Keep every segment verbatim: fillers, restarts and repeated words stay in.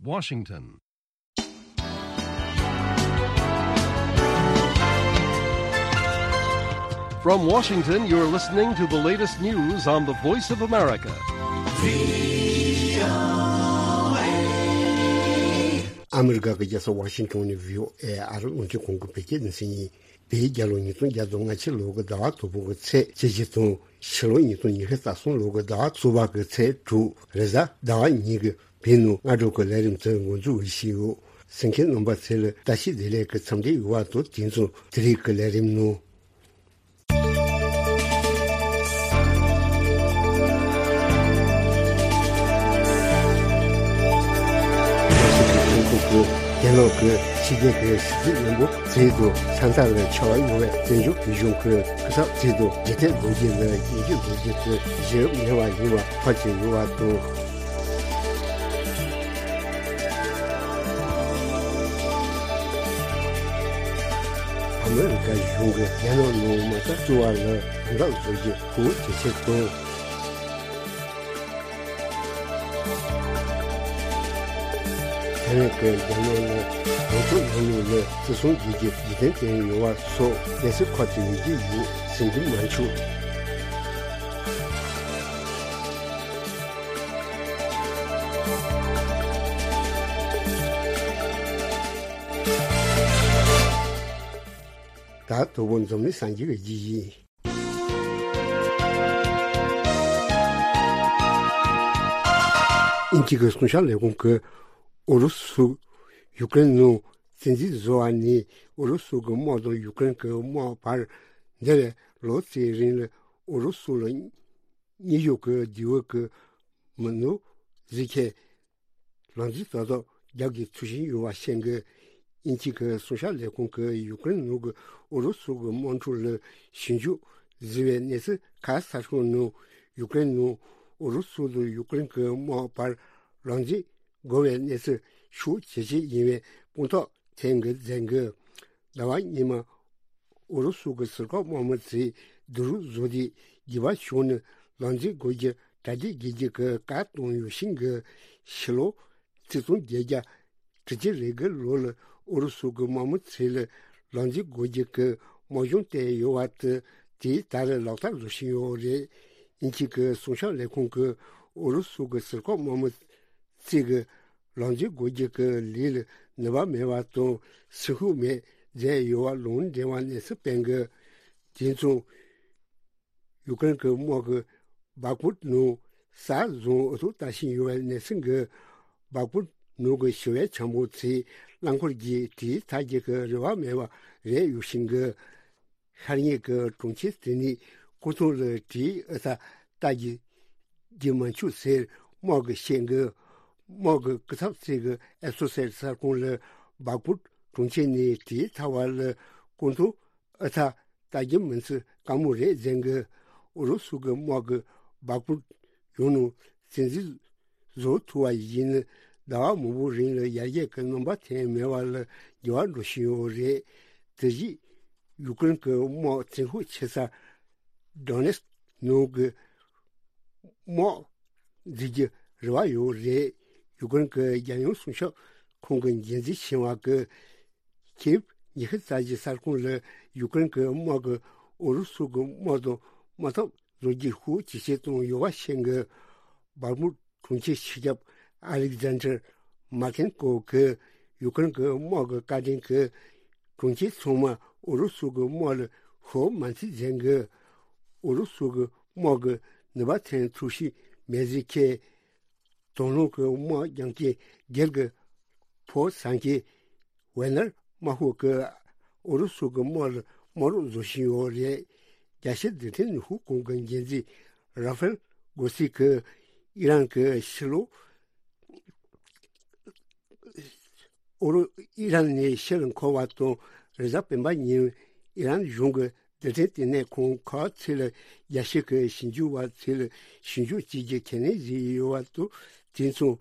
Washington. From Washington, you're listening to the latest news on the Voice of America. ཨ་མི་རི་ཀ་གི་རྒྱལ་ས་ཝ་ཤིང་ཊོན་ནས་བྷི་ཨོ་ཨེ་ཨ་རི་རླུང་འཕྲིན་ཁང་གི་བོད་སྐད་སྡེ་ཚན་ཡིན། བོད་རྒྱལ་ལོ་ཉིས་སྟོང་བརྒྱ་དང་ང་གཅིག་ལོ་གི་ཟླ་བ་དང་པོ་གི་ཚེས་བཅུ་བཞི་དང་། ཕྱི་ལོ་ཉིས་སྟོང་ཉི་ཤུ་རྩ་གསུམ་ལོ་གི་ཟླ་བ་གཙོ་བོ་གི་ཚེས་དྲུག་རེས་གཟའ་ཟླ་བ་ཉིན་གྱི་བོད་ནང་སྔ་དྲོ་གི་ལས་རིམ་དེ་འགོ་འཛུགས་ཞུས་ཡོད། གསན་མཁན་རྣམ་པ་ཚོ་ལ་བཀྲ་ཤིས་བདེ་ལེགས་ཀྱི་འཚམས་འདྲི་ཡོད་པ་དང་། དེང་སང་དེ་རིང་གི་ལས་རིམ་ནང་། རྒྱལ་ནང་གི་ཕྱི་རྒྱལ་གྱི་ཕྱི་སྲིད་བློན་པོ་ཚོས་དང་ས་མཐའ་ལ་ཁྱབ་པ་ཡོད་པའི་བཙན་བྱོལ་བོད་གཞུང་གི་སྐུ་ཚབ་ཚོས་དང་། འཇིག་རྟེན་རྡོ་རྗེ་ལ་ཡིད་འགྱུར་རྡོ་རྗེ་ཚོས་ཞེ་མེད་པ་ཡིན་པ་ཐག་བཅད་ཡོད་པ་དང་། ཨ་མི་རི་ཀ་གཞུང་གིས་རྒྱ་ནག་ནང་མ་རྩ་བཙུགས་པ་ལ་དམ་དྲག་བཟོ་རྒྱུ་ཧུར་ཇེ་ཆེར་བཏང་། ཐའེ་ཝན་གྱིས་རྒྱ་ནག་ལ་གོང་ཚོགས་ལམ་ལུགས་ལ་བརྩི་སྲུང་བྱེད་རྒྱུ་རྒྱུན་གཏན་བསྟན་ཡོད་པ་སོགས་གནས་ཚུལ་ཁག་ཅིག་ཡོད་ཀྱི་ཡོད་ཟེར་རྒྱུ་མ་འཆུག་ད་དོ་དགོང་འཛམ་གླིང་གསར་འགྱུར་གྱི་རྒྱུ་ཡིན། དབྱིན་ཇི་གི་སྲུང་སྐྱོབ་ལས་ཁུངས་ཀྱིས་ཨུ་རུ་སུ་ཡུ་ཀེ་རེན་ནང་བཙན་འཛུལ་བཟོ་བ་ནས་ཨུ་རུ་སུ་གི་དམག་དང་ཡུ་ཀེ་རེན་གྱི་དམག་བར་འདས་པའི་ལོ་ཙམ་རིང་ལ་ཨུ་རུ་སུ་ལ་དངོས་ཤུགས་ཀྱི་འདྲི་བ་གི་མི་འདུག་ཟེར་མཁན། ལག་འཛིན་ཏག་ཏག་རྒྱག་དགོས་ཚུལ་བཞིན་ཡོད་པ་བཤད་འདུག་དབྱིན་ཇི་གི་སྲུང་སྐྱོབ་ལས་ཁུངས་ཀྱིས་ཡུ་ཀེ་རེན་ནང་གི་ཨུ་རུ་སུ་གི་དམག་འཁྲུག་ལ་ཞིབ་འཇུག་བཟོས་པའི་གནས་ཚུལ་ཁག་གསར་ཤོག་ནང་ཡུ་ཀེ་རེན་ནང་ཨུ་རུ་སུ་དང་ཡུ་ཀེ་རེན་གྱི་དམག་བར་ལག་འཛིང་དགོས་པའི་གནས་ཚུལ་ཤུགས་ཇེ་ཆེ་ཡིན་པའི་དཔང་རྟགས་ཐོན་འདུག་ཟེར་འདུག་ཟླ་བ་སྔོན་མ་ཨུ་རུ་སུ་གི་ཟུར་བཀག་དམག་མི་ཚོས་བསྡུ་རུབ་བཟོས་ཏེ་དགོས་པ་བྱུང་ན་ལག་འཛིང་དགོས་རྒྱུ་གྲ་སྒྲིག་བྱེད་རྒྱུ་གི་བཀའ་བཏང་ཡོད་ཤིང་གི་ཕྱི་ལོ་ཆིག་སྟོང་བརྒྱད་བརྒྱ་དྲུག་ཅུ་རེ་དགུ་ལོ་ལ་ཨུ་རུ་སུ་གི་དམག་མི་ཚོ་ལ་ལག་འཛིང་དགོས་རྒྱུ་གི་དམག་སྦྱོང་སྤྲད་ཡོད་པ་དེ་དེ་ད་རེས་ལག་བསྟར་བཟོ་བཞིན་ཡོད་རེད། དབྱིན་ཇི་གི་སྲུང་སྐྱོབ་ལས་ཁུངས་ཀྱིས་ཨུ་རུ་སུ་གི་ཟུར་བཀག་དམག་མི་ཚོས་ཀྱི་ལག་འཛིང་དགོས་རྒྱུ་གི་ལས་ལ་ནུས་པ་མེད་པ་དང་སེམས་ཤུགས་མེད་མཛད་ཡོད་པ་ལུང་འདྲེན་པ་གནས་ཚུལ་སྤེལ་འདུག་དེ་མཚུངས་ཡུ་ཀེ་རེན་གྱི་དམག་གིས་སྦག་མུད་ནང་ས་བཟུང་འུ་ཐུག་ལྟ་བཞིན་ཡོད་པའི་གནས་ཚུལ་འདུག་སྦག་མུད་ནང་གི་ཞི་བའི་བྱང་བུ་ཚོས་རླངས་འཁོར་གྱིས་དེའི་ཐག་གཅོད་ཀྱི་རེ་བ་མེད་པ་རེད་ཡོད་ཤིང་གི་ཤར་ཉེ་གི་གྲོང་ཁྱེར་དེ་ནས་སྐུ་ཐང་ལ་དེའི་ཨུ་ཐག་ལྟ་རྒྱུ་རྒྱུ་མ་འཆུག་ཟེར་དམག་གིས་བཤད་འདུག་དམག་གི་སྐུ་ཚབ་ཚོས་ཀྱི་ཨེ་སོ་སེ་ཊི་གསར་ཁང་ལ་སྦག་མུད་གྲོང་ཁྱེར་ནས་དེའི་ཐག་བར་ལ་སྐུ་ཐང་ཨུ་ཐག་ལྟ་རྒྱུ་མིན་ཚུལ་དཀའ་མོ་རེད་ཟེར་འདུག་ཨུ་རུ་སུ་གི་དམག་གིས་སྦག་མུད་ཡུལ་ནང་བཙན་འཛུལ་བཟོ་ཐུབ་པ་ཡིན་ན་ཟླ་བ་མང་པོ་རིང་ལ་ཡར་རྒྱས་ཀྱི་རྣམ་པ་ཐོན་མེད་པ་ལ་འགྱུར་བ་འགྲོ་བཞིན་ཡོད་རེད། དེ་བཞིན་ཡུ་ཀེ་རེན་གྱི་དམག་བཙན་ཤུགས་ཆེ་ས་ཌོ་ནེ་སི་ནང་གི་དམག་འཛུགས་རྒྱུ་རེ་བ་ཡོད་རེད། ཡུ་ཀེ་རེན་གྱི་རྒྱལ་ཡོངས་སྲུང་སྐྱོབ་ཁང་གི་འགན་འཛིན་ཆེ་བ་གིས་ཁེབ་ཉི་ཤུ་རྩ་གཅིག་གསར་ཁང་ལ་ཡུ་ཀེ་རེན་གྱི་དམག་གིས་ཨུ་རུ་སུ་གི་དམག་དང་དམག་འཐབ་བཟོ་རྒྱུའི་ཤུགས་ཇེ་ཆེར་བཏང་ཡོད་པ་ཤེས་འདུག་སྦག་མུད་གྲོང་ཁྱེར་སྤྱི་ཁྱབ་ཨ་ལེག་ཛན་ཌར་མར་ཁེན་ཀོ་གིས་ཡུ་ཀེ་རེན་གྱི་དམག་གི་བཀའ་དྲིན་གྱིས་གྲོང་ཁྱེར་ཚང་མ་ཨུ་རུ་སུ་གི་དམག་ལ་ཤོར་མ་མཆིས་ཟེར་འདུག་ཨུ་རུ་སུ་གི་དམག་གིས་ནུས་པ་ཐོན་ཐུབ་བཞིན་མེད་ཟེར་མཁན། དང་བླངས་ཀྱི་དམག་རྒྱག་མཁན་སྒེར་གྱི་ཕོ་བཟང་མཁན་ཝེ་ནར་དམག་ཤོག་གིས་ཨུ་རུ་སུ་གི་དམག་ལ་དམག་རོགས་བཟོ་བཞིན་ཡོད་རེད། རྒྱལ་སྤྱིའི་རྡུལ་ཕྲན་ནུས་ཤུགས་ཁང་གི་འགན་འཛིན་ར་ཧྥེལ་གོ་སི་གིས་ཨི་རན་གྱི་ཕྱི་ལོ་ཨུ་རུ་ཨི་རན་ནས་ཕྱིར་འཁོར་བ་དང་རེས་གཟའ་སྤེན་པ་ཉིན་ཨི་རན་གཞུང་གི་རྡུལ་ཕྲན་ལྟེ་གནས་ཁང་ཁག་ཚོ་ལ་རྒྱལ་སྤྱི་གི་ཞིབ་འཇུག་པ་ཚོ་ལ་ཞིབ་འཇུག་བྱེད་རྒྱུ་ཁས་ལེན་བྱས་ཡོད་པ་དང་། དེ་མཚུངས་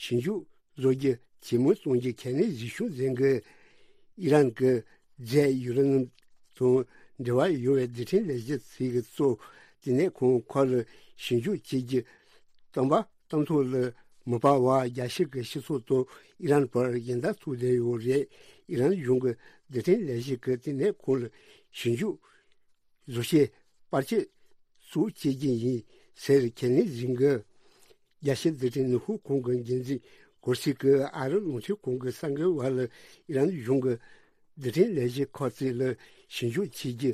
ཞིབ་འཇུག་བཟོ་རྒྱུ་ཇེ་མང་གཏོང་རྒྱུ་ཁས་ལེན་བྱས་བྱུང་ཟེར་གི། ཨི་རན་གྱི་རྫས་ཡུ་རེ་ནམ་དང་འབྲེལ་བ་ཡོད་པའི་རྡུལ་ཕྲན་ལས་གཞི་ཚོ་གི་གཙོ་ལྟེ་གནས་ཁང་ཁག་ལ་ཞིབ་འཇུག་བྱེད་རྒྱུ་གཏན་འབེབས་གཏན་ཐོག་ལ། མ་པ་བ་རྒྱལ་སྤྱི་གི་སྤྱི་ཚོགས་དང་ཨི་རན་བར་ཡན་ལག་བཙུགས་བསྡད་ཡོད་རེད། ཨི་རན་གཞུང་གི་རྡུལ་ཕྲན་ལས་གཞི་གི་ལྟེ་གནས་ཁོངས་ལ་ཞིབ་འཇུག་བཟོ་བྱེད་པར་ཆས་བཙུགས་བྱེད་ཀྱི་ཡིན་ཟེར་ཁས་ལེན་ཟིན་གི། རྒྱལ་སྤྱིའི་རྡུལ་ཕྲན་ནུས་ཤུགས་ཁང་གི་འགན་འཛིན་གོར་སི་གིས་ཨ་རི་རླུང་འཕྲིན་ཁང་གི་གསར་འགོད་པ་ལ་ཨི་རན་གཞུང་གི་རྡུལ་ཕྲན་ལས་གཞི་ཁག་ཅིག་ལ་ཞིབ་འཇུག་བྱེད་རྒྱུ་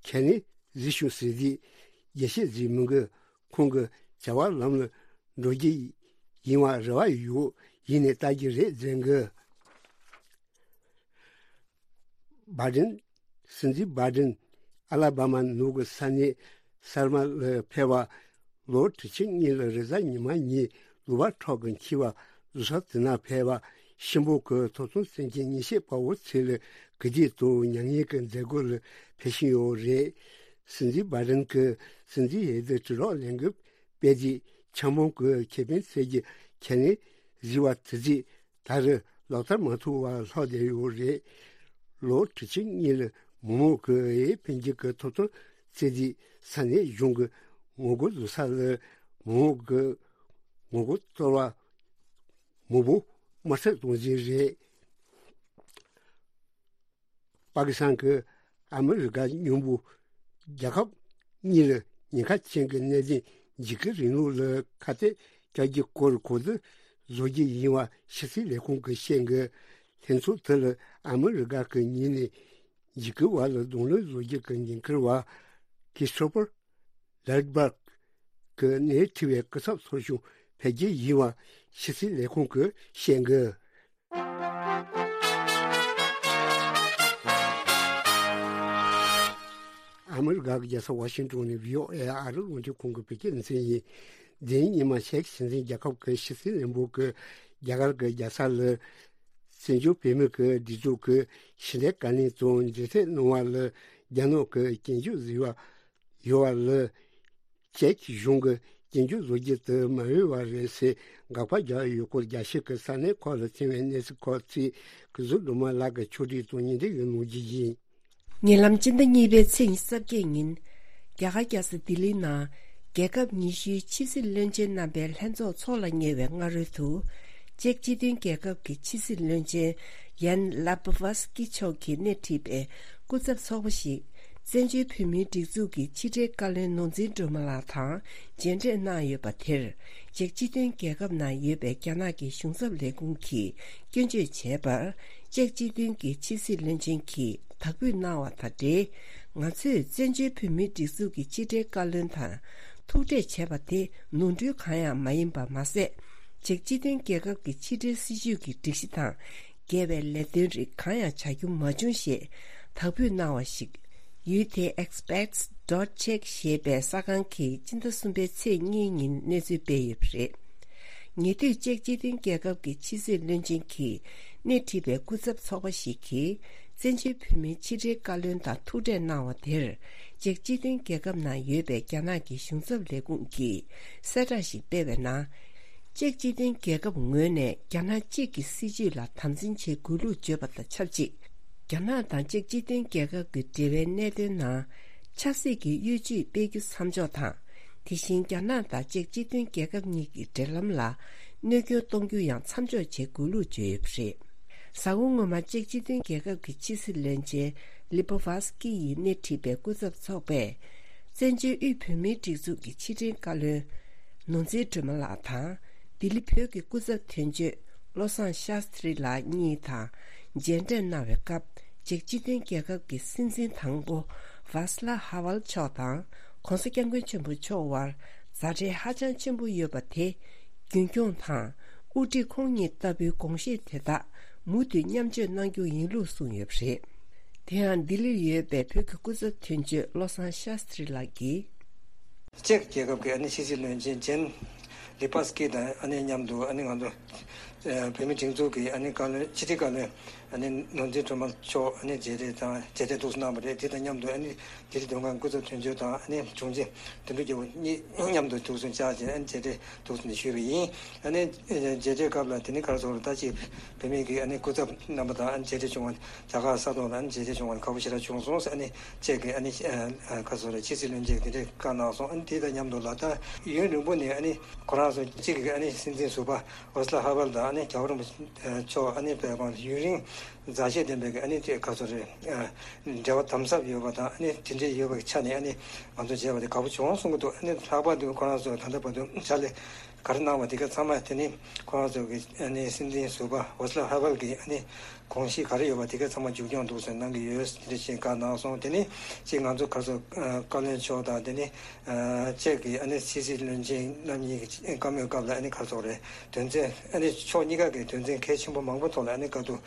ཁས་ལེན་གཟིགས་ཞུ་ཟེར་དུས། རྒྱལ་སྤྱི་ཟིག་མིན་གི་ཁོང་གི་བྱ་བ་ལམ་ལ་འགྲོ་རྒྱུ་ཡིན་པ་རེ་བ་ཡོད། ཡིན་ནའི་ལྟ་རྒྱུ་རེད་ཟེར་གི། བྷའི་ཌེན། སྲིད་འཛིན་བྷའི་ཌེན། ཨ་ལ་བྷ་མ་ནུབ་ཀྱི་ས་གནས་སར་མ་ལ་ཕེབས་པ། ལོ་དྲུག་ཅུ་གཉིས་ལ་རེས་གཟའ་ཉི་མ་ཉིན་ལུང་པ་ཁྲོད་ཀྱི་འཁྱིལ་བ་བཟོ་ས་དེ་ན་ཕེབས་པ། གཤིན་པོ་གི་ཐོབ་ཐང་བཙན་གྱི་ཉེས་ཆད་དཔའ་བོ་ཚོ་ལ་གུས་འདུད་དང་མྱ་ངན་གྱི་མཛད་སྒོ་ལ་ཕེབས་བཞིན་ཡོད་རེད། སྲིད་འཛིན་བྷའི་ཌེན་གྱིས་སྲིད་འཛིན་འོས་བསྡུ་དྲིལ་སྒྲོག་ལས་འགུལ་སྤེལ་རྗེས་འཆར་སྣང་གི་ཁེ་ཕན་སྩལ་རྒྱུ་ཁས་ལེན་གཟིགས་པ་དེ་རྗེས་ད་རེས་ལག་བསྟར་མ་ཐུབ་པར་ལྷག་བསྡད་ཡོད་རེད། ལོ་དྲུག་ཅུ་གཉིས་ལ་མི་མང་གིས་འོས་འཕེན་རྒྱུ་གི་ཐོབ་ཐང་བཙལ་རྗེས་ས་གནས་གཞུང་གི་ངོ་རྒོལ་བཟོ་ས་ལ་མི་མང་གིས་ངོ་རྒོལ་གཏོར་བ་མང་པོ་དམར་གསོད་གཏོང་རྩིས་རེད། པ་ཀི་སི་ཐན་གྱིས་ཨ་མི་རི་ཀ་མཉམ་པོ་རྒྱལ་ཁབ་གཉིས་ལ་ཉེན་ཁ་ཅན་གྱི་གནད་དོན་འཇིགས་སྐུལ་རིང་ལུགས་ལ་ཁ་གཏད་བཅག་རྒྱུའི་སྐོར་གོ་བསྡུར་བཟོ་རྒྱུ་ཡིན་པ་ཕྱི་སྲིད་ལས་ཁུངས་ཀྱིས་བཤད་འདུག། ལྷན་ཚོགས་དེ་ལ་ཨ་མི་རི་ཀ་གི་ཉིན་ནས་འཇིགས་སྐུལ་བ་ལ་གདོང་ལེན་བཟོ་རྒྱུ་གི་འགན་འཁུར་བ་ཁི་སི་ཊོ་ཕར་ལེག་སྦར་གྱིས་སྣེ་ཁྲིད་པའི་སྐུ་ཚབ་ཚོགས་ཆུང་ཕེབས་རྒྱུ་ཡིན་པ་ཕྱི་སྲིད་ལས་ཁུངས་ཀྱིས་བཤད་འདུག། ཨ་མི་རི་ཀ་གི་རྒྱལ་ས་ཝ་ཤིང་ཏོན་ནས་བྷི་ཨོ་ཨེ་ཨ་རི་རླུང་འཕྲིན་ཁང་གི་བོད་སྐད་སྡེ་ཚན་ཡིན། འདི་ཉི་མ་ཤེག་སྲིད་འཛིན་རྒྱལ་ཁབ་ཀྱི་ཕྱི་སྲིད་བློན་པོ་གིས་རྒྱ་གར་གྱི་རྒྱལ་ས་ལ་བཙན་བྱོལ་བོད་མི་གི་སྒྲིག་འཛུགས་ཀྱི་ཕྱི་འབྲེལ་བཀའ་བློན་དང་མཇལ་འཕྲད་གནང་བ་ལ་རྒྱ་ནག་གི་སྐྱོན་བརྗོད་བཟོས་པ་ཡོད་པ་ལ། ཅེཀ་གཞུང་གིས་སྐྱོན་བརྗོད་བཟོ་རྒྱུ་དེ་མ་འོས་པ་རེད་ཟེར་དགག་པ་བརྒྱབ་ཡོད་སྐོར་རྒྱལ་སྤྱི་གི་ས་གནས་ཁག་ལ་ཐོན་པའི་གནས་ཚུལ་ཁག་ཅིག་གི་གཟུགས་སྒྲོལ་མ་ལགས་ཀྱིས་ཕྱོགས་སྒྲིག་དང་སྙན་སྒྲོན་ཡང་གནང་རྒྱུ་ཡིན། ཉེ་ལམ་སྤྱི་ཟླ་གཉིས་པའི་ཚེས་ཉི་ཤུ་རྩ་བརྒྱད་ཉིན། རྒྱ་གར་རྒྱལ་ས་ལྡི་ལིའི་ནང་རྒྱལ་ཁབ་ཉི་ཤུའི་ཕྱི་སྲིད་བློན་ཆེན་རྣམ་པའི་ལྷན་ཚོགས་འཚོགས་ལ་ཉེ་བའི་སྔ་རོལ་དུ། ཅེཀ་སྤྱི་མཐུན་རྒྱལ་ཁབ་ཀྱི་ཕྱི་སྲིད་བློན་ཆེན་ཡན་ལབ་བྷ་སི་ཀི་མཆོག་གིས་སྣེ་ཁྲིད་པའི་སྐུ་ཚབ་ཚོགས་པ་ཞིག་བཙན་བྱོལ་བོད་མིའི་སྒྲིག་འཛུགས་ཀྱི་ཕྱི་དྲིལ་བཀའ་བློན་ནོར་འཛིན་སྒྲོལ་མ་ལགས་དང་མཇལ་འཕྲད་གནང་ཡོད་པ་དེར། ཅེཀ་སྤྱི་མཐུན་རྒྱལ་ཁབ་ནང་ཡོད་པའི་རྒྱ་ནག་གི་གཞུང་ཚབ་ལས་ཁུངས་ཀྱིས་སྐྱོན་བརྗོད་བྱས་པར། ཅེཀ་སྤྱི་མཐུན་གྱི་ཕྱི་སྲིད་བློན་ཆེན་གྱིས་དག་འབུལ་གནང་བ་དང་འབྲེལ། ང་ཚོས་བཙན་བྱོལ་བོད་མིའི་སྒྲིག་འཛུགས་ཀྱི་ཕྱི་དྲིལ་བཀའ་བློན་དང་ཐུག་འཕྲད་བྱས་པ་དེ་ནོར་འཁྲུལ་གང་ཡང་མ་ཡིན་པ་མ་ཟད། ཅེཀ་སྤྱི་མཐུན་རྒྱལ་ཁབ་ཀྱི་ཕྱི་དྲིལ་སྲིད་ཇུས་ཀྱི་སྒྲིག་གཞི་དང་འགལ་བའི་ལས་དོན་རིགས་གང་ཡང་བྱ་རྒྱུ་མ་བྱུང་ཞེས་དག་འབུལ་གནང་བ་ཞིག་ཡུའུ་ཐེ་ཨེགས་པེག་སི་ཌོཊ་ཅེག་ཞེས་པའི་གསར་ཁང་གིས་སྤྱི་ཟླ་གསུམ་པའི་ཚེས་གཉིས་ཉིན་གནས་ཚུལ་སྤེལ་ཡོད་པ་རེད། ཉེ་དུས་ཅེཀ་སྤྱི་མཐུན་རྒྱལ་ཁབ་ཀྱི་ཕྱི་སྲིད་བློན་ཆེན་གྱིས་སྣེ་ཁྲིད་པའི་སྐུ་ཚབ་ཚོགས་པ་ཞིག་གིས་བཙན་བྱོལ་བོད་མིའི་ཕྱི་དྲིལ་བཀའ་བློན་དང་ཐུག་འཕྲད་གནང་བ་དེར། ཅེཀ་སྤྱི་མཐུན་རྒྱལ་ཁབ་ནང་ཡོད་པའི་རྒྱ་ནག་གི་གཞུང་ཚབ་ལས་ཁུངས་ཀྱིས་གསལ་བསྒྲགས་ཤིག་སྤེལ་བའི་ནང་། ཅེཀ་སྤྱི་མཐུན་རྒྱལ་ཁབ་ངོས་ནས་རྒྱ་ནག་གཅིག་གི་སྲིད་བྱུས་ལ་དམ་འཛིན་བྱེད་དགོས་ལུགས་བརྗོད་པ་དང་ཆབས་ཅིག་རྒྱ་ནག་དང་ཅེཀ་སྤྱི་མཐུན་རྒྱལ་ཁབ་ཀྱི་འབྲེལ་བའི་གནད་དོན་ནང་ཆབ་སྲིད་ཀྱི་གཡོ་ཇུས་སྤེལ་རྒྱུ་མཚམས་འཇོག་དང་། དེ་བཞིན་རྒྱ་ནག་དང་ཅེཀ་སྤྱི་མཐུན་རྒྱལ་ཁབ་གཉིས་ཀྱི་འབྲེལ་ལམ་ལ་གནོད་སྐྱོན་གཏོང་རྒྱུ་ཡང་མཚམས་འཇོག་བྱེད་དགོས་ལུགས་བརྗོད་ཡོད་པ་རེད། གཟའ་འཁོར་སྔོན་མ་ཅེཀ་སྤྱི་མཐུན་རྒྱལ་ཁབ་ཀྱི་ཕྱི་སྲིད་བློན་ཆེན་ལི་པོ་ཝཱ་སི་ཀི་ཡིས་སྣེ་ཁྲིད་པའི་སྐུ་ཚབ་ཚོགས་པས། བཙན་བྱོལ་དབུས་བོད་མིའི་སྒྲིག་འཛུགས་ཀྱི་ཕྱི་དྲིལ་བཀའ་བློན་ནོར་འཛིན་སྒྲོལ་མ་ལགས་དང་། ལྡི་ལི་བོད་ཀྱི་སྐུ་ཚབ་དོན་གཅོད་བློ་བཟང་ཤཱསྟྲི་ལགས་གཉིས་དང་མཇལ་འཕྲད་གནང་བའི་སྐབས། ཅེཀ་སྤྱི་མཐུན་རྒྱལ་ཁབ་ཀྱི་སྲིད་འཛིན་དང་པོ་ཝཱ་སི་ལ་ཧ་ཝལ་མཆོག་དང་། ༸གོང་ས་༸སྐྱབས་མགོན་ཆེན་པོ་མཆོག་དབར་མཛའ་འབྲེལ་ཧ་ཅང་ཆེན་པོ་ཡོད་པ་དེ་རྒྱུན་འཁྱོངས་དང་། དབུ་ཁྲིད་ཁོང་གཉིས་ལྟ་བུའི་དགོངས་བཞེས་དེ་དག་མུ་མཐུད་མཉམ་སྤྱོད་གནང་རྒྱུ་ཡིན་ལུགས་གསུངས་ཡོད་པ་རེད། དེ་ཡང་ལྡི་ལིར་ཡོད་པའི་བོད་ཀྱི་སྐུ་ཚབ་དོན་གཅོད་བློ་བཟང་ཤཱསྟྲི་ལགས་ཀྱིས། ཅེཀ་རྒྱལ་ཁབ་ཀྱི་ཨ་ནི་ཕྱི་སྲིད་བློན་ཆེན་ཇེན་ལི་པ་སི་ཀི་དང་ཨ་ནི་མཉམ་དུ་ཨ་ནི་ང་ཚོ་ བོད་མིའི་སྒྲིག་འཛུགས་ཀྱི་ཨ་ནི་བཀའ་བློན་ཕྱི་དྲིལ་བཀའ་བློན་ཨ་ནི་ནོར་འཛིན་སྒྲོལ་མ་མཆོག་ཨ་ནི་མཇལ་འཕྲད་དང་མཇལ་འཕྲད་ཐུགས་གསོ་གནང་བ་རེད། དེ་དང་མཉམ་དུ་ཨ་ནི་ལྡི་ལི་མདོ་ཁམས་སྐུ་ཚབ་དོན་གཅོད་དང་ཨ་ནི་དྲུང་ཆེ་དོན་གྲུབ་རྒྱལ་པོ་གཉིས་མཉམ་དུ་ཐུགས་གསོ་བཅར་བྱས་ཨ་ནི་མཇལ་འཕྲད་ཐུགས་གསོ་ཞུས་པ་ཡིན། ཨ་ནི་མཇལ་འཕྲད་སྐབས་ལ་དེ་ནི་ག་རེ་ཟེར་ད་ཅིག་བོད་མི་གི་ཨ་ནི་སྐུ་ཚབ་རྣམ་པ་དང་ཨ་ནི་མཇལ་འཕྲད་བྱུང་བ་རྒྱ་གར་ས་ཐོག་ལ་ཨ་ནི་མཇལ་འཕྲད་བྱུང་བ་དགའ་པོ་ཞེ་དྲག་བྱུང་སོང་ཟེར། ཨ་ནི་ཁྱེད་ཀྱི་ཨ་ནི་ག་རེ་ཟེར་ཕྱི་སྲིད་བློན་ཆེན་དེ་འདྲའི་བཀའ་གནང་སོང་། ཨ་ནི་དེ་དང་མཉམ་དུ་ལ་ད་ཡུན་རིང་པོ་ནས་ཨ་ནི་ཁོ་རང་ཚོ་གཅིག་གི་ཨ་ནི་སྲིད་འཛིན་ཟུར་པ་ཝེ་སི་ལ་ཧ་ཝེལ་དང་ཨ་ནི་རྒྱལ་བ་རིན་པོ་ཆེ་མཆོག་ཨ་ནི་བོད་དབང་ཡུན་རིང་མཛའ་བཤེས་ལྡན་པའི་གི་ཨ་ནི་དེ་ག་ཚོད་རེད། འབྲེལ་བ་དམ་ཟབ་ཡོད་པ་དང་ཨ་ནི་དེ་འདྲའི་ཡོད་པའི་ཆ་ནས་ཨ་ནི་ང་ཚོ་མཇལ་བ་དེ་དགའ་པོ་བྱུང་གསུང་གི་འདུག་ཨ་ནི་ལྷག་པར་དུ་ཁོ་རང་ཚོ་ད་ལྟ་བར་དུ་ཕྱག་ལས་ག་རེ་གནང་བ་དེ་ག་ཚང་མ་དེ་ནི་ཁོ་རང་ཚོ་གི་ཨ་ནི་སྲིད་འཛིན་ཟུར་པ་ཝེ་སི་ལ་ཧ་ཝེལ་གི་ཨ་ནི་དགོངས་གཞི་ག་རེ་ཡོད་པ་དེ་ག་ཚང་མ་མཇུག་སྐྱོང་འདུག་ཟེར་གནང་གི་ཡོད། དེ་འདྲ་ཞིག་བཀའ་གནང་སོང་། དེ་ནི་གཅིག་ང་ཚོ་ག་ཚོད་བཀའ་བློན་མཆོག་དང་དེ་ནི། ཨ་ཅེག་གི་ཨ་ནི་ཕྱི་སྲིད་བློན་ཆེན་རྣམ་གཉིས་ཀྱི་བཀའ་མོལ་སྐབས་ལ་ཨ་ནི་ག་རེ་ཟེར་རེད། དོན་ཚན་ཨ་ནི་ཕྱོགས་གཉིས་ཀ་གི་དོན་ཚན་གལ་ཆེན་པོ་མང་པོ་ཐོག་ལ་ཨ་ནི་བཀའ་བསྡུར་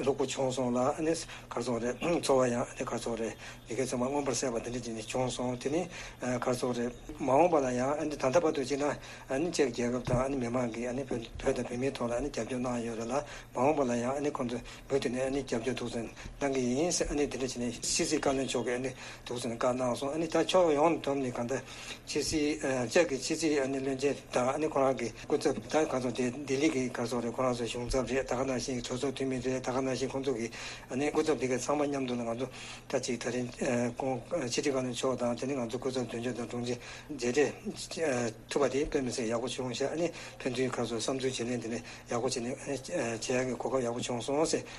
ལྷུག་པོ་བྱུང་སོང་ལ། ཨ་ནི་ག་རེ་ཟེར་རེད། ཚོར་བ་ཡང་ཨ་ནི་ག་རེ་ཟེར་རེད། ཡི་གེ་ཚང་མ་མངོན་པར་གསལ་བ་དེ་འདྲ་ཅིག་ནི་བྱུང་སོང་། དེ་ནི་ཨ་ག་རེ་ཟེར་རེད། མ་འོངས་པ་ལ་ཡང་ཨ་ནི་ད་ལྟ་བར་དུ་བྱས་ན་ཨ་ནི་ཅེག་རྒྱལ་ཁབ་དང་ཨ་ནི་མི་མང་གིས་ཨ་ནི་བོད་བོད་དང་བོད་མིའི་ཐོག་ལ་ཨ་ནི་རྒྱབ་སྐྱོར་གནང་ཡོད་རེད་ལ། མ་འོངས་པ་ལ་ཡང་ཨ་ནི་ཁོང་ཚོ་མུ་མཐུད་ནས་ཨ་ནི་རྒྱབ་སྐྱོར་ཐུགས་སྣང་གནང་གི་ཡིན་ཟེར། ཨ་ནི་དེ་འདྲ་བྱས་ནས་ཕྱི་སྲིད་བཀའ་བློན་མཆོག་གིས་ཨ་ནི་ཐུགས་སྣང་བཀའ་གནང་སོང་། ཨ་ནི་ད་ཕྱོགས་ཡོངས་བསྡོམས་ནས་གང་ལྟར་ཕྱི་སྲིད་ཨ་ཅེག་གི་ཕྱི་སྲིད་ཨ་ནི་བློན་ཆེན་དང་ཨ་ནི་ཁོ་རང་གི་སྐུ་ཚབ་ད་ག་ཚོད་དེ་ལྡི་ལི་གི་ག་རེ་ཟེར་རེད། ཁོ་རང་ཚོ་གཞུང་ཚབ་རེད། ད་ག་ནང་བཞིན་གྲོས་ཚོགས་འཐུས་མི་རེད། ད་ག་ནང་བཞིན་ཁོང་ཚོ་གི་ཨ་ནི་སྐུ་ཚབ་དེ་ག་ཚང་མ་མཉམ་དུ་ལ་ང་ཚོ་ད་ཅིག་ད་རིང་ཨ་ཁོང་ཕྱི་དྲིལ་བཀའ་བློན་མཆོག་དང་དེ་ནི་ང་ཚོ་སྐུ་ཚབ་དོན་གཅོད་དང་དྲུང་ཆེ་མཇལ་འཕྲད་ཐུབ་པ་དེ་དཔེ་མི་སྲིད་ཡག་པོ་བྱུང་ཤག་ཨ་ནི་ཕན་ཚུན་ཁ་སོ་བསམ་ཚུལ་བརྗེ་ལེན་དེ་ནི་ཡག་པོ་བྱས་ནས་ཨ་ནི་བྱེད་ཡག་གི་གོ་སྐབས་ཡག་པོ་བྱུང་སོང་ཟེར།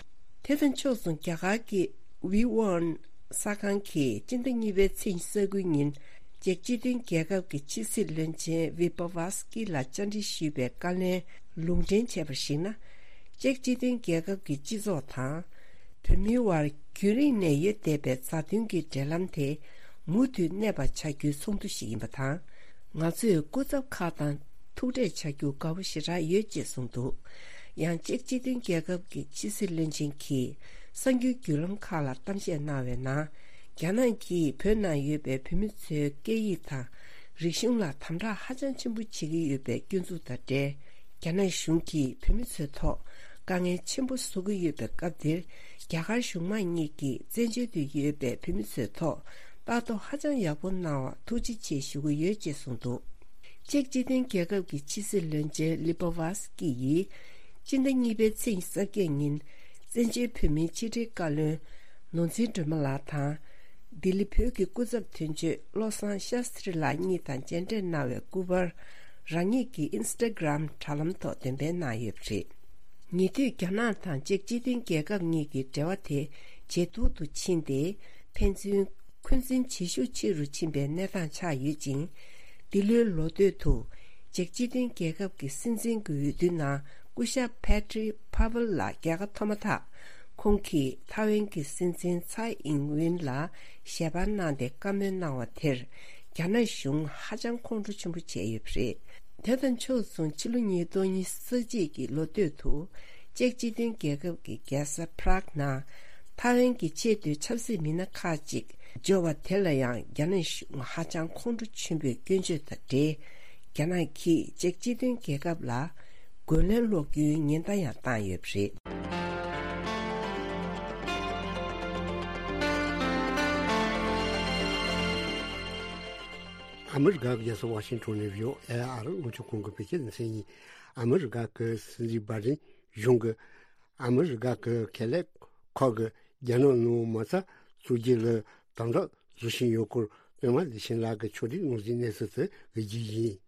དེ་དང་ཕྱོགས་མཚུངས་རྒྱ་གར་གྱི་ཝི་ཝོན་གསར་ཁང་གིས་སྤྱི་ཟླ་གཉིས་པའི་ཚེས་ཉི་ཤུ་རྩ་དགུའི་ཉིན་ཅེག་སྤྱི་མཐུན་རྒྱལ་ཁབ་ཀྱི་ཕྱི་སྲིད་བློན་ཆེན་ཝི་པ་ཝ་སི་ཀི་ལ་བཅར་འདྲི་ཞུས་པའི་བཀའ་ལན་ལུང་འདྲེན་བྱས་པར་གཞིགས་ན། ཅེག་སྤྱི་མཐུན་རྒྱལ་ཁབ་ཀྱི་སྤྱི་ཚོགས་དང་། བོད་མིའི་དབར་རྒྱུན་རིང་ནས་ཡོད་བསྡད་པའི་མཛའ་མཐུན་གྱི་འབྲེལ་ལམ་དེ་མུ་མཐུད་གནས་པ་བྱ་རྒྱུའི་ཚོགས་འདུ་ཞིག་ཡིན་པ་དང་། ང་ཚོས་སྐུ་ཚབ་ཁག་དང་ཐུག་འཕྲད་བྱ་རྒྱུ་དགའ་པོ་ཞེ་དྲག་ཡོད་ཅེས་གསུངས་འདུག་ཡང་ཅེག་སྤྱི་མཐུན་རྒྱལ་ཁབ་ཀྱི་ཕྱི་སྲིད་བློན་ཆེན་གྱིས་གསར་འགྱུར་བརྒྱུད་ལམ་ཁག་ལ་གཏམ་བཤད་གནང་བའི་ནང་། རྒྱ་ནག་གིས་བོད་ནང་ཡོད་པའི་བོད་མི་ཚོའི་སྐད་ཡིག་དང་རིག་གཞུང་ལ་དམ་དྲག་ཧ་ཅང་ཆེན་པོ་བྱེད་ཀྱི་ཡོད་པའི་སྐྱོན་འཛུགས་དང་འབྲེལ། རྒྱ་ནག་གཞུང་གིས་བོད་མི་ཚོའི་ཐོག་དཀའ་ངལ་ཆེན་པོ་བཟོ་གི་ཡོད་པའི་སྐབས་འདིར། རྒྱ་གར་གཞུང་མང་གཉིས་ཀྱིས་བཙན་བྱོལ་དུ་ཡོད་པའི་བོད་མི་ཚོའི་ཐོག་ལྟ་རྟོག་ཧ་ཅང་ཡག་པོ་གནང་བར་ཐུགས་རྗེ་ཆེ་ཞུ་གི་ཡོད་ཅེས་གསུངས་འདུག་ཅེག་སྤྱི་མཐུན་རྒྱལ་ཁབ་ཀྱི་ཕྱི་སྲིད་བློན་ཆེན་ལི་པ་ཝ་སི་ཀི་ཡིས། སྤྱི་ཟླ་གཉིས་པའི་ཚེས་ཉི་ཤུ་རྩ་བརྒྱད་ཉིན། བཙན་བྱོལ་བོད་མིའི་ཕྱི་དྲིལ་བཀའ་བློན་ནོར་འཛིན་སྒྲོལ་མ་ལགས་དང་། ལྡི་ལི་བོད་ཀྱི་སྐུ་ཚབ་དོན་གཅོད་བློ་བཟང་ཤཱསྟྲི་ལགས་གཉིས་དང་མཇལ་འཕྲད་གནང་བའི་སྐུ་པར། རང་ཉིད་ཀྱི་ཨིན་སི་ཊ་གྷི་རམ་དྲ་ལམ་ཐོག་འདོན་སྤེལ་གནང་ཡོད་པ་རེད། ཉེ་དུས་རྒྱ་ནག་དང་ཅེག་སྤྱི་མཐུན་རྒྱལ་ཁབ་གཉིས་ཀྱི་འབྲེལ་བ་དེ་ཇེ་སྡུག་ཏུ་ཕྱིན་ཏེ། ཕན་ཚུན་འཁོན་འཛིན་ཇེ་ཤུགས་ཆེ་རུ་ཕྱིན་པའི་གནས་སྟངས་ཆགས་ཡོད་ཅིང་། འདི་ལོའི་ལོ་སྟོད་དུ། ཅེག་སྤྱི་མཐུན་རྒྱལ་ཁབ་ཀྱི་སྲིད་འཛིན་གྱི་འོས་བསྡུའི་ནང་སྐུ་ཞབས་Petr Pavel ལགས་རྒྱལ་ཁ་ཐོབ་མ་ཐག་ཁོང་གིས་ཐའེ་ཝན་གྱི་སྲིད་འཛིན་ཚའེ་ཨིང་ཝིན་ལ་ཞལ་པར་གནང་སྟེ་བཀའ་མོལ་གནང་བ་དེར། རྒྱ་ནག་གཞུང་ཧ་ཅང་ཁོང་ཁྲོ་ཆེན་པོ་བྱས་ཡོད་པ་རེད། དེ་དང་ཕྱོགས་མཚུངས་ཕྱི་ལོ་ཉིས་སྟོང་ཉི་ཤུ་རྩ་གཅིག་གི་ལོ་སྟོད་དུ། ཅེག་སྤྱི་མཐུན་རྒྱལ་ཁབ་ཀྱི་རྒྱལ་ས་Prague ནང་། ཐའེ་ཝན་གྱི་ཆེས་མཐོའི་ཆབ་སྲིད་མི་སྣ་ཁག་ཅིག་འབྱོར་བ་དེ་ལ་ཡང་རྒྱ་ནག་གཞུང་ཧ་ཅང་ཁོང་ཁྲོ་ཆེན་པོས་སྐྱོན་བརྗོད་དང་འབྲེལ། རྒྱ་ནག་གིས་ཅེག་སྤྱི་མཐུན་རྒྱལ་ཁབ་ལ་རྒོལ་ལན་སློག་རྒྱུའི་ཉེན་བརྡ་ཡང་བཏང་ཡོད་པ་རེད། ཨ་མི་རི་ཀ་གི་རྒྱལ་ས་ཝ་ཤིང་ཊོན་ནས་བྷི་ཨོ་ཨེ་ཨར་འུ་ཚོ་ཁོང་གི་བོད་སྐད་སྡེ་ཚན་ཡིན། ཨ་མི་རི་ཀ་གི་སྲིད་འཛིན་བྷའི་ཌེན་གཞུང་གིས་ཨ་མི་རི་ཀ་གི་ཁེ་ལས་ཁག་གིས་རྒྱ་ནག་ནང་མ་རྩ་བཙུགས་རྒྱུ་ལ་དམ་དྲག་བཟོ་བཞིན་ཡོད་སྐོར། པད་མ་ལི་ཤིན་ལགས་ཀྱིས་ཕྱོགས་སྒྲིག་ངོས་འཛིན་གནས་ཚུལ་དེ་གཟིགས་རྒྱུ་ཡིན།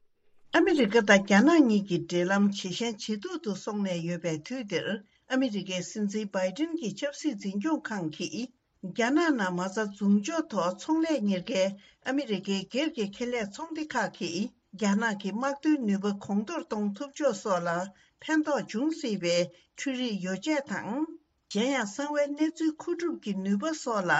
ཨ་མི་རི་ཀ་དང་རྒྱ་ནག་གཉིས་ཀྱི་འབྲེལ་ལམ་ཇེ་ཞན་ཇེ་སྡུག་ཏུ་སོང་ནས་ཡོད་པའི་དུས་འདིར། ཨ་མི་རི་ཀའི་སྲིད་འཛིན་བྷའི་ཌེན་གྱི་ཆབ་སྲིད་འཛིན་སྐྱོང་ཁང་གིས། རྒྱ་ནག་ནང་མ་རྩ་འཛུགས་འཇོག་ཐོག་ཚོང་ལས་གཉེར་མཁན་ཨ་མི་རི་ཀའི་སྒེར་གྱི་ཁེ་ལས་ཚོང་སྡེ་ཁག་གིས། རྒྱ་ནག་གི་དམག་དོན་ནུས་པ་གོང་མཐོར་གཏོང་ཐུབ་ཕྱོགས་སོགས་ལ་ཕན་ཐོགས་འབྱུང་སྲིད་པའི་འཕྲུལ་རིག་ཡོ་བྱད་དང་། གཞན་ཡང་། གསང་བའི་གནས་ཚུལ་མཁོ་སྒྲུབ་ཀྱི་ནུས་པ་སོགས་ལ་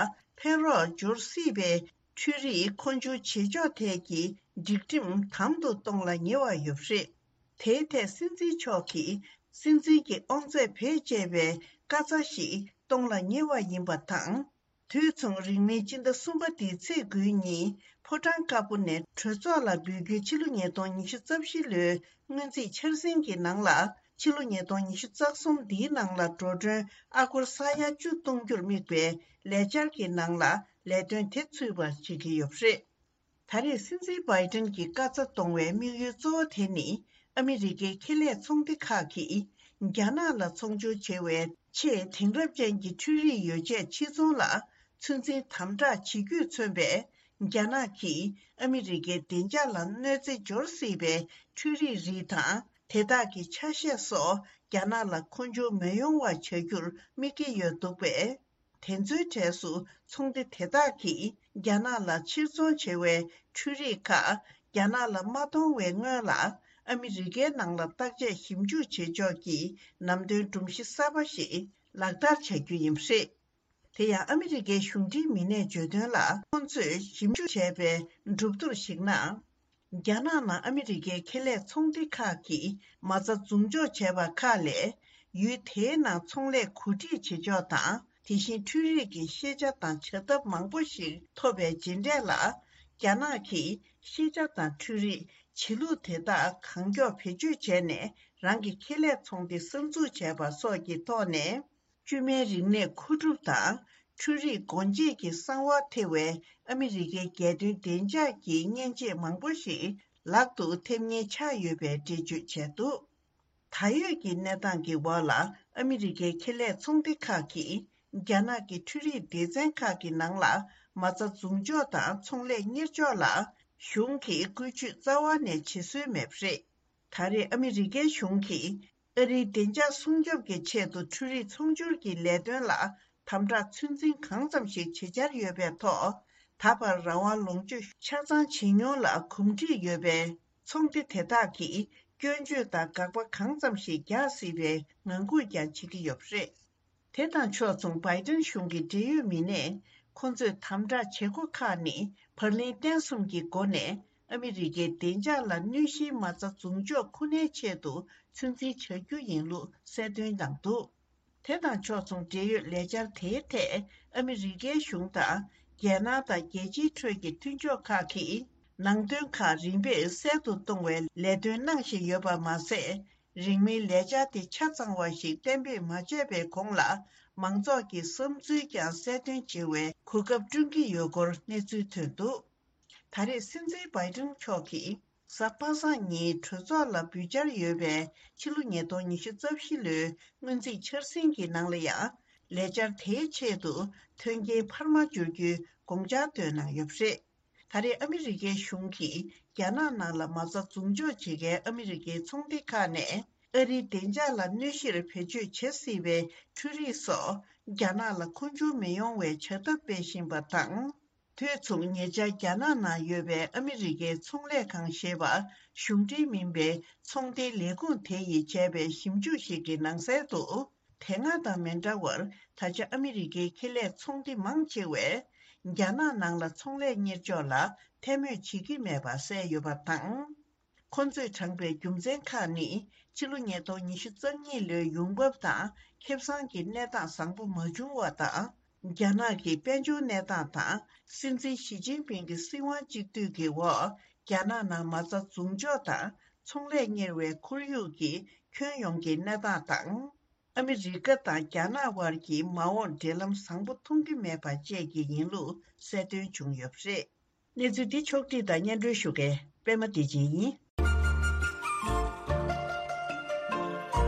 ཕན་རོགས་འབྱོར་སྲིད་པའི་འཕྲུལ་རིག་མཁོ་སྦྱོར་བྱེད་ཕྱོགས་ཐད་ཀྱི་སྒྲིག་ཁྲིམས་དམ་དུ་གཏོང་ལ་ཉེ་བ་ཡོད་པ་རེད། དེའི་ཐད་སྲིད་འཛིན་མཆོག་གིས་སྲིད་འཛིན་གྱི་དབང་ཚད་བེད་སྤྱད་པའི་བཀའ་རྩ་ཞིག་གཏོང་ལ་ཉེ་བ་ཡིན་པ་དང་། དུས་མཚུངས། རིང་མིན་སྤྱི་ཟླ་གསུམ་པ་འདིའི་ཚེས་དགུའི་ཉིན་ཕོ་བྲང་དཀར་པོ་ནས་གྲོས་ཚོགས་ལ་འབུལ་རྒྱུའི་ཕྱི་ལོ་ཉིས་སྟོང་ཉི་ཤུ་རྩ་བཞི་ལོའི་སྔོན་རྩིས་འཆར་ཟིན་གྱི་ནང་ལ། ཕྱི་ལོ་ཉིས་སྟོང་ཉི་ཤུ་རྩ་གསུམ་འདིའི་ནང་ལ་འགྲོ་གྲོན་ཨ་སྒོར་ས་ཡ་བཅུ་གཏོང་རྒྱུར་དམིགས་པའི་ལས་འཆར་གྱི་ནང་ལ་ལས་དོན་དེ་ཚུད་པར་བྱེད་ཀྱི་ཡོད་པ་རེད། ད་རེས་སྲིད་འཛིན་བྷའི་ཏིན་གྱི་བཀའ་རྩ་གཏོང་བའི་དམིགས་ཡུལ་གཙོ་བོ་དེ་ནི། ཨ་མི་རི་ཀའི་ཁེ་ལས་ཚོང་སྡེ་ཁག་གིས་རྒྱ་ནག་ལ་ཚོང་སྦྱོར་བྱེད་པའི་ཆེས་དེང་རབས་ཅན་གྱི་འཕྲུལ་རིག་ཡོ་ཆས་ཕྱིར་ཚོང་ལ་ཚོད་འཛིན་དམ་དྲག་བྱེད་རྒྱུས་མཚོན་པའི། རྒྱ་ནག་གིས་ཨ་མི་རི་ཀའི་བདེ་འཇགས་ལ་གནོད་འཚེ་འབྱོར་སྲིད་པའི་འཕྲུལ་རིག་རིགས་དང་། དེ་དག་གི་ཆ་ཤས་སོགས་རྒྱ་ནག་ལ་མཁོ་འབྱུང་མི་ཡོང་བ་བྱ་རྒྱུར་དམིགས་ཀྱི་ཡོད་འདུག་པས། དེ་ཚོའི་གྲས་སུ་ཚོང་སྡེ་དེ་དག་གིས་རྒྱ་ནག་ལ་ཕྱིར་ཚོང་བྱེད་པའི་འཕྲུལ་རིག་ཁག་རྒྱ་ནག་ལ་མ་གཏོང་བའི་སྔོན་ལ། ཨ་མི་རི་ཀའི་ནང་ལ་བརྟག་དཔྱད་ཞིབ་འཇུག་བྱེད་ཕྱོགས་ཀྱི་ནང་དོན་སྒྲོམ་གཞི་གསར་པ་ཞིག་ལག་བསྟར་བྱ་རྒྱུ་ཡིན་པ་རེད། དེ་ཡང་ཨ་མི་རི་ཀའི་གཞུང་འབྲེལ་མི་སྣས་བརྗོད་དོན་ལ། ཁོང་ཚོས་ཞིབ་འཇུག་བྱས་པའི་གྲུབ་ཐོབ་ཞིག་ན། རྒྱ་ནག་ནང་ཨ་མི་རི་ཀའི་ཁེ་ལས་ཚོང་སྡེ་ཁག་གིས་མ་རྩ་འཛུགས་འཇོག་བྱས་པ་ཁག་ལས། ཡུལ་དེའི་ནང་ཚོང་ལས་གོ་སྒྲིག་བྱེད་ཕྱོགས་དང་། དེ་བཞིན་འཕྲུལ་རིག་གི་ཤེས་བྱ་དང་བྱ་ཐབས་མང་པོ་ཞིག་ཐོབ་པའི་རྗེས་འབྲས་ལ། རྒྱ་ནག་གིས་ཤེས་བྱ་དང་འཕྲུལ་རིག་བྱེད་ལུགས་དེ་དག་གང་མགྱོགས་བེད་སྤྱོད་བྱས་ནས། རང་གི་ཁེ་ལས་ཚོང་སྡེ་གསར་འཛུགས་བྱས་པ་སོགས་ཀྱི་ཐོག་ནས། བཅོས་མའི་རིག་གནས་མཁོ་སྒྲུབ་དང་། འཕྲུལ་རིག་སྒོ་འབྱེད་ཀྱི་གསང་བ་ཐེ་བའི་ཨ་མི་རི་ཀའི་རྒྱལ་དོན་བདེ་འཇགས་ཀྱི་མཉེན་ཆས་མང་པོ་ཞིག་ལག་ཏུ་ཐེབས་ངེས་ཆགས་ཡོད་པའི་འགྲེལ་བརྗོད་བྱས་འདུག་ད་ཡོད་ཀྱི་གནས་སྟངས་ཀྱི་འོག་ལ། ཨ་མི་རི་ཀའི་ཁེ་ལས་ཚོང་སྡེ་ཁག་གིས་རྒྱ་ནག་གི་འཕྲུལ་རིག་སྡེ་ཚན་ཁག་གི་ནང་ལ་མ་རྩ་འཛུགས་འཇོག་དང་ཚོང་ལས་གཉེར་ཕྱོགས་ལ་གཞུང་གིས་བཀོལ་སྤྱོད་རྩ་བ་ནས་བྱེད་སྲོལ་མེད་པ་རེད། ད་རེས་ཨ་མི་རི་ཀའི་གཞུང་གིས་ཨ་རིའི་བདེ་འཇགས་སྲུང་སྐྱོབ་ཀྱི་ཆེད་དུ་འཕྲུལ་རིག་ཚོང་སྒྱུར་གྱི་ལས་དོན་ལ་དམ་དྲག་ཚོད་འཛིན་གང་ཙམ་ཞིག་བྱེད་འཆར་ཡོད་པའི་ཐོག་ད་བར་རང་དབང་ལོངས་སྤྱོད་ཆ་ཚང་བྱེད་མྱོང་ལ་གོམས་འདྲིས་ཡོད་པའི་ཚོང་སྡེ་དེ་དག་གིས་སྐྱོན་བརྗོད་དང་དགག་པ་གང་ཙམ་ཞིག་རྒྱག་སྲིད་པའི་ངང་སྒུག་ཀྱང་བྱེད་ཀྱི་ཡོད་པ་རེད། དེ་དང་ཕྱོགས་མཚུངས། བྷའི་ཏིན་གཞུང་གི་འབྲེལ་ཡོད་མི་སྣས། ཁོ་ཚོས་དམ་དྲག་བྱེད་སྒོ་ཁག་ནི། བར་ལེན་བརྟན་གསུམ་གྱི་སྒོ་ནས། ཨ་མི་རི་ཀའི་བདེ་འཇགས་ལ་གནོད་གཞིའི་མ་རྩ་འཛུགས་འཇོག་ཁོ་ནའི་ཆེད་དུ་ཚོད་འཛིན་བྱ་རྒྱུ་ཡིན་ལུགས་གསལ་སྟོན་གནང་འདུག་དེ་དང་ཕྱོགས་མཚུངས། འབྲེལ་ཡོད་ལས་འཆར་དེའི་ཐད། ཨ་མི་རི་ཀའི་གཞུང་དང་། རྒྱལ་ནང་དང་རྒྱལ་སྤྱིའི་ཁྲོད་ཀྱི་མཐུན་ཕྱོགས་ཁག་གིས། ནང་དོན་ཁག་རིམ་པས་གསལ་དུ་གཏོང་བའི་ལས་དོན་གནང་བཞིན་ཡོད་པ་མ་ཟད། རིང་མིན་ལས་འཆར་དེ་ཆ་ཚང་བ་ཞིག་གཏན་འབེབས་མ་བྱས་པའི་གོང་ལ། མང་ཚོགས་ཀྱི་བསམ་ཚུལ་ཀྱང་གསལ་སྟོན་བྱེད་པའི་གོ་སྐབས་བསྐྲུན་གྱི་ཡོད་སྐོར་གནས་ཚུལ་ཐོན་འདུག་ད་རེས་སྲིད་འཛིན་བྷའི་ཏིན་མཆོག་གིས་གཟའ་པ་སངས་ཉིན་གྲོས་ཚོགས་ལ་འབུལ་འཆར་ཡོད་པའི་ཕྱི་ལོ་ཉིས་སྟོང་ཉི་ཤུ་རྩ་བཞི་ལོའི་སྔོན་རྩིས་འཆར་ཟིན་གྱི་ནང་ལ་ཡང་། ལས་འཆར་དེའི་ཆེད་དུ་མཐུན་རྐྱེན་འཕར་མ་འབྱོར་རྒྱུའི་དགོངས་འཆར་བཏོན་གནང་ཡོད་པ་རེད། ད་རེས་ཨ་མི་རི་ཀའི་གཞུང་གིས་རྒྱ་ནག་ནང་ལ་མ་རྩ་འཛུགས་འཇོག་བྱེད་མཁན་ཨ་མི་རི་ཀའི་ཚོང་སྡེ་ཁག་ནས། ཨ་རིའི་བདེ་འཇགས་ལ་གནོད་གཞིར་བེད་སྤྱོད་བྱེད་སྲིད་པའི་འཕྲུལ་རིག་སོགས། རྒྱ་ནག་ལ་མཁོ་འབྱུང་མི་ཡོང་བའི་བྱ་ཐབས་སྤེལ་བཞིན་པ་དང་། དུས་མཚུངས། ཉེ་ཆར་རྒྱ་ནག་ནང་ཡོད་པའི་ཨ་མི་རི་ཀའི་ཚོང་ལས་ཁང་ཞེས་པ། གཞུང་འབྲེལ་མིན་པའི་ཚོང་སྡེའི་ལས་ཁུངས་དེ་ཡིས་བྱས་པའི་ཞིབ་འཇུག་ཞིག་གི་ནང་གསལ་དུ། དེ་སྔ་དང་མི་འདྲ་བར། ད་ཆ་ཨ་མི་རི་ཀའི་ཁེ་ལས་ཚོང་སྡེ་མང་ཆེ་བས། རྒྱ་ནག་ནང་ལ་ཚོང་ལས་གཉེར་ཕྱོགས་ལ་ཐལ་མོད་བྱེད་ཀྱི་མེད་པ་གསལ་ཡོད་པ་དང་། ཁོ་ཚོས་དྲངས་པའི་རྒྱུ་མཚན་ཁག་ནི། ཕྱི་ལོ་ཉིས་སྟོང་ཉི་ཤུ་རྩ་གཉིས་ལོའི་ཡོང་འབབ་དང་ཁེ་བཟང་གི་གནས་སྟངས་བཟང་པོ་མ་བྱུང་བ་དང་། རྒྱ་ནག་གི་དཔལ་འབྱོར་གནས་སྟངས་དང་། སྲིད་འཛིན་ཞི་ཅིན་ཕིང་གི་སྲིད་དབང་གཅིག་སྡུད་ཀྱི་འོག་རྒྱ་ནག་ནང་མ་རྩ་འཛུགས་འཇོག་དང་ཚོང་ལས་གཉེར་བའི་ཁོར་ཡུག་གི་ཁྱོན་ཡོངས་ཀྱི་གནས་སྟངས་དང་། ཨ་མི་རི་ཀ་དང་རྒྱ་ནག་དབར་གྱི་མ་འོངས་འབྲེལ་ལམ་བཟང་པོ་མཐོང་གི་མེད་པ་བཅས་ཀྱི་ཡིན་ལུགས་གསལ་སྟོན་བྱུང་ཡོད་པ་རེད། གནས་ཚུལ་འདི་ཕྱོགས་བསྒྲིགས་དང་སྙན་སྒྲོན་ཞུ་མཁན་པད་མ་བདེ་ཆེན་ཡིན།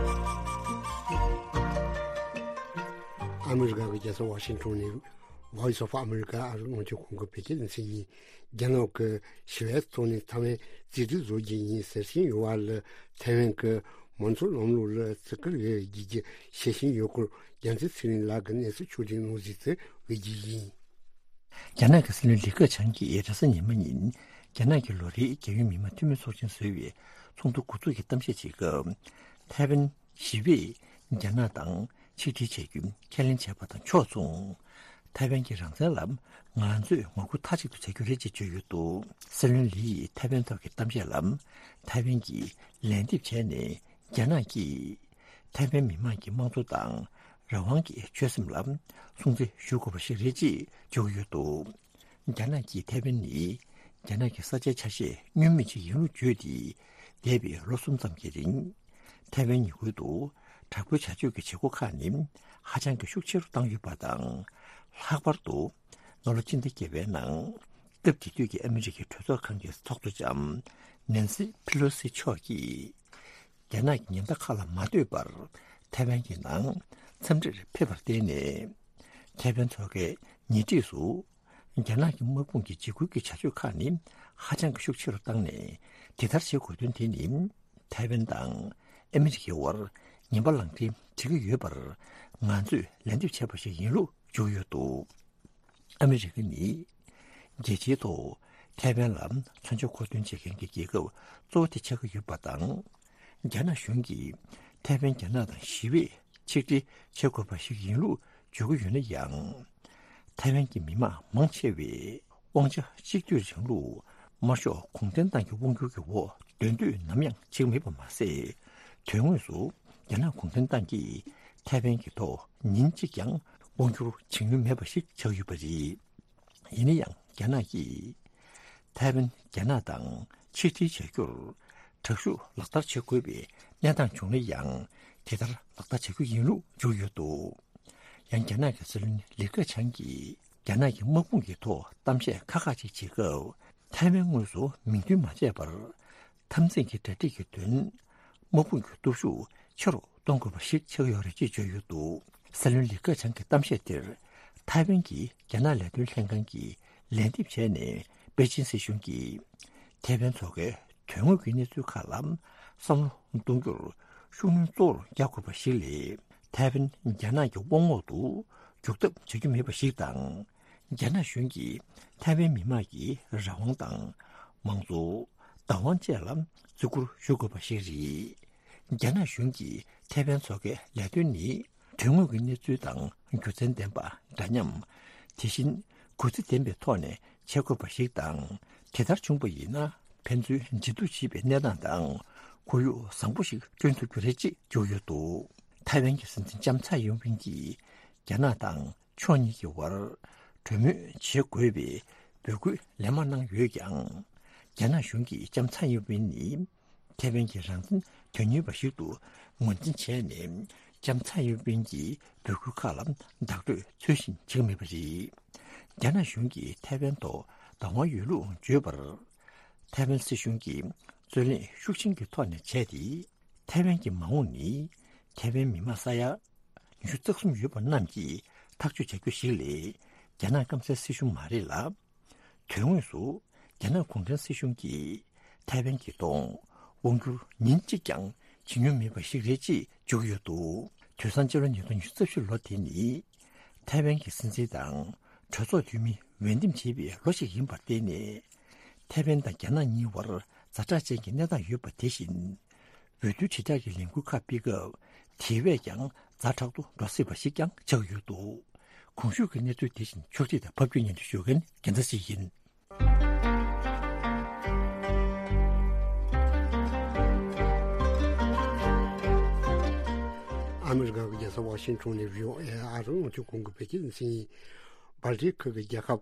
ཨ་མི་རི་ཀ་གི་རྒྱལ་ས་ཝ་ཤིང་ཊོན་ནས་Voice of America ཨ་རིའི་རླུང་འཕྲིན་ཁང་གི་བོད་སྐད་སྡེ་ཚན་ཡིན། རྒྱ་ནག་གི་ཞི་བའི་ཐོག་ནས་ཐའེ་ཝན་རྩིས་སྤྲོད་བཟོ་རྒྱུ་ཡིན་ཟེར་བཞིན་ཡོད་པ་ལ། ཐའེ་ཝན་གྱི་མང་གཙོ་ལམ་ལུགས་ལ་བརྩི་བཀུར་ཡོད་ཅེས་བཤད་བཞིན་ཡོད་སྐོར། རྒྱལ་མཚན་ཚེ་རིང་ལགས་ཀྱིས་གནས་ཚུལ་ཕྱོགས་སྒྲིག་གནང་གཟིགས་ཚུལ་འབུལ་རྒྱུ་ཡིན། རྒྱ་ནག་གི་སྲིད་བློན་ལི་ཁེ་ཆང་གིས་རེས་གཟའ་ཉི་མ་ཉིན། རྒྱ་ནག་གི་ལོ་རེའི་རྒྱལ་ཡོངས་མི་དམངས་འཐུས་མི་ཚོགས་ཆེན་བཟོ་བའི་ཚོགས་འདུ་འགོ་འཛུགས་ཀྱི་གཏམ་བཤད་བྱེད་སྐབས། ཐའེ་ཝན་ཞི་བས་རྒྱ་ནག་དང་ཆིག་སྒྲིལ་བྱ་རྒྱུ་ཁས་ལེན་བྱས་པ་དང་ཕྱོགས་མཚུངས། ཐའེ་ཝན་གྱི་རང་བཙན་ལ་ང་ཚོས་ངོ་རྒོལ་མཐའ་གཅིག་ཏུ་བྱ་རྒྱུ་རེད་ཅེས་བརྗོད་ཡོད་འདུག་སྲིད་བློན་ལི་ཡིས་ཐའེ་ཝན་ཐོག་གི་གཏམ་བཤད་ལ། ཐའེ་ཝན་གྱིས་ལན་འདེབས་བྱས་ནས་རྒྱ་ནག་གིས་ཐའེ་ཝན་མི་དམངས་ཀྱི་དམངས་གཙོ་དང་རང་དབང་གི་ཆོད་སེམས་ལ་སྲུང་བརྩི་ཞུ་དགོས་པ་ཞིག་རེད་ཅེས་བརྗོད་ཡོད་འདུག་རྒྱ་ནག་གིས་ཐའེ་ཝན་ནི་རྒྱ་ནག་གི་ས་ཆའི་ཆ་ཤས་བསྙོན་མེད་ཅིག་ཡིན་ལུགས་བརྗོད་དེ། འདས་པའི་ལོ་གསུམ་ཙམ་གྱི་རིང་། ཐའེ་ཝན་ཉེ་ཁུལ་དུ་དྲག་པོའི་བྱ་སྤྱོད་ཀྱི་བྱེད་སྒོ་ཁག་ནི་ཧ་ཅང་གི་ཤུགས་ཆེ་རུ་བཏང་ཡོད་པ་དང་། ལྷག་པར་དུ་ནང་ལོ་སྤྱི་ཟླ་བརྒྱད་པའི་ནང་སྐབས་དེ་དུས་ཀྱི་ཨ་མི་རི་ཀའི་གྲོས་ཚོགས་ཁང་གི་ཚོགས་གཙོ་ལྕམ་ནན་སི་ཕི་ལོ་སི་མཆོག་གིས། རྒྱ་ནག་གི་ཉེན་བརྡ་ཁག་ལ་མ་ལྟོས་པར་ཐའེ་ཝན་གྱི་ནང་འཚམས་འདྲིར་ཕེབས་པར་བརྟེན་ནས། ཐའེ་ཝན་མཚོ་ཁའི་ཉེ་འཁྲིས་སུ་རྒྱ་ནག་གི་དམག་དཔུང་གི་འཇིགས་སྐུལ་གྱི་བྱ་སྤྱོད་ཁག་ནི་ཧ་ཅང་གི་ཤུགས་ཆེ་རུ་བཏང་ནས། དེ་ལྟར་བྱེད་དགོས་དོན་དེ་ནི་ཐའེ་ཝན་དང་ཨ་མི་རི་ཀའི་དབར་ངན་པ་ལག་འབྲེལ་བྱེད་ཀྱི་ཡོད་པར་ང་ཚོས་ལན་འདེབས་བྱས་པ་ཞིག་ཡིན་ལུགས་བརྗོད་ཡོད་འདུག་ཨ་མི་རི་ཀ་ནི་རྒྱལ་སྤྱིའི་ཐོག་ཐའེ་ཝན་ལ་མཚོན་ཆ་མཁོ་འདོན་བྱེད་མཁན་གྱི་རྒྱལ་ཁབ་གཙོ་བོ་དེ་ཆགས་ཀྱི་ཡོད་པ་དང་། རྒྱ་ནག་གཞུང་གིས་ཐའེ་ཝན་རྒྱ་ནག་དང་ཞི་བས་ཆིག་སྒྲིལ་བྱེད་དགོས་པ་ཞིག་ཡིན་ལུགས་བརྗོད་ཀྱི་ཡོད་ན་ཡང་། ཐའེ་ཝན་གྱི་མི་དམངས་མང་ཆེ་བས་དབང་ཆ་གཅིག་སྡུད་རིང་ལུགས་དམར་ཤོག་གུང་ཁྲན་ཏང་གི་དབང་སྒྱུར་གྱི་འོག་སྡོད་འདོད་ནམ་ཡང་བྱེད་ཀྱི་མེད་པ་མ་ཟད། དོན་དངོས་སུ་རྒྱ་ནག་གུང་ཁྲན་ཏང་གིས་ཐའེ་ཝན་གྱི་ཐོག་ཉིན་གཅིག་ཀྱང་དབང་སྒྱུར་བྱེད་མྱོང་མེད་པ་ཞིག་ཆགས་ཡོད་པ་རེད། ཡིན་ན་ཡང་རྒྱ་ནག་གིས་ཐའེ་ཝན་རྒྱ་ནག་དང་ཆིག་སྒྲིལ་བྱ་རྒྱུར་དྲག་ཤུགས་ལག་བསྟར་བྱེད་དགོས་པའི་གནས་སྟངས་བྱུང་ན་ཡང་དེ་ལྟར་ལག་བསྟར་བྱ་རྒྱུ་ཡིན་ལུགས་བརྗོད་ཡོད་འདུག་ཡང་རྒྱ་ནག་གི་སྲིད་བློན་ལི་ཁེ་ཆང་གིས་རྒྱ་ནག་གི་དམག་དཔུང་གི་ཐོག་གཏམ་བཤད་ཁག་ཁག་ཅིག་བྱེད་སྐབས་ཐའེ་ཝན་དངོས་སུ་མིང་འདོན་མ་བྱས་པར། འཐབ་འཛིང་གི་གྲ་སྒྲིག་གི་དོན། དམག་དཔུང་གི་སྟོབས་ཤུགས་ཆེ་རུ་གཏོང་དགོས་པ་ཞིག་ཆགས་ཡོད་རེད་ཅེས་བརྗོད་ཡོད་འདུག་སྲིད་བློན་ལི་ཁེ་ཆང་གི་གཏམ་བཤད་དེར་ཐའེ་ཝན་གྱི་རྒྱ་ནག་ལས་དོན་ལྷན་ཁང་གིས་ལན་འདེབས་བྱས་ནས་པེ་ཅིན་སྲིད་གཞུང་གིས་ཐའེ་ཝན་མཚོ་ཁའི་དོན་དངོས་ཀྱི་གནས་ཚུལ་ཁག་ལ་བསམ་བློ་གཏོང་རྒྱུར་ཤུགས་སྣོན་གཙོ་བོར་རྒྱག་དགོས་པ་ཞིག་ལས། ཐའེ་ཝན་རྒྱ་ནག་གི་དབང་འོག་ཏུ་འཇུག་ཐབས་བྱ་རྒྱུ་མེད་པ་ཞིག་དང་། རྒྱ་ནག་གཞུང་གིས་ཐའེ་ཝན་མི་དམངས་ཀྱི་རང་དབང་དང་། མང་གཙོ། བདག་དབང་བཅས་ལ་བརྩི་བཀུར་ཞུ་དགོས་པ་ཞིག་རེད། རྒྱ་ནག་གཞུང་གིས་ཐའེ་ཝན་མཚོ་ཁའི་ལས་དོན་ནི་དོན་དངོས་ཀྱི་གནས་ཚུལ་དང་རྒྱུ་མཚན་ལྡན་པ་འདྲ་མཉམ། དེ་བཞིན་གུས་བརྩི་ལྡན་པའི་ཐོག་ནས་བྱེད་དགོས་པ་ཞིག་དང་། དེ་ལྟར་བྱུང་བ་ཡིན་ན་ཕན་ཚུན་མཇལ་བསྡུ་བྱེད་པའི་གནས་སྟངས་དང་ཁོར་ཡུག་བཟང་པོ་ཞིག་བསྐྲུན་ཐུབ་རྒྱུ་རེད་ཅེས་བརྗོད་ཡོད་འདུག་ཐའེ་ཝན་གྱི་སྲིད་འཛིན་ལྕམ་ཚའེ་ཡིན་ཝེན་གྱིས་རྒྱ་ནག་དང་ཕྱོགས་གཉིས་ཀྱི་དབར་གྲོས་མོལ་བྱེད་དགོས་པའི་འབོད་སྐུལ་ལན་མང་གནང་ཡོད་ཀྱང་། རྒྱ་ནག་གཞུང་གིས་ལྕམ་ཚའེ་ཡིན་ཝེན་ནི་ཐའེ་ཝན་གྱི་རང་བཙན་དོན་གཉེར་བ་ཞིག་ཏུ་ངོས་འཛིན་བྱས་ནས། ལྕམ་ཚའེ་ཡིན་ཝེན་གྱི་འབོད་སྐུལ་ཁག་ལ་བདག་སྤྲོད་ཚུལ་བཞིན་བྱེད་ཀྱི་མེད་པ་རེད། རྒྱ་ནག་གཞུང་གིས་ཐའེ་ཝན་ཐོག་བདག་དབང་ཡོད་ལུགས་བརྗོད་པར། ཐའེ་ཝན་སྲིད་གཞུང་གིས་རྩོད་གླེང་ཤུགས་ཆེན་གྱི་ཐོག་ནས་བྱས་ཏེ། ཐའེ་ཝན་གྱི་མ་འོངས་ནི་ཐའེ་ཝན་མི་དམངས་ས་ཡ་ཉི་ཤུ་རྩ་གསུམ་ཡོད་པ་རྣམས་ཀྱིས་ཐག་གཅོད་བྱ་རྒྱུ་ཞིག་ལས་རྒྱ་ནག་སྐམ་སའི་སྲིད་གཞུང་མ་རེད་ལ། དོན་དངོས་སུ་རྒྱ་ནག་གུང་ཁྲན་སྲིད་གཞུང་གིས་ཐའེ་ཝན་གྱི་ཐོག་དབང་བསྒྱུར་ཉིན་གཅིག་ཀྱང་བྱེད་མྱོང་མེད་པ་ཞིག་རེད་ཅེས་བརྗོད་ཀྱི་ཡོད་འདུག་དུས་སང་སྤྱི་ལོ་ཉིས་སྟོང་ཉི་ཤུ་རྩ་བཞི་ལོ་དེ་ནི་ཐའེ་ཝན་གྱི་སྲིད་འཛིན་དང་གྲོས་ཚོགས་འཐུས་མི་འོས་འདེམས་བྱེད་པའི་ལོ་ཞིག་ཡིན་པར་བརྟེན་ནས། ཐའེ་ཝན་དང་རྒྱ་ནག་གཉིས་བར་ཛ་དྲག་ཅན་གྱི་གནས་སྟངས་ཡོད་པ་དེ་བཞིན། འོས་བསྡུ་དྲིལ་བསྒྲགས་ཀྱི་ལས་འགུལ་ཁག་སྤེལ་སྐབས་དེ་བས་ཀྱང་ཛ་དྲག་ཏུ་འགྲོ་སྲིད་པ་ཞིག་ཀྱང་ཆགས་ཡོད་འདུག་གོང་ཞུས་ཀྱི་གནས་ཚུལ་དེ་བཞིན་ཕྱོགས་སྒྲིག་དང་ཕབ་སྒྱུར་སྙན་སྒྲོན་ཞུ་མཁན་རྒྱལ་མཚན་ཞིག་ཡིན། ཨ་མི་རི་ཀ་གི་རྒྱལ་ས་ཝ་ཤིང་ཊོན་ནས་བྷི་ཨོ་ཨེ་ཨ་རིའི་རླུང་འཕྲིན་ཁང་གི་བོད་སྐད་སྡེ་ཚན་ཡིན། སྦལ་ཏིག་ཁུལ་གྱི་རྒྱལ་ཁབ་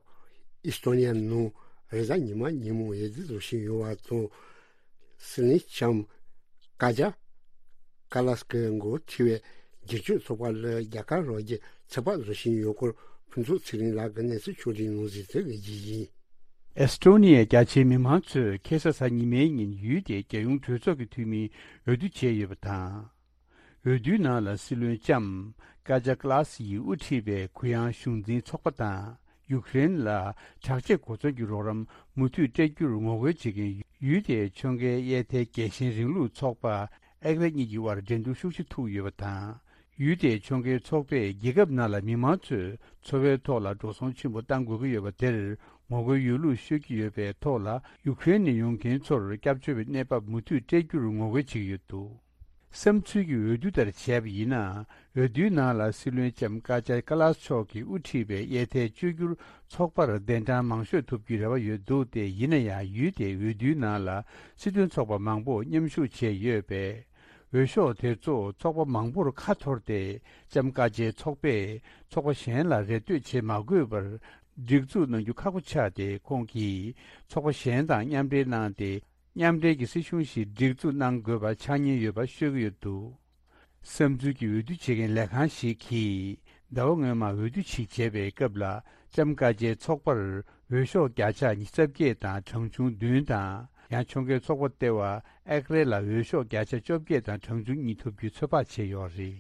ཨི་སི་ཐོ་ནི་ཡ་ནང་རེས་གཟའ་ཉི་མ་ཉིན་མོ་འོས་བསྡུ་བཟོ་བཞིན་ཡོད་པ་དང་། སྲིད་བློན་ལྕམ་ཀ་ཇ་ཀ་ལཱས་ཀྱི་འགོ་ཁྲིད་པའི་སྒེར་གཅོད་ཚོགས་པ་ལ་རྒྱ་གར་ལོ་རྒྱུས་ཚོད་དཔག་བཟོ་བཞིན་ཡོད་སྐོར་ཕུན་ཚོགས་ཚེ་རིང་ལགས་ཀྱིས་གནས་ཚུལ་ཕྱོགས་སྒྲིག་གནང་ཟིན་དེ་གི་རྒྱུ་ཡིན། ཨེ་སི་ཊོ་ནི་ཡའི་རྒྱ་ཆེའི་མི་མང་ཚོས་ཁ་སང་གཟའ་ཉི་མའི་ཉིན་ཡུལ་དེའི་རྒྱལ་ཡོངས་གྲོས་ཚོགས་ཀྱི་འཐུས་མིའི་འོས་བསྡུ་བྱས་ཡོད་པ་དང་། འོས་བསྡུའི་ནང་ལ་སྲིད་བློན་ལྕམ་ཀ་ཇ་ཀ་ལཱ་སི་ཡིས་དབུ་ཁྲིད་པའི་གུ་ཡངས་གཞུང་འཛིན་ཚོགས་པ་དང་ཡུཀ་རེན་ལ་དྲག་ཆས་གོ་མཚོན་གྱི་རོགས་རམ་མུ་མཐུད་སྤྲད་རྒྱུར་ངོ་རྒོལ་བྱེད་མཁན་ཡུལ་དེའི་ཕྱོགས་འགལ་དབྱེ་ཐལ་རྒྱལ་ཞེན་རིང་ལུགས་ཚོགས་པ་ཨེག་རེ་གཉིས་ཀྱི་དབར་འགྲན་བསྡུར་ཤུགས་ཆེ་ཐུག་ཡོད་པ་དང་། ཡུལ་དེའི་ཕྱོགས་འགལ་ཚོགས་པས་རྒྱལ་ཁབ་ནང་ལ་མི་མང་ཚོས་འཚོ་བའི་ཐོག་ལ་འགྲོ་སོང་ཆེན་པོ་གཏང་དགོས་ཀྱི་ཡོད་པ་དེར་ངོ་རྒོལ་ཡོད་ལུགས་ཤོད་ཀྱི་ཡོད་པའི་ཐོག་ལ་ཡུཀ་རེན་ནས་ཡོང་མཁན་ཚོར་སྐྱབས་བཅོལ་བའི་གནས་བབ་མུ་མཐུད་སྤྲད་རྒྱུར་ངོ་རྒོལ་བྱེད་ཀྱི་ཡོད་འདུག་བསམ་ཚུལ་གྱི་འོས་བསྡུ་ལྟར་བྱས་པ་ཡིན་ན། འོས་བསྡུའི་ནང་ལ་སྲིད་བློན་ལྕམ་ཀ་ཇ་ཀ་ལཱས་མཆོག་གིས་དབུ་ཁྲིད་པའི་དབྱེ་ཐལ་གཅོད་རྒྱུར་ཚོགས་པར་གདན་གྲངས་མང་ཤོས་ཐོབ་རྒྱུའི་རེ་བ་ཡོད་འདུག་སྟེ། ཡིན་ན་ཡང་ཡུལ་དེའི་འོས་བསྡུའི་ནང་ལ་སྲིད་དོན་ཚོགས་པ་མང་པོ་མཉམ་ཞུགས་བྱས་ཡོད་པས། འོས་ཤོག་དེ་ཚོ་ཚོགས་པ་མང་པོར་ཁ་འཐོར་ཏེ། ལྕམ་ཀ་ཇའི་ཚོགས་པས་ཚོགས་པ་གཞན་ལ་རེ་ལྟོས་བྱེད་མ་དགོས་པར་སྒྲིག་འཛུགས་གནང་རྒྱུ་ཁག་པོ་ཆགས་ཏེ། ཁོང་གིས་ཚོགས་པ་གཞན་དང་མཉམ་འབྲེལ་གནང་སྟེ། མཉམ་འབྲེལ་གྱི་སྲིད་གཞུང་ཞིག་སྒྲིག་འཛུགས་གནང་དགོས་པ་ཆགས་ཉེན་ཡོད་པ་ཤོད་ཀྱི་ཡོད་འདུག་བསམ་ཚུལ་གྱི་འོས་བསྡུ་བྱེད་མཁན་ལས་ཁང་ཞིག་གིས་ཟླ་བ་སྔོན་མ་འོས་བསྡུ་ཞིག་བྱས་པའི་སྐབས་ལ་ལྕམ་ཀ་ཇའི་ཚོགས་པར་འོས་ཤོག་བརྒྱ་ཆ་ཉི་ཤུ་རྩ་བརྒྱད་དང་གྲངས་ཆུང་བདུན་དང་། ཡང་ཁྱོང་གའི་ཚོགས་པ་ལྟེ་བ་ཨེག་རེ་ལ་འོས་ཤོག་བརྒྱ་ཆ་བཅོ་བརྒྱད་དང་གྲངས་ཆུང་གཉིས་ཐོབ་རྒྱུའི་ཚོད་དཔག་བྱས་ཡོད་རེད།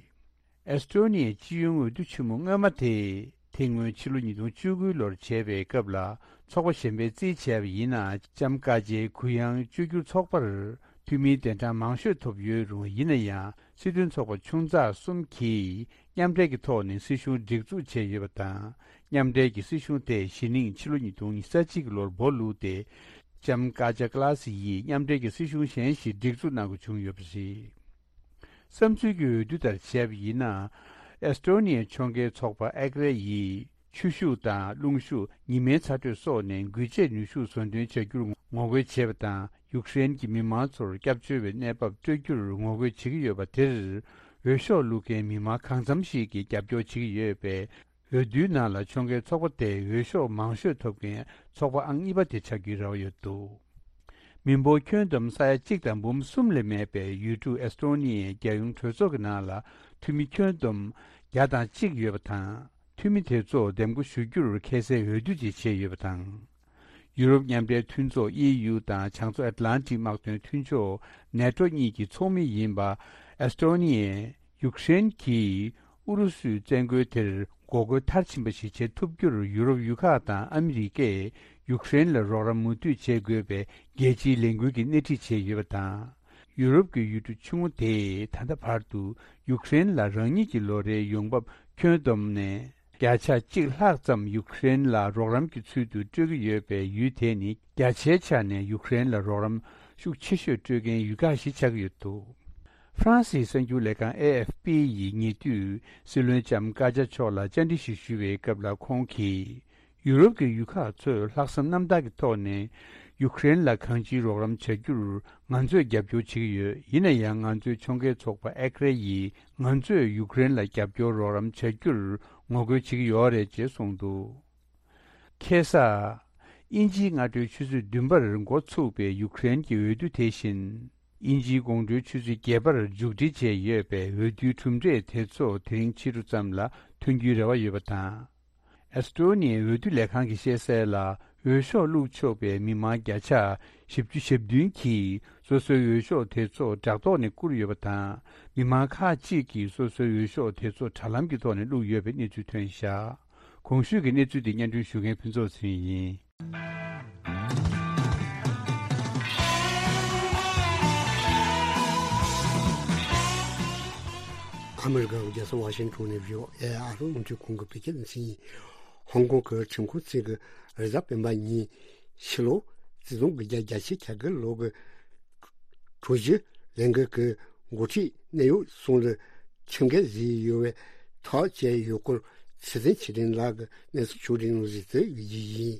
ཨེས་ཏྲོ་ནི་ཡའི་སྤྱི་ཡོངས་འོས་བསྡུ་ཆེན་མོ་སྔོན་མ་དེ་དེ་སྔོན་ཕྱི་ལོ་ཉིས་སྟོང་བཅུ་དགུ་ལོར་བྱས་པའི་སྐབས་ལ་ཚོགས་པ་གཞན་པས་རྩིས་བྱས་པ་ཡིན་ན་ལྕམ་ཀ་ཇའི་གུ་ཡངས་བཅོས་བསྒྱུར་ཚོགས་པར་འཐུས་མིའི་གདན་གྲངས་མང་ཤོས་ཐོབ་ཡོད་རུང་། ཡིན་ན་ཡང་སྲིད་དོན་ཚོགས་པ་ཆུང་ཚགས་གསུམ་གྱིས་མཉམ་འབྲེལ་གྱི་ཐོག་ནས་སྲིད་གཞུང་སྒྲིག་འཛུགས་བྱས་ཡོད་པ་དང་། མཉམ་འབྲེལ་གྱི་སྲིད་གཞུང་དེ་གཞི་རྙིང་ཕྱི་ལོ་ཉིས་སྟོང་ཉི་ཤུ་རྩ་གཅིག་ལོར་སྦོ་བླུགས་ཏེ། ལྕམ་ཀ་ཇ་ཀ་ལ་སི་ཡིས་མཉམ་འབྲེལ་གྱི་སྲིད་གཞུང་གཞན་ཞིག་སྒྲིག་འཛུགས་གནང་དགོས་བྱུང་ཡོད་པ་རེད། བསམ་ཚུལ་གྱི་འོས་བསྡུ་ལྟར་བྱས་པ་ཡིན་ན། ཨེས་ཏྲོ་ནི་ཡའི་ཁྱོང་གའི་ཚོགས་པ་ཨེག་རེ་ཡིས་ཆུ་ཤུགས་དང་རླུང་ཤུགས། ཉི་མའི་ཚ་དྲོད་སོགས་ནས་འགུལ་སྐྱོད་ནུས་ཤུགས་བཟོ་འདོན་བྱ་རྒྱུར་ངོ་རྒོལ་བྱས་པ་དང་། ཡུཀ་རེན་གྱི་མི་མང་ཚོར་སྐྱབས་བཅོལ་བའི་གནས་བབ་སྤྲོད་རྒྱུར་ངོ་རྒོལ་བྱེད་ཀྱི་ཡོད་པ་དེར། འོས་ཤོག་བླུག་མཁན་མི་མང་གང་འཚམ་ཞིག་གིས་རྒྱབ་སྐྱོར་བྱེད་ཀྱི་ཡོད་པས། འོས་བསྡུའི་ནང་ལ་ཁྱོང་གའི་ཚོགས་པ་དེ་འོས་ཤོག་མང་ཤོས་ཐོབ་མཁན་ཚོགས་པ་ཨང་གཉིས་པ་དེ་ཆགས་རྒྱུའི་རེ་བ་ཡོད་འདུག་མི་འབོར་ཁྱོན་བསྡོམས་ས་ཡ་གཅིག་དང་འབུམ་གསུམ་ལས་མེད་པའི་ཡུལ་གྲུ་ཨེས་ཏྲོ་ནི་ཡའི་རྒྱལ་ཡོངས་གྲོས་ཚོགས་ཀྱི་ནང་ལ་འཐུས་མི་ཁྱོན་བསྡོམས་བརྒྱ་དང་གཅིག་ཡོད་པ་དང་། འཐུས་མི་དེ་ཚོ་འདེམས་བསྐོ་ཞུ་རྒྱུར་ཁ་སང་འོས་བསྡུ་ཅིག་བྱས་ཡོད་པ་དང་། ཡུ་རོབ་མཉམ་འབྲེལ་མཐུན་ཚོགས་ཨི་ཡུ་དང་བྱང་མཚོ་ཨེཊ་ལན་ཊིག་དམག་དོན་མཐུན་ཕྱོགས་ནེ་ཊོ་གཉིས་ཀྱི་ཚོགས་མི་ཡིན་པ་ཨེས་ཏྲོ་ནི་ཡས། ཡུཀ་རེན་གྱིས་ཨུ་རུ་སུའི་བཙན་རྒོལ་དེར་འགོག་རྒོལ་མཐར་ཕྱིན་པ་ཞིག་བྱེད་ཐུབ་རྒྱུར་ཡུ་རོབ་ཡུལ་ཁག་དང་ཨ་མི་རི་ཀས་ཡུཀ་རེན་ལ་རོགས་རམ་མུ་མཐུད་བྱེད་དགོས་པའི་རྒྱལ་སྤྱིའི་ལས་འགུལ་གྱིས་སྣེ་ཁྲིད་བྱས་ཡོད་པ་དང་། ཡུ་རོབ་ཀྱི་ཡུལ་གྲུ་ཆུང་ངུ་དེས་ད་ལྟ་བར་དུ་ཡུཀ་རེན་ལ་རང་ཉིད་ཀྱི་ལོ་རེའི་ཡོང་འབབ་ཁྱོན་བསྡོམས་ནས་བརྒྱ་ཆ་གཅིག་ལྷག་ཙམ་ཡུཀ་རེན་ལ་རོགས་རམ་གྱི་ཚུལ་དུ་སྤྲོད་ཀྱི་ཡོད་པས། ཡུལ་དེ་ནི་བརྒྱ་ཆའི་ཆ་ནས་ཡུཀ་རེན་ལ་རོགས་རམ་ཤུགས་ཆེ་ཤོས་སྤྲོད་མཁན་ཡུལ་ཁག་ཞིག་ཆགས་ཀྱི་ཡོད་འདུག་ཧྥ་རན་སིའི་གསར་འགྱུར་ལས་ཁང་ཨེ་ཨེཕ་པི་ཡིས་ཉེ་དུས་སྲིད་བློན་ལྕམ་ཀ་ཇ་མཆོག་ལ་བཅར་འདྲི་ཞིག་ཞུས་པའི་སྐབས་ལ། ཁོང་གིས་ཡུ་རོབ་ཀྱི་ཡུལ་ཁག་ཚོས་ལྷག་བསམ་རྣམ་དག་གི་ཐོག་ནས་ཡུཀ་རེན་ལ་གང་ཅིའི་རོགས་རམ་བྱ་རྒྱུར་ང་ཚོས་རྒྱབ་སྐྱོར་བྱེད་ཀྱི་ཡོད། ཡིན་ན་ཡང་ང་ཚོའི་ཁྱོང་གའི་ཚོགས་པ་ཨེག་རེ་ཡིས་ང་ཚོས་ཡུཀ་རེན་ལ་རྒྱབ་སྐྱོར་རོགས་རམ་བྱ་རྒྱུར་ངོ་རྒོལ་བྱེད་ཀྱི་ཡོད་རེད་ཅེས་གསུངས་འདུག་ཁ་སང་། དབྱིན་ཇིའི་སྔ་དྲོའི་ཆུ་ཚོད་བདུན་པར་འགོ་ཚུགས་པའི་ཡུཀ་རེན་གྱི་འོས་བསྡུ་དེ་བཞིན། དབྱིན་ཇིའི་དགོང་དྲོའི་ཆུ་ཚོད་བརྒྱད་པར་མཇུག་སྒྲིལ་བྱས་ཡོད་པས། འོས་བསྡུའི་གྲུབ་འབྲས་དེ་ཚོ་དེ་རིང་ཕྱི་དྲོ་ཙམ་ལ་ཐོན་རྒྱུའི་རེ་བ་ཡོད་པ་དང་། ཨེས་ཏྲོ་ནི་ཡའི་འོས་བསྡུ་ལས་ཁང་གིས་བཤད་གསལ་ལ། འོས་ཤོག་བླུགས་ཆོག་པའི་མི་མང་བརྒྱ་ཆ་བཞི་བཅུ་ཞེ་བདུན་གྱིས་སོ་སོའི་འོས་ཤོག་དེ་ཚོ་དྲ་ཐོག་ནས་བསྐུར་ཡོད་པ་དང་། མི་མང་ཁག་ཅིག་གིས་སོ་སོའི་འོས་ཤོག་དེ་ཚོ་དྲ་ལམ་གྱི་ཐོག་ནས་བླུགས་ཡོད་པའི་གནས་ཚུལ་ཐོན་བཞག་གོང་ཞུས་ཀྱི་གནས་ཚུལ་དེ་སྙན་སྒྲོན་ཞུ་མཁན་ཕུན་ཚོགས་ཚེ་རིང་ཡིན། ཨ་མི་རི་ཀའི་རྒྱལ་ས་ཝ་ཤིང་ཊོན་ནས་བྷི་ཨོ་ཨེ་ཨ་རོ་རླུང་འཕྲིན་ཁང་གི་བོད་སྐད་སྡེ་ཚན་ཡིན། ཧོང་ཀོང་གི་ཁྲིམས་ཁང་གཅིག་གིས་རེས་གཟའ་སྤེན་པ་ཉིན་ཕྱི་ལོ་ཆིག་སྟོང་དགུ་བརྒྱ་བརྒྱད་ཅུ་གྱ་དགུ་ལོ་གི་གྲོས་གཞི་ལས་འགུལ་གྱི་འགོ་ཁྲིད་གནད་ཡོད་གསུམ་ལ་ཁྲིམས་འགལ་བཟོས་ཡོད་པའི་ཐག་བཅད་ཡོད་སྐོར་ཚེ་བརྟན་ཆོས་སྒྲོན་ལགས་ཀྱིས་གནས་ཚུལ་ཕྱོགས་སྒྲིག་གནང་ཟིན་ཏེ་ཡིན།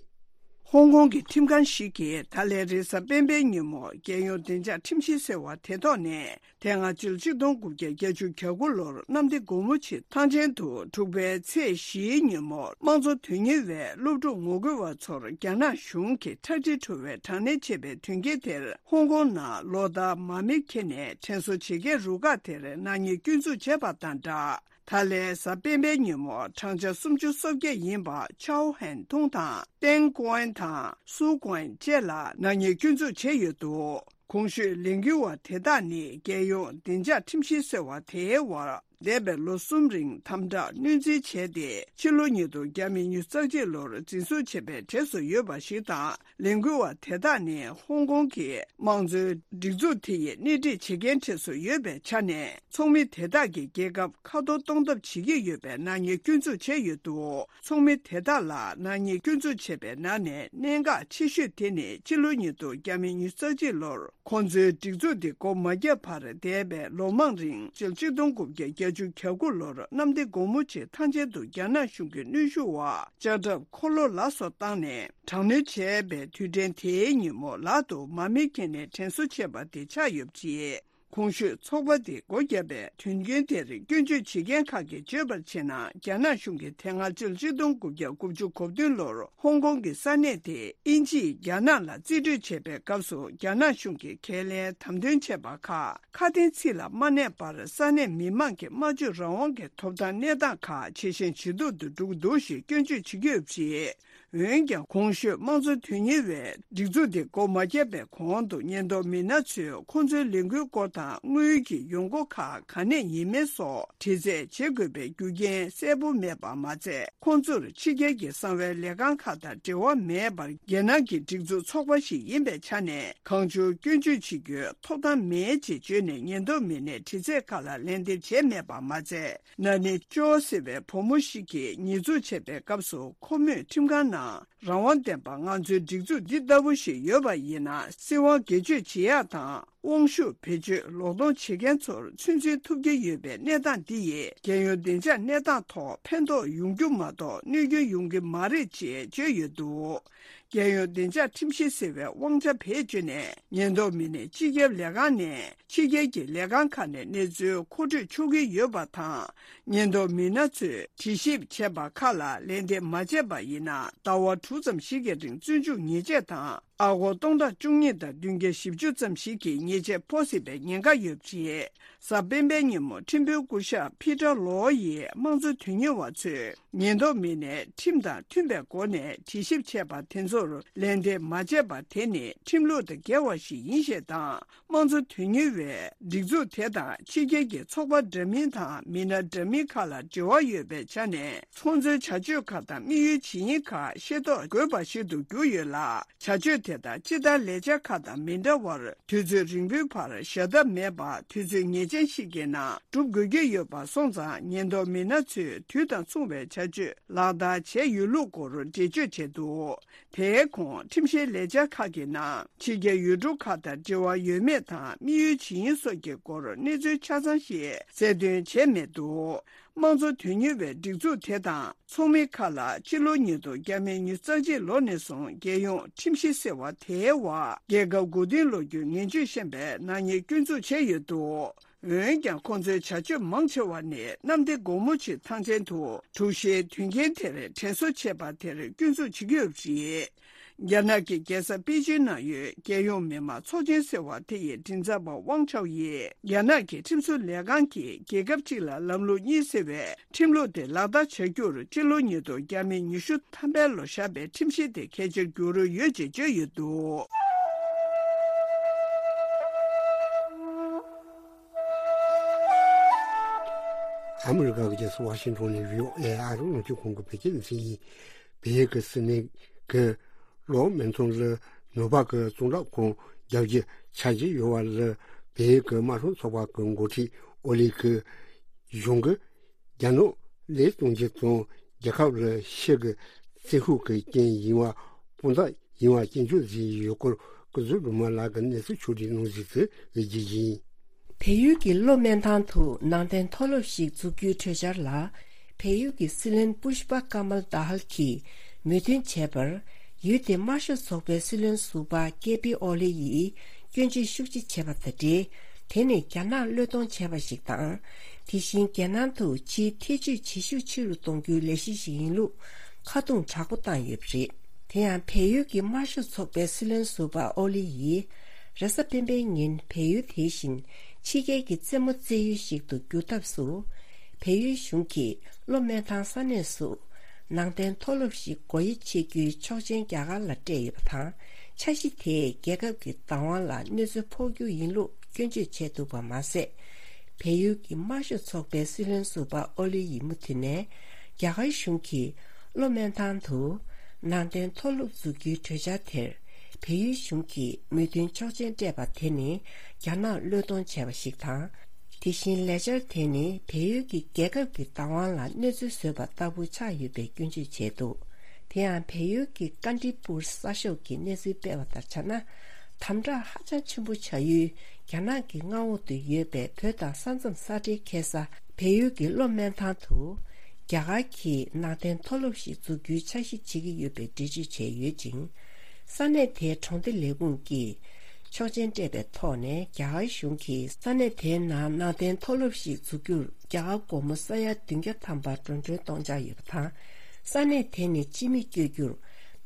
ཧོང་ཀོང་གི་ཁྲིམས་ཁང་ཞིག་གིས་ད་ལན་རེས་གཟའ་སྤེན་པའི་ཉིན་མོ་རྒྱལ་ཡོངས་བདེ་འཇགས་ཁྲིམས་གཞི་ཟེར་བ་དེ་ཐོག་ནས། དེ་སྔ་ཕྱི་ལོ་ཆིག་སྟོང་དགུ་བརྒྱ་བརྒྱད་ཅུ་གྱ་དགུ་ལོར་གནམ་བདེ་སྒོ་མོ་ཆེའི་ཐང་ཆེན་དུ་དྲུག་པའི་ཚེས་བཞིའི་ཉིན་མོར་དམངས་གཙོ་དོན་གཉེར་བའི་སློབ་ཕྲུག་ངོ་རྒོལ་བ་ཚོར་རྒྱ་ནག་གཞུང་གིས་ཁྲག་དྲི་བྲོ་བའི་དྲག་གནོན་བྱས་པའི་དོན་རྐྱེན་དེར། ཧོང་ཀོང་ནང་ལོ་ལྟར་མར་མེ་ཁྱེར་ནས་དྲན་གསོ་བྱེད་མཁན་རུ་ཁག་དེར་ནག་ཉེས་སྐྱོན་འཛུགས་བྱས་པ་དང་སྦྲགས། ད་ལན་གཟའ་སྤེན་པའི་ཉིན་མོ་བགྲང་བྱ་སུམ་ཅུ་སོ་བརྒྱད་ཡིན་པ་ཆའོ་ཧན་ཐུང་དང་ཏེང་ཀོན་དང་སུའུ་ཀོན་བཅས་ལ་ནག་ཉེས་སྐྱོན་འཛུགས་བྱས་ཡོད་འདུག་གོང་ཞུས་ལས་འགུལ་བ་དེ་དག་ནི་རྒྱལ་ཡོངས་བདེ་འཇགས་ཁྲིམས་གཞི་ཟེར་བ་དེའི་འོག་འདས་པའི་ལོ་གསུམ་རིང་དམ་དྲག་གནོན་འཛིན་བྱས་ཏེ། ཕྱི་ལོ་ཉིས་སྟོང་བརྒྱ་མེད་ཉི་ཤུ་རྩ་གཅིག་ལོར་འཛིན་བཟུང་བྱས་པའི་གྲས་སུ་ཡོད་པ་ཞིག་དང་། ལས་འགུལ་བ་དེ་དག་ནི་ཧོང་ཀོང་གི་དམངས་གཙོའི་སྒྲིག་འཛུགས་དེ་ཡིས་སྣེ་ཁྲིད་བྱེད་མཁན་གྲས་སུ་ཡོད་པའི་ཆ་ནས། ཚོགས་མི་དེ་དག་གིས་རྒྱལ་ཁབ་ཁ་གཏོར་གཏོང་ཐབས་བྱེད་ཀྱི་ཡོད་པའི་ནག་ཉེས་སྐྱོན་འཛུགས་བྱས་ཡོད་འདུག་ཚོགས་མི་དེ་དག་ལ་ནག་ཉེས་སྐྱོན་འཛུགས་བྱས་པའི་ནང་ནས་གནད་འགག་ཆེ་ཤོས་དེ་ནི་ཕྱི་ལོ་ཉིས་སྟོང་བརྒྱ་མེད་ཉི་ཤུ་རྩ་གཅིག་ལོར་ཁོང་ཚོའི་སྒྲིག་འཛུགས་དེ་སྒོ་མ་བརྒྱབ་བར་འདས་པའི་ལོ་མང་རིང་སྤྱི་ལོ་ཆིག་སྟོང་དགུ་བརྒྱ་བརྒྱད་ཅུ་གྱ་དགུ་ལོར་གནམ་བདེ་སྒོ་མོ་ཆེའི་ཐང་ཆེན་དུ་རྒྱ་ནག་གཞུང་གི་གནོན་ཤུགས་འོག་ལྕགས་ཁྲབ་འཁོར་ལོ་ལ་སོགས་བཏང་ནས་དྲག་གནོན་བྱས་པའི་དུས་དྲན་དེའི་ཉིན་མོ་ལག་ཏུ་མར་མེ་འཁྱེར་ནས་དྲན་གསོ་བྱས་པ་དེ་ཆགས་ཡོད་པ་རེད། གོང་ཞུས་ཚོགས་པ་དེ་སྒོ་བརྒྱབ་པའི་དོན་རྐྱེན་དེར་སྐྱོན་བརྗོད་བྱེད་མཁན་ཁག་གིས་བརྗོད་པར་བྱས་ན། རྒྱ་ནག་གཞུང་གིས་དེ་སྔ་ཕྱི་ལོ་ཆིག་སྟོང་དགུ་བརྒྱ་དགུ་བཅུ་གོ་བདུན་ལོར་ཧོང་ཀོང་གི་ས་གནས་དེ་དབྱིན་ཇིས་རྒྱ་ནག་ལ་རྩིས་སྤྲོད་བྱས་པའི་སྐབས་སུ། རྒྱ་ནག་གཞུང་གིས་ཁས་ལེན་དམ་དོན་བྱས་པ་ཁག་ཁ་དན་ཚིག་ལ་མ་གནས་པར། ས་གནས་མི་མང་གི་སྨྲ་བརྗོད་རང་དབང་གི་ཐོབ་ཐང་གནས་སྟངས་ཁག་ཇེ་ཞན་ཇེ་སྡུག་ཏུ་འགྲོ་གི་འདུག་ཞེས་སྐྱོན་བརྗོད་བྱེད་ཀྱི་ཡོད་པ་རེད། འོན་ཀྱང་། གོང་ཞུས་དམངས་གཙོ་དོན་གཉེར་བའི་སྒྲིག་འཛུགས་དེ་སྒོ་མ་བརྒྱབ་པའི་གོང་དུ། ཉེན་རྟོག་མི་སྣ་ཚོས་ཁོང་ཚོའི་ལས་འགུལ་སྐོར་དང་། དངུལ་གྱི་ཡོང་སྒོ་ཁག་ག་ནས་ཡིན་མིན་སོགས་དྲི་རྩད་བྱེད་དགོས་པའི་རྒྱུ་རྐྱེན་གསལ་པོ་མེད་པ་མ་ཚད། ཁོང་ཚོར་ཕྱི་རྒྱལ་གྱི་གསང་བའི་ལས་ཁང་ཁག་དང་འབྲེལ་བ་མེད་པར། རྒྱ་ནག་གི་སྒྲིག་འཛུགས་ཚོགས་པ་ཞིག་ཡིན་པའི་ཆ་ནས། གང་བྱུང་སྐྱོན་བརྗོད་བྱེད་རྒྱུའི་ཐོབ་ཐང་མེད་ཅེས་བརྗོད་ནས། ཉེན་རྟོག་མི་སྣས་དྲི་རྩད་ཁག་ལ་ལན་འདེབས་བྱས་མེད་པ་མ་ཚད། ན་ནིང་ཅོ་ཟེར་བའི་བུ་མོ་ཞིག་གིས་ཉེས་འཛུགས་བྱས་པའི་སྐབས་སུ། ཁོ་མོས་ཁྲིམས་ཁང་ནང་རང་དབང་ལྡན་པ། ང་ཚོའི་སྒྲིག་འཛུགས་འདི་ལྟ་བུ་ཞིག་ཡོད་པ་ཡིན་ན། སྲིད་དབང་སྒེར་གཅོད་བྱེད་ཡག་དང་། དབང་ཤུགས་བེད་སྤྱོད་ལོག་གཏོང་བྱེད་མཁན་ཚོར་ཚོད་འཛིན་ཐུབ་ཀྱི་ཡོད་པའི་གནས་སྟངས་འདི་ཡིས། རྒྱལ་ཡོངས་བདེ་འཇགས་གནས་སྟངས་ཐོག་ཕན་ཐོགས་ཡོང་རྒྱུ་མ་གཏོགས། གནོད་སྐྱོན་ཡོང་གི་མ་རེད་ཅེས་བརྗོད་ཡོད་འདུག་རྒྱལ་ཡོངས་བདེ་འཇགས་ཁྲིམས་གཞི་ཟེར་བའི་དབང་ཆ་བེད་སྤྱོད་ནས། ཉེན་རྟོག་མི་སྣས་སྤྱི་ཁྱབ་ལས་ཁང་ནས་ཕྱི་རྒྱལ་གྱི་ལས་ཁང་ཁག་ནས་གནས་ཚུལ་མཁོ་སྤྲོད་ཆོག་གི་ཡོད་པ་དང་། ཉེན་རྟོག་མི་སྣ་ཚོས་དྲི་ཞིབ་བྱས་པ་ཁག་ལ་ལན་འདེབས་མ་བྱས་པ་ཡིན་ན། ཟླ་བ་དྲུག་ཙམ་ཞིག་གི་རིང་བཙོན་འཇུག་ཉེས་ཆད་དང་། ཨ་སྒོར་སྟོང་ཕྲག་བཅུ་གཉིས་དང་བདུན་བརྒྱ་བཞི་བཅུ་ཙམ་ཞིག་གི་ཉེས་ཆད་ཕོག་སྲིད་པའི་ཉེན་ཁ་ཡོད་པ་རེད། གཟའ་སྤེན་པའི་ཉིན་མོ། ཁྲིམས་དཔོན་སྐུ་ཞབས་ཕི་ཏྲ་ལོ་ཡིས་དམངས་གཙོ་དོན་གཉེར་བ་ཚོས། ཉེན་རྟོག་མི་སྣས་ཁྲིམས་དང་མཐུན་པའི་སྒོ་ནས་དྲི་ཞིབ་བྱས་པ་དེ་ཚོར་ལན་འདེབས་མ་བྱས་པ་དེ་ནི་ཁྲིམས་ལུགས་དང་འགལ་བ་ཞིག་ཡིན་ཞེས་དང་། དམངས་གཙོ་དོན་གཉེར་བའི་སྒྲིག་འཛུགས་དེ་དང་ཕྱི་རྒྱལ་གྱི་ཚོགས་པ་འདྲ་མིན་དང་མི་སྣ་འདྲ་མིན་ཁག་ལ་འབྲེལ་བ་ཡོད་པའི་ཆ་ནས། ཁོང་ཚོའི་བྱ་སྤྱོད་ཁག་དང་དམིགས་ཡུལ་ཇི་ཡིན་ཁག་ཤེས་རྟོགས་དགོས་པ་ཞིག་ཏུ་གྱུར་ཡོད་ལ། བྱ་སྤྱོད་དེ་དག་སྤྱི་ལྟར་ལས་འཆར་ཁག་དང་མི་འདྲ་བར། དུས་ཚོད་རིང་པོའི་བར་ཞབས་ཐབས་མེད་པར། དུས་ཚོད་ངེས་ཅན་ཞིག་གི་ནང་སྒྲུབ་དགོས་ཀྱི་ཡོད་པ་སོང་ཙང་། ཉེན་རྟོག་མི་སྣ་ཚོས་དུས་དང་མཚུངས་པའི་བྱ་སྤྱོད་ལག་བསྟར་བྱས་ཡོད་ལུགས་སྐོར་འགྲེལ་བརྗོད་བྱས་འདུག་དེའི་གོང་ཁྲིམས་བཤེར་ལས་འཆར་ཁག་གི་ནང་ཕྱི་རྒྱལ་ཡུལ་གྲུ་ཁག་དང་འབྲེལ་བ་ཡོད་མེད་དང་དམིགས་ཡུལ་ཇི་ཡིན་སོགས་ཀྱི་སྐོར་གནས་ཚུལ་ཆ་ཚང་ཞིག་གསལ་སྟོན་བྱས་མེད་འདུག་དམངས་གཙོ་དོན་གཉེར་བའི་སྒྲིག་འཛུགས་དེ་དང་ཚོགས་མི་ཁག་ལ་ཕྱི་ལོ་ཉིས་སྟོང་ཉི་ཤུ་རྩ་གཅིག་ལོ་ནས་བཟུང་རྒྱལ་ཡོངས་ཁྲིམས་གཞི་ཟེར་བ་དེའི་འོག་རྒྱལ་ཁབ་མགོ་རྟིང་སློག་རྒྱུའི་ངན་ཇུས་བཤམས་པའི་ནག་ཉེས་སྐྱོན་འཛུགས་བྱས་ཡོད་འདུག་འོན་ཀྱང་། ཁོང་ཚོའི་བྱ་སྤྱོད་མང་ཆེ་བ་ནི་གནམ་བདེ་སྒོ་མོ་ཆེའི་ཐང་ཆེན་དུ་དྲུག་བཞིའི་དོན་རྐྱེན་དེར་དྲན་གསོ་བྱེད་པ་དེར་སྐྱོན་འཛུགས་བྱེད་ཀྱི་ཡོད་པ་རེད། རྒྱ་ནག་གི་རྒྱལ་ས་པེ་ཅིན་ནང་ཡོད་རྒྱལ་ཡོངས་མི་དམངས་ཚོགས་ཆེན་ཟེར་བ་དེ་ཡི་མགྲིན་ཚབ་པ་ཝང་ཆའོ་ཡིས། རྒྱ་ནག་གི་ཁྲིམས་བཟོ་ལས་ཁང་གིས་རྒྱལ་ཁབ་གཅིག་ལ་ལམ་ལུགས་གཉིས་ཟེར་བའི་ཁྲིམས་ལུགས་དེ་ལག་བསྟར་བྱ་རྒྱུར། སྤྱི་ལོ་ཉིས་སྟོང་ཉི་ཤུ་ཐམ་པའི་ལོ་བཞག་པའི་ཁྲིམས་གཞི་དེ་གལ་ཆེར་གྱུར་ཡོད་ཅེས་བརྗོད་ཡོད་འདུག་ཨ་མི་རི་ཀ་གི་རྒྱལ་ས་ཝ་ཤིང་ཊོན་ནས་བྷི་ཨོ་ཨེ་ཨ་རི་རླུང་འཕྲིན་ཁང་གི་བོད་སྐད་སྡེ་ཚན་ཡིན། བལ་ཡུལ་གྱི་སྲིད་བློན་གྱིས་ལོ་སྨན་ཐང་ལ་ནུབ་ཕག་གི་གཙང་སྦྲ་ཁང་རྒྱག་རྒྱུའི་འཆར་གཞི་ཡོད་པ་ལ། བལ་ཡུལ་གྱི་དམར་ཤོག་ཚོགས་པ་གི་འགོ་ཁྲིད་ཨོ་ལི་གིས་གཞུང་གིས་རྒྱ་ནག་ལས་གཏོང་རྒྱུ་དང་། རྒྱལ་ཁབ་ལ་ཕྱི་གི་བཙན་ཤུགས་ཀྱི་རྐྱེན་ཡིན་པ་དཔང་རྟགས་ཡིན་པ་སྐྱོན་བརྗོད་བྱས་ཡོད་སྐོར། སྐུ་ཚེ་སྒྲོལ་མ་ལགས་ཀྱིས་གནས་ཚུལ་ཕྱོགས་བསྒྲིགས་གནང་གཟིགས་ཚུལ་བེད་སྤྱོད་ཡིན། བལ་ཡུལ་གྱི་གློ་སྨན་ཐང་དུ་ནང་བསྟན་མཐོ་སློབ་ཞིག་འཛུགས་རྒྱུའི་གྲོས་འཆར་ལ། བལ་ཡུལ་གྱི་སྲིད་བློན་པུཤ་པ་ཀ་མལ་དཱ་ཧལ་གྱིས་མོས་མཐུན་བྱས་པར། ཡུལ་དེའི་དམར་ཤོག་ཚོགས་པའི་སྲིད་བློན་ཟུར་པ་ཀེ་པི་ཨོ་ལི་ཡིས་སྐྱོན་བརྗོད་ཤུགས་ཆེ་བྱས་པ་དང་འབྲེལ། དེ་ནི་རྒྱ་ནག་བློས་གཏོང་བྱས་པ་ཞིག་དང་། དེ་བཞིན་རྒྱལ་ནང་དུ་ཕྱིའི་ཐེ་ཇུས་བྱེད་ཤུགས་ཆེ་རུ་གཏོང་རྒྱུའི་ལས་གཞི་ཞིག་ཡིན་ལུགས་ཁ་རྡུང་དྲག་པོ་བཏང་ཡོད་པ་རེད། དེ་ཡང་། བལ་ཡུལ་གྱི་དམར་ཤོག་ཚོགས་པའི་སྲིད་བློན་ཟུར་པ་ཨོ་ལི་ཡིས། རེས་གཟའ་སྤེན་པའི་ཉིན་བལ་ཡུལ་དེ་བཞིན་ཕྱི་རྒྱལ་གྱི་རྩེད་མོ་རྩེ་ཡུལ་ཞིག་ཏུ་བསྒྱུར་ཐབས་སུ། བལ་ཡུལ་གཞུང་གིས་གློ་སྨན་ཐང་ས་གནས་སུ་ནང་བསྟན་མཐོ་སློབ་ཞིག་སྒོ་དབྱེ་ཕྱེ་རྒྱུའི་ཆོག་མཆན་རྒྱ་གར་ལ་སྤྲད་ཡོད་པ་དང་། འཆར་གཞི་དེས་རྒྱལ་ཁབ་ཀྱི་བདག་དབང་ལ་གནོད་འཚེ་ཕོག་རྒྱུ་ཡིན་ལུགས་སྐྱོན་བརྗོད་བྱས་འདུག་པ་མ་ཟད། བལ་ཡུལ་གྱི་དམར་ཤོག་ཚོགས་པའི་སྲིད་བློན་ཟུར་པ་ཨོ་ལི་ཡིས་མུ་མཐུད་ནས། རྒྱ་གར་གཞུང་གིས་གློ་སྨན་ཐང་དུ་ནང་བསྟན་མཐོ་སློབ་འཛུགས་རྒྱུའི་གྲོས་འཆར་དེར། བལ་ཡུལ་གཞུང་གིས་མོས་མཐུན་ཆོག་མཆན་སྤྲད་པ་དེ་ནི་རྒྱ་ནག་བློས་གཏོང་བྱས་པ་ཞིག་དང་། དེ་བཞིན་ལས་འཆར་དེ་ནི་བལ་ཡུལ་གྱི་རྒྱལ་ཁབ་ཀྱི་བདག་དབང་ལ་གནོད་འཚེ་བཟོས་པ་ལྟ་བུ་ཆགས་ཡོད་པའི་སྐྱོན་བརྗོད་བྱས་འདུག་དེ་ཡང་། བལ་ཡུལ་གྱི་ཀ་འདྲི་པུར་གསར་ཤོག་གིས་གནས་ཚུལ་སྤེལ་བ་ལྟར་ཆ་ན། དམ་དྲག་ཧ་ཅང་ཆེན་པོ་བྱ་ཡུལ་རྒྱ་ནག་གི་མངའ་འོག་ཏུ་ཡོད་པའི་བོད་དང་ས་མཚམས་ས་འབྲེལ་ཁེལ་ས་བལ་ཡུལ་གྱི་གློ་སྨན་ཐང་དུ། རྒྱ་གར་གྱིས་ནང་བསྟན་མཐོ་སློབ་ཞིག་འཛུགས་རྒྱུའི་འཆར་གཞི་བྱེད་ཀྱི་ཡོད་པའི་འགྲེལ་བརྗོད་བྱས་ཡོད་ཅིང་། ས་གནས་དེའི་གྲོང་སྡེ་ལས་ཁུངས་ཀྱིས། ཆོག་མཆན་སྤྲད་པའི་ཐོག་ནས། རྒྱ་གར་གཞུང་གིས་ས་གནས་དེའི་ནང་ནང་བསྟན་མཐོ་སློབ་ཞིག་འཛུགས་རྒྱུར་རྒྱ་གར་སྒོར་མོ་ས་ཡ་བདུན་བརྒྱ་ཐམ་པ་འགྲོ་གྲོན་གཏོང་འཆར་ཡོད་པ་དང་། ས་གནས་དེ་ནས་སྤྱི་མི་བསྐྱོད་རྒྱུར་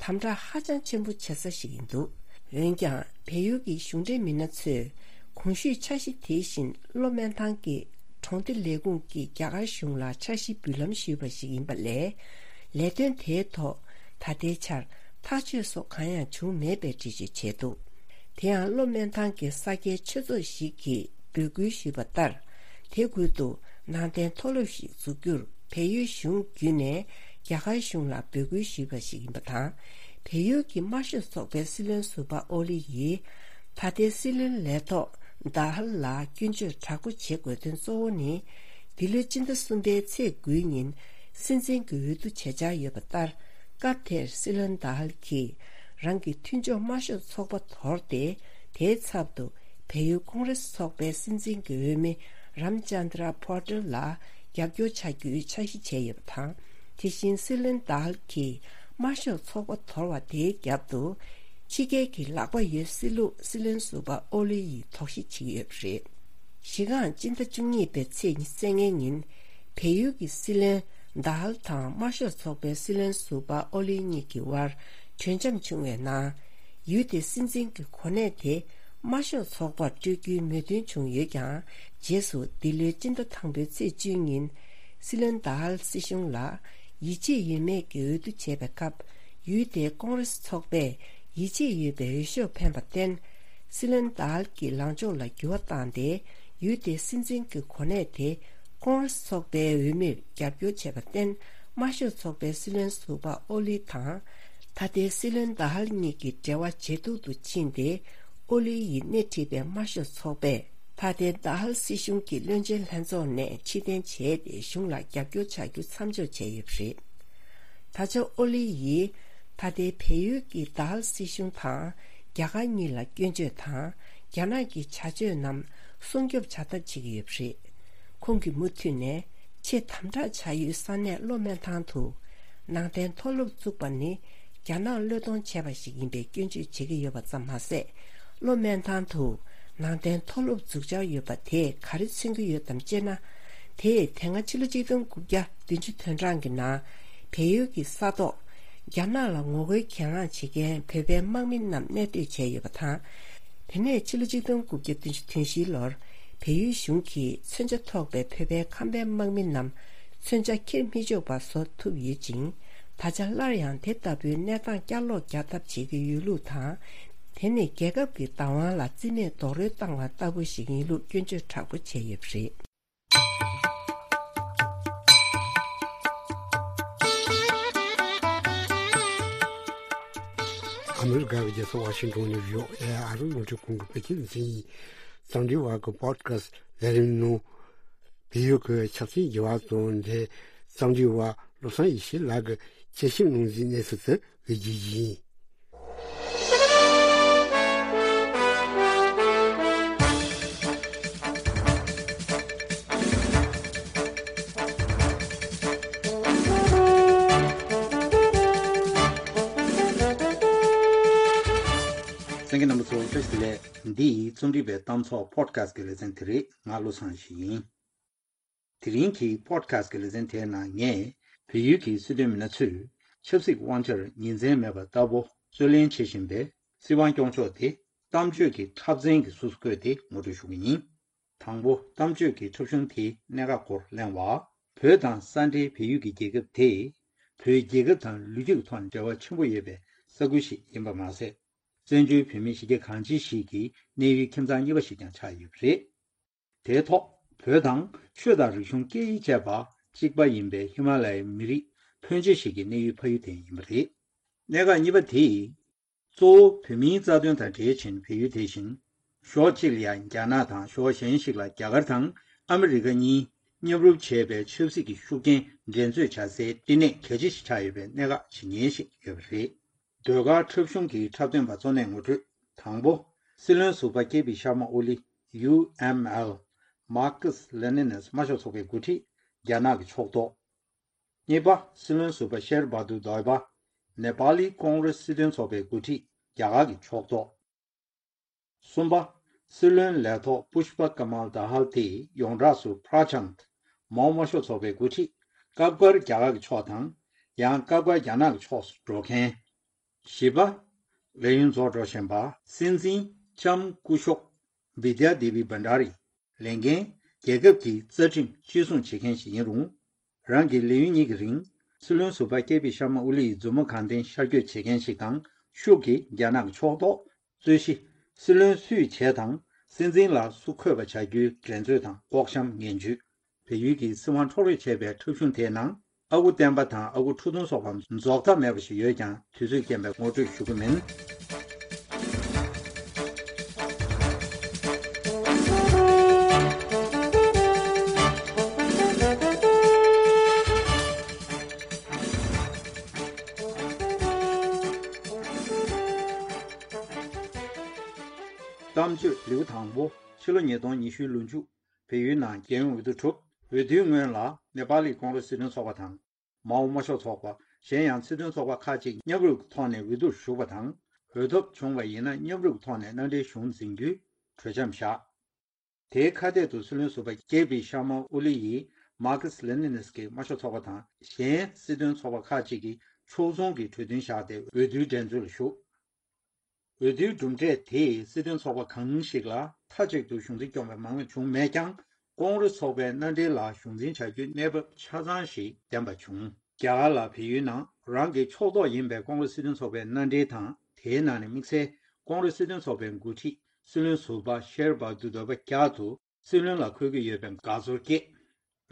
དམ་དྲག་ཧ་ཅང་ཆེན་པོ་བྱེད་ས་ཞིག་ཡིན་འདུག་འོན་ཀྱང་། བལ་ཡུལ་གྱི་གཞུང་འབྲེལ་མི་སྣ་ཚོས་གོང་ཞུས་འཆར་གཞི་དེ་བཞིན་བློ་སྨོན་ཐང་གི་གྲོང་སྡེ་ལས་ཁུངས་ཀྱིས་རྒྱ་གར་གཞུང་ལ་འཆར་གཞི་འབུལ་ལམ་ཞུས་པ་ཞིག་ཡིན་པ་ལས། ལས་དོན་དེའི་ཐོག་ད་ལྟའི་ཆར་ཐག་གཅོད་སོགས་གང་ཡང་བྱུང་མེད་པའི་འགྲེལ་བརྗོད་བྱས་འདུག་དེ་ཡང་། བློ་སྨོན་ཐང་གི་ས་སྐྱའི་ཆོས་ཚོགས་ཤིག་གིས་འབོད་སྐུལ་ཞུས་པ་ལྟར། དེ་ཁུལ་དུ་ནང་བསྟན་མཐོ་སློབ་ཞིག་འཛུགས་རྒྱུར་བལ་ཡུལ་གཞུང་བརྒྱུད་ནས་རྒྱ་གར་གཞུང་ལ་འབོད་སྐུལ་ཞུས་པ་ཞིག་ཡིན་པ་དང་། བལ་ཡུལ་གྱི་དམར་ཤོག་ཚོགས་པའི་སྲིད་བློན་ཟུར་པ་ཨོ་ལི་ཡིས། ད་ལྟའི་སྲིད་བློན་ལས་ཐོག་དཱ་ཧལ་ལ་སྐྱོན་བརྗོད་དྲག་པོ་བྱེད་དགོས་དོན་གཙོ་བོ་ནི། འདི་ལོའི་སྤྱི་ཟླ་གསུམ་པའི་ཚེས་དགུའི་ཉིན། སྲིད་འཛིན་གྱི་འོས་བསྡུ་བྱེད་འཆར་ཡོད་པ་ལྟར། སྐབས་དེར་སྲིད་བློན་དཱ་ཧལ་གྱིས་རང་གི་མཐུན་ཕྱོགས་དམར་ཤོག་ཚོགས་པ་དོར་ཏེ། དེའི་ཚབ་ཏུ་བལ་ཡུལ་ཀོང་རེ་སི་ཚོགས་པའི་སྲིད་འཛིན་གྱི་འོས་མི་རམ་ཅན་དྲ་པོ་ཊལ་ལ་རྒྱབ་སྐྱོར་བྱ་རྒྱུའི་འཆར་གཞི་བྱས་ཡོད་པ་དང་། དེ་བཞིན་སྲིད་བློན་དཱ་ཧལ་གྱིས་དམར་ཤོག་ཚོགས་པ་དོར་བ་དེའི་རྒྱབ་ཏུ། ཕྱི་རྒྱལ་གྱི་ལག་པ་ཡོད་སྲིད་ལུགས་སྲིད་བློན་ཟུར་པ་ཨོ་ལི་ཡིས་དོགས་གཞི་བྱེད་ཀྱི་ཡོད་པ་རེད། གཞི་རྐང་སྤྱི་ཟླ་བཅུ་གཉིས་པའི་ཚེས་ཉི་ཤུ་རྩ་ལྔའི་ཉིན། བལ་ཡུལ་གྱི་སྲིད་བློན་དཱ་ཧལ་དང་དམར་ཤོག་ཚོགས་པའི་སྲིད་བློན་ཟུར་པ་ཨོ་ལི་གཉིས་ཀྱི་དབར་གྲོས་འཆམ་བྱུང་བའི་ནང་། ཡུལ་དེའི་སྲིད་འཛིན་གྱི་གོ་གནས་དེ་དམར་ཤོག་ཚོགས་པར་སྤྲོད་རྒྱུའི་མོས་མཐུན་བྱུང་ཡོད་ཀྱང་། རྗེས་སུ་འདི་ལོའི་སྤྱི་ཟླ་དང་པོའི་ཚེས་བཅུའི་ཉིན། སྲིད་བློན་དཱ་ཧལ་སྲིད་གཞུང་ལ་ཡིད་ཆེས་ཡོད་མེད་ཀྱི་འོས་བསྡུ་བྱས་པའི་སྐབས། ཡུལ་དེའི་ཀོང་རེ་སི་ཚོགས་པས་ཡིད་ཆེས་ཡོད་པའི་འོས་ཤོག་འཕེན་པར་བརྟེན། སྲིད་བློན་དཱ་ཧལ་གྱི་ལངས་ཕྱོགས་ལ་འགྱུར་བ་བཏང་སྟེ། ཡུལ་དེའི་སྲིད་འཛིན་གྱི་གོ་གནས་དེ་ཀོང་རེ་སི་ཚོགས་པའི་འོས་མིར་རྒྱབ་སྐྱོར་བྱས་པར་བརྟེན། དམར་ཤོག་ཚོགས་པའི་སྲིད་བློན་ཟུར་པ་ཨོ་ལི་དང་། ད་ལྟའི་སྲིད་བློན་དཱ་ཧལ་གཉིས་ཀྱི་འབྲེལ་བ་ཇེ་སྡུག་ཏུ་ཕྱིན་ཏེ། ཨོ་ལི་ཡིས་སྣེ་ཁྲིད་པའི་དམར་ཤོག་ཚོགས་པས། ད་ལྟའི་དཱ་ཧལ་སྲིད་གཞུང་གི་བློན་ཆེན་ལྷན་ཚོགས་ནས་ཕྱིར་འཐེན་བྱས་ཏེ། གཞུང་ལ་རྒྱབ་སྐྱོར་བྱ་རྒྱུ་མཚམས་འཇོག་བྱས་ཡོད་པ་རེད། ད་ཆ་ཨོ་ལི་ཡིས་ད་ལྟའི་བལ་ཡུལ་གྱི་དཱ་ཧལ་སྲིད་གཞུང་དང་རྒྱ་གར་གཉིས་ལ་སྐྱོན་བརྗོད་དང་། རྒྱ་ནག་གི་བྱ་སྤྱོད་རྣམས་སྲུང་སྐྱོབ་བྱ་ཐབས་བྱེད་ཀྱི་ཡོད་པ་རེད། ཁོང་གིས་མུ་མཐུད་ནས། ཆེས་དམ་དྲག་བྱ་ཡུལ་ས་གནས་བློ་སྨོན་ཐང་དུ་ནང་བསྟན་མཐོ་སློབ་བཙུགས་པ་ནི་རྒྱ་ནག་བློས་གཏོང་བྱས་པ་ཞིག་ཡིན་པའི་སྐྱོན་བརྗོད་བྱེད་ཀྱི་ཡོད་པ་ཙམ་མ་ཟད། བློ་སྨོན་ཐང་དུ་ནང་བསྟན་མཐོ་སློབ་འཛུགས་འཆར་ཡོད་པ་དེས་ག་རེ་མཚོན་གྱི་ཡོད་དམ་ཅེ་ན། དེས་དེ་སྔ་ཕྱི་ལོ་ཆིག་སྟོང་དགུ་བརྒྱ་བདུན་ཅུ་དོན་གྲངས་ཀྱི་ནང་བལ་ཡུལ་གྱི་ས་ཐོག་རྒྱ་ནག་ལ་ངོ་རྒོལ་གྱེན་ལངས་བྱེད་མཁན་བོད་པའི་དམག་མི་རྣམས་གནས་སྡོད་བྱས་ཡོད་པ་དང་། དེ་ནས་ཕྱི་ལོ་ཆིག་སྟོང་དགུ་བརྒྱ་བདུན་ཅུ་དོན་བཞིའི་ལོར་བལ་ཡུལ་གཞུང་གིས་མཚོན་ཆ་ཐོགས་པའི་བོད་པའི་ཁམས་པའི་དམག་མི་རྣམས་མཚོན་ཆ་འཁྱེར་མི་ཆོག་པ་བཟོ་ཐུབ་ཡོད་ཅིང་། ད་ཆ་སླར་ཡང་དེ་ལྟ་བུའི་གནས་སྟངས་བསྐྱར་ལོག་རྒྱག་ཐབས་བྱེད་ཀྱི་ཡོད་ལུགས་དང་། དེ་ནི་རྒྱལ་ཁབ་ཀྱི་བདག་དབང་ལ་རྩིས་མེད་རྡོག་རོལ་བཏང་བ་ལྟ་བུ་ཞིག་ཡིན་ལུགས་སྐྱོན་བརྗོད་དྲག་པོ་བྱས་ཡོད་པ་རེད། ཨ་མི་རི་ཀ་གི་རྒྱལ་ས་ཝ་ཤིང་ཏོན་ནས་བྷི་ཨོ་ཨེ་ཨ་རི་རླུང་འཕྲིན་ཁང་གི་བོད་སྐད་སྡེ་ཚན་ཡིན། འཚམས་འདྲི་བར་གྱི་པོ་ཌི་ཁ་སི་ལས་རིམ་ནང་། བལ་ཡུལ་གྱི་ཆབ་སྲིད་འགྱུར་བ་དང་འབྲེལ། འཚམས་འདྲི་བ་བློ་བཟང་ཡེ་ཤེས་ལགས་ཀྱིས་དཔྱད་ཞིབ་གནང་གཟིགས་གནས་ཚུལ་དེ་འབུལ་རྒྱུ་ཡིན། གསན་མཁན་རྣམ་པ་ཚོ་བཀྲ་ཤིས་བདེ་ལེགས། འདི་རྩོམ་སྒྲིག་པའི་གཏམ་ཚོགས་པོ་ཌི་ཁ་སི་གི་ལེ་ཚན་དེ་རེད། ང་བློ་བཟང་ཡེ་ཤེས་ཡིན། དེ་རིང་གི་པོ་ཌི་ཁ་སི་གི་ལེ་ཚན་དེའི་ནང་ངས་བལ་ཡུལ་གྱི་སྲིད་དོན་མི་སྣ་ཚོས་ཆབ་སྲིད་དབང་ཆར་ཉིན་མཚན་མེད་པ་ལྟ་བུ་རྩོད་ལེན་བྱེད་བཞིན་པའི་སྲིད་དབང་སྐྱོང་ཕྱོགས་དེ་གཏམ་བརྗོད་ཀྱི་འཁྲབ་ཚན་གྱི་གཟུགས་སུ་བཀོད་དེ་ངོ་སྤྲོད་ཞུ་གི་ཡིན། དང་པོ། གཏམ་བརྗོད་ཀྱི་འཁྲབ་གཞུང་དེའི་གནད་འགག་སྐོར་གླེང་བ། བོད་དང་ས་འབྲེལ་བལ་ཡུལ་གྱི་རྒྱལ་ཁབ་དེས་བོད་རྒྱལ་ཁབ་དང་ལོ་རྒྱུས་ཀྱི་ཐོག་འབྲེལ་བ་ཆེན་པོ་ཡོད་པའི་ས་ཁུལ་ཞིག་ཡིན་པ་མ་ཟད། བཙན་བྱོལ་བོད་མིའི་གཞིས་བྱེས་གང་ཅི་ཞིག་གི་གནས་ཡུལ་ཁྱིམ་ཚང་གཉིས་པ་ཞིག་ཀྱང་ཆགས་ཡོད་པ་རེད། དེའི་ཐོག་བོད་དང་ཆོས་དང་རིག་གཞུང་སྐད་ཡིག་བཅས་པ་གཅིག་པ་ཡིན་པའི་ཧི་མ་ལ་ཡའི་མི་རིགས་ཕོན་ཆེ་ཞིག་གི་གནས་ཡུལ་ཕ་ཡུལ་དེ་ཡིན་པ་རེད། གནད་འགག་གཉིས་པ་དེ། གཙོ་བོ་བོད་མིའི་རྩ་དོན་དང་འབྲེལ་ཕྱིན་བལ་ཡུལ་དེ་བཞིན། ཕྱོགས་གཅིག་ལ་ཡང་རྒྱ་ནག་དང་ཕྱོགས་གཞན་ཞིག་ལ་རྒྱ་གར་དང་ཨ་མི་རི་ཀ་གཉིས་མཉམ་རུབ་བྱས་པའི་ཆབ་སྲིད་ཀྱི་ཤུགས་རྐྱེན་འགྲན་རྩོད་བྱ་སའི་བསྟི་གནས་གལ་ཆེ་ཞིག་ཆགས་ཡོད་པའི་གནད་འགག་ཇི་སྙེད་ཞིག་ཡོད་པ་རེད། ཟློས་གར་འཁྲབ་གཞུང་གི་འཁྲབ་སྟོན་པ་གཙོ་གནད་ངོ་སྤྲོད། དང་པོ། སྲིད་བློན་ཟུར་པ་ཀེ་པི་ཤར་མ་ཨོ་ལི། ཡུ་ཨེམ་ཨེལ། Marxist Leninist དམར་ཤོག་ཚོགས་པའི་འགོ་ཁྲིད། རྒྱ་ནག་གི་ཕྱོགས་གཏོགས། གཉིས་པ། སྲིད་བློན་ཟུར་པ་ཤེར་བྷ་དུར་དོའི་པ། ནེ་པ་ལི་ཀོང་རེས་སྲིད་དོན་ཚོགས་པའི་འགོ་ཁྲིད། རྒྱ་གར་གྱི་ཕྱོགས་གཏོགས། གསུམ་པ། སྲིད་བློན་ལས་ཐོག་པུཤ་པ་ཀ་མལ་དཱ་ཧལ་དེས་ཡོངས་གྲགས་སུ་པྲ་ཆནྜ། མའོ་དམར་ཤོག་ཚོགས་པའི་འགོ་ཁྲིད། སྐབས་འགར་རྒྱ་གར་གྱི་ཕྱོགས་དང་། ཡང་སྐབས་འགར་རྒྱ་ནག་གི་ཕྱོགས་སུ་འགྲོ་མཁན། བཞི་པ། ལས་ཡུན་རྫོགས་འགྲོ་བཞིན་པ་སྲིད་འཛིན་ལྕམ་སྐུ་ཞབས་བི་དྱ་དེ་བི་བྷན་ཌ་རི། ལས་འགན། རྒྱལ་ཁབ་ཀྱི་རྩ་ཁྲིམས་གཅེས་སྲུང་བྱེད་མཁན་ཞིག་ཡིན་རུང་། རང་གི་ལས་ཡུན་གཉིས་ཀྱི་རིང་། སྲིད་བློན་ཟུར་པ་ཀེ་པི་ཤར་མ་ཨོ་ལི་ཡི་མཛུབ་མོ་གང་བསྟན་ཤར་བསྐྱོད་བྱེད་མཁན་ཞིག་དང་། ཤུགས་ཀྱིས་རྒྱ་ནག་གི་ཕྱོགས་གཏོགས། རྩོད་གཞི། སྲིད་བློན་སུས་བྱས་དང་། སྲིད་འཛིན་ལ་སུ་འཁོད་པ་བྱ་རྒྱུའི་འགྲན་རྩོད་དང་ལྐོག་གཤོམ་ངན་ཇུས། བལ་ཡུལ་གྱི་སྲིད་དབང་འཕྲོག་རེས་བྱས་པའི་འཁྲབ་གཞུང་དེའི་ནང་། ཨ་ཁུ་བསྟན་པ་དང་ཨ་ཁུ་ཁྲོ་ཐུང་སོགས་པ་རྫོགས་མཐའ་མེད་པ་ཞིག་ཡོད་ཀྱང་། དུས་ཚོད་རྐྱེན་པས་ངོ་སྤྲོད་ཞུ་གི་མིན། གཏམ་བརྗོད་ལེའུ་དང་པོ། ཕྱི་ལོ་ཉིས་སྟོང་ཉི་ཤུའི་ལོ་མཇུག་བལ་ཡུལ་ནང་རྒྱལ་ཡོངས་འོས་བསྡུ་གྲུབ། འོས་བསྡུའི་སྔོན་ལ་ནེ་པ་ལི་ཀོང་རེས་སྲིད་དོན་ཚོགས་པ་དང་། མའོ་དམར་ཤོག་ཚོགས་པ། གཞན་ཡང་སྲིད་དོན་ཚོགས་པ་ཁག་ཅིག་མཉམ་རུབ་ཀྱི་ཐོག་ནས་འོས་བསྡུར་ཞུགས་པ་དང་། འོས་ཐོབ་བྱུང་བ་ཡིན་ན་མཉམ་རུབ་ཀྱི་ཐོག་ནས་མནའ་འབྲེལ་གཞུང་འཛིན་རྒྱུའི་གྲོས་འཆམ་བཞག་དེའི་ཁ་གཏད་དུ་སྲིད་བློན་ཟུར་པ་ཀེ་པི་ཤར་མ་ཨོ་ལི་ཡིས་མར་ཁེ་སི་ལེ་ནིན་གྱི་དམར་ཤོག་ཚོགས་པ་དང་གཞན་སྲིད་དོན་ཚོགས་པ་ཁག་ཅིག་གིས་ཕྱོགས་མཚུངས་ཀྱི་གྲོས་མཐུན་བཞག་སྟེ་འོས་བསྡུའི་འགྲན་རྩོད་ལ་ཞུགས། འོས་བསྡུའི་གྲུབ་འབྲས་དེས་སྲིད་དོན་ཚོགས་པ་གང་ཞིག་ལ་མཐའ་གཅིག་ཏུ་གཞུང་འཛིན་སྐྱོང་བའི་མང་མོས་བྱུང་མེད་ཀྱང་། ཀོང་རེས་ཚོགས་པའི་མནའ་འབྲེལ་ལ་གཞུང་འཛིན་བྱ་རྒྱུའི་གནས་བབ་ཆ་ཚང་ཞིག་ལྡན་པ་བྱུང་། རྒྱ་གར་ལ་བལ་ཡུལ་ནང་རང་གི་ཕྱོགས་གཏོགས་ཡིན་པའི་ཀོང་རེས་སྲིད་དོན་ཚོགས་པའི་མནའ་འབྲེལ་དང་། དེའི་ནང་ནས་དམིགས་བསལ་ཀོང་རེས་སྲིད་དོན་ཚོགས་པའི་འགོ་ཁྲིད་སྲིད་བློན་ཟུར་པ་ཤེར་བྷ་དུ་དོ་བྷ་རྒྱ་དུ་སྲིད་བློན་ལ་འཁོད་ཀྱི་ཡོད་པའི་དགའ་ཚོར་སྐྱེས།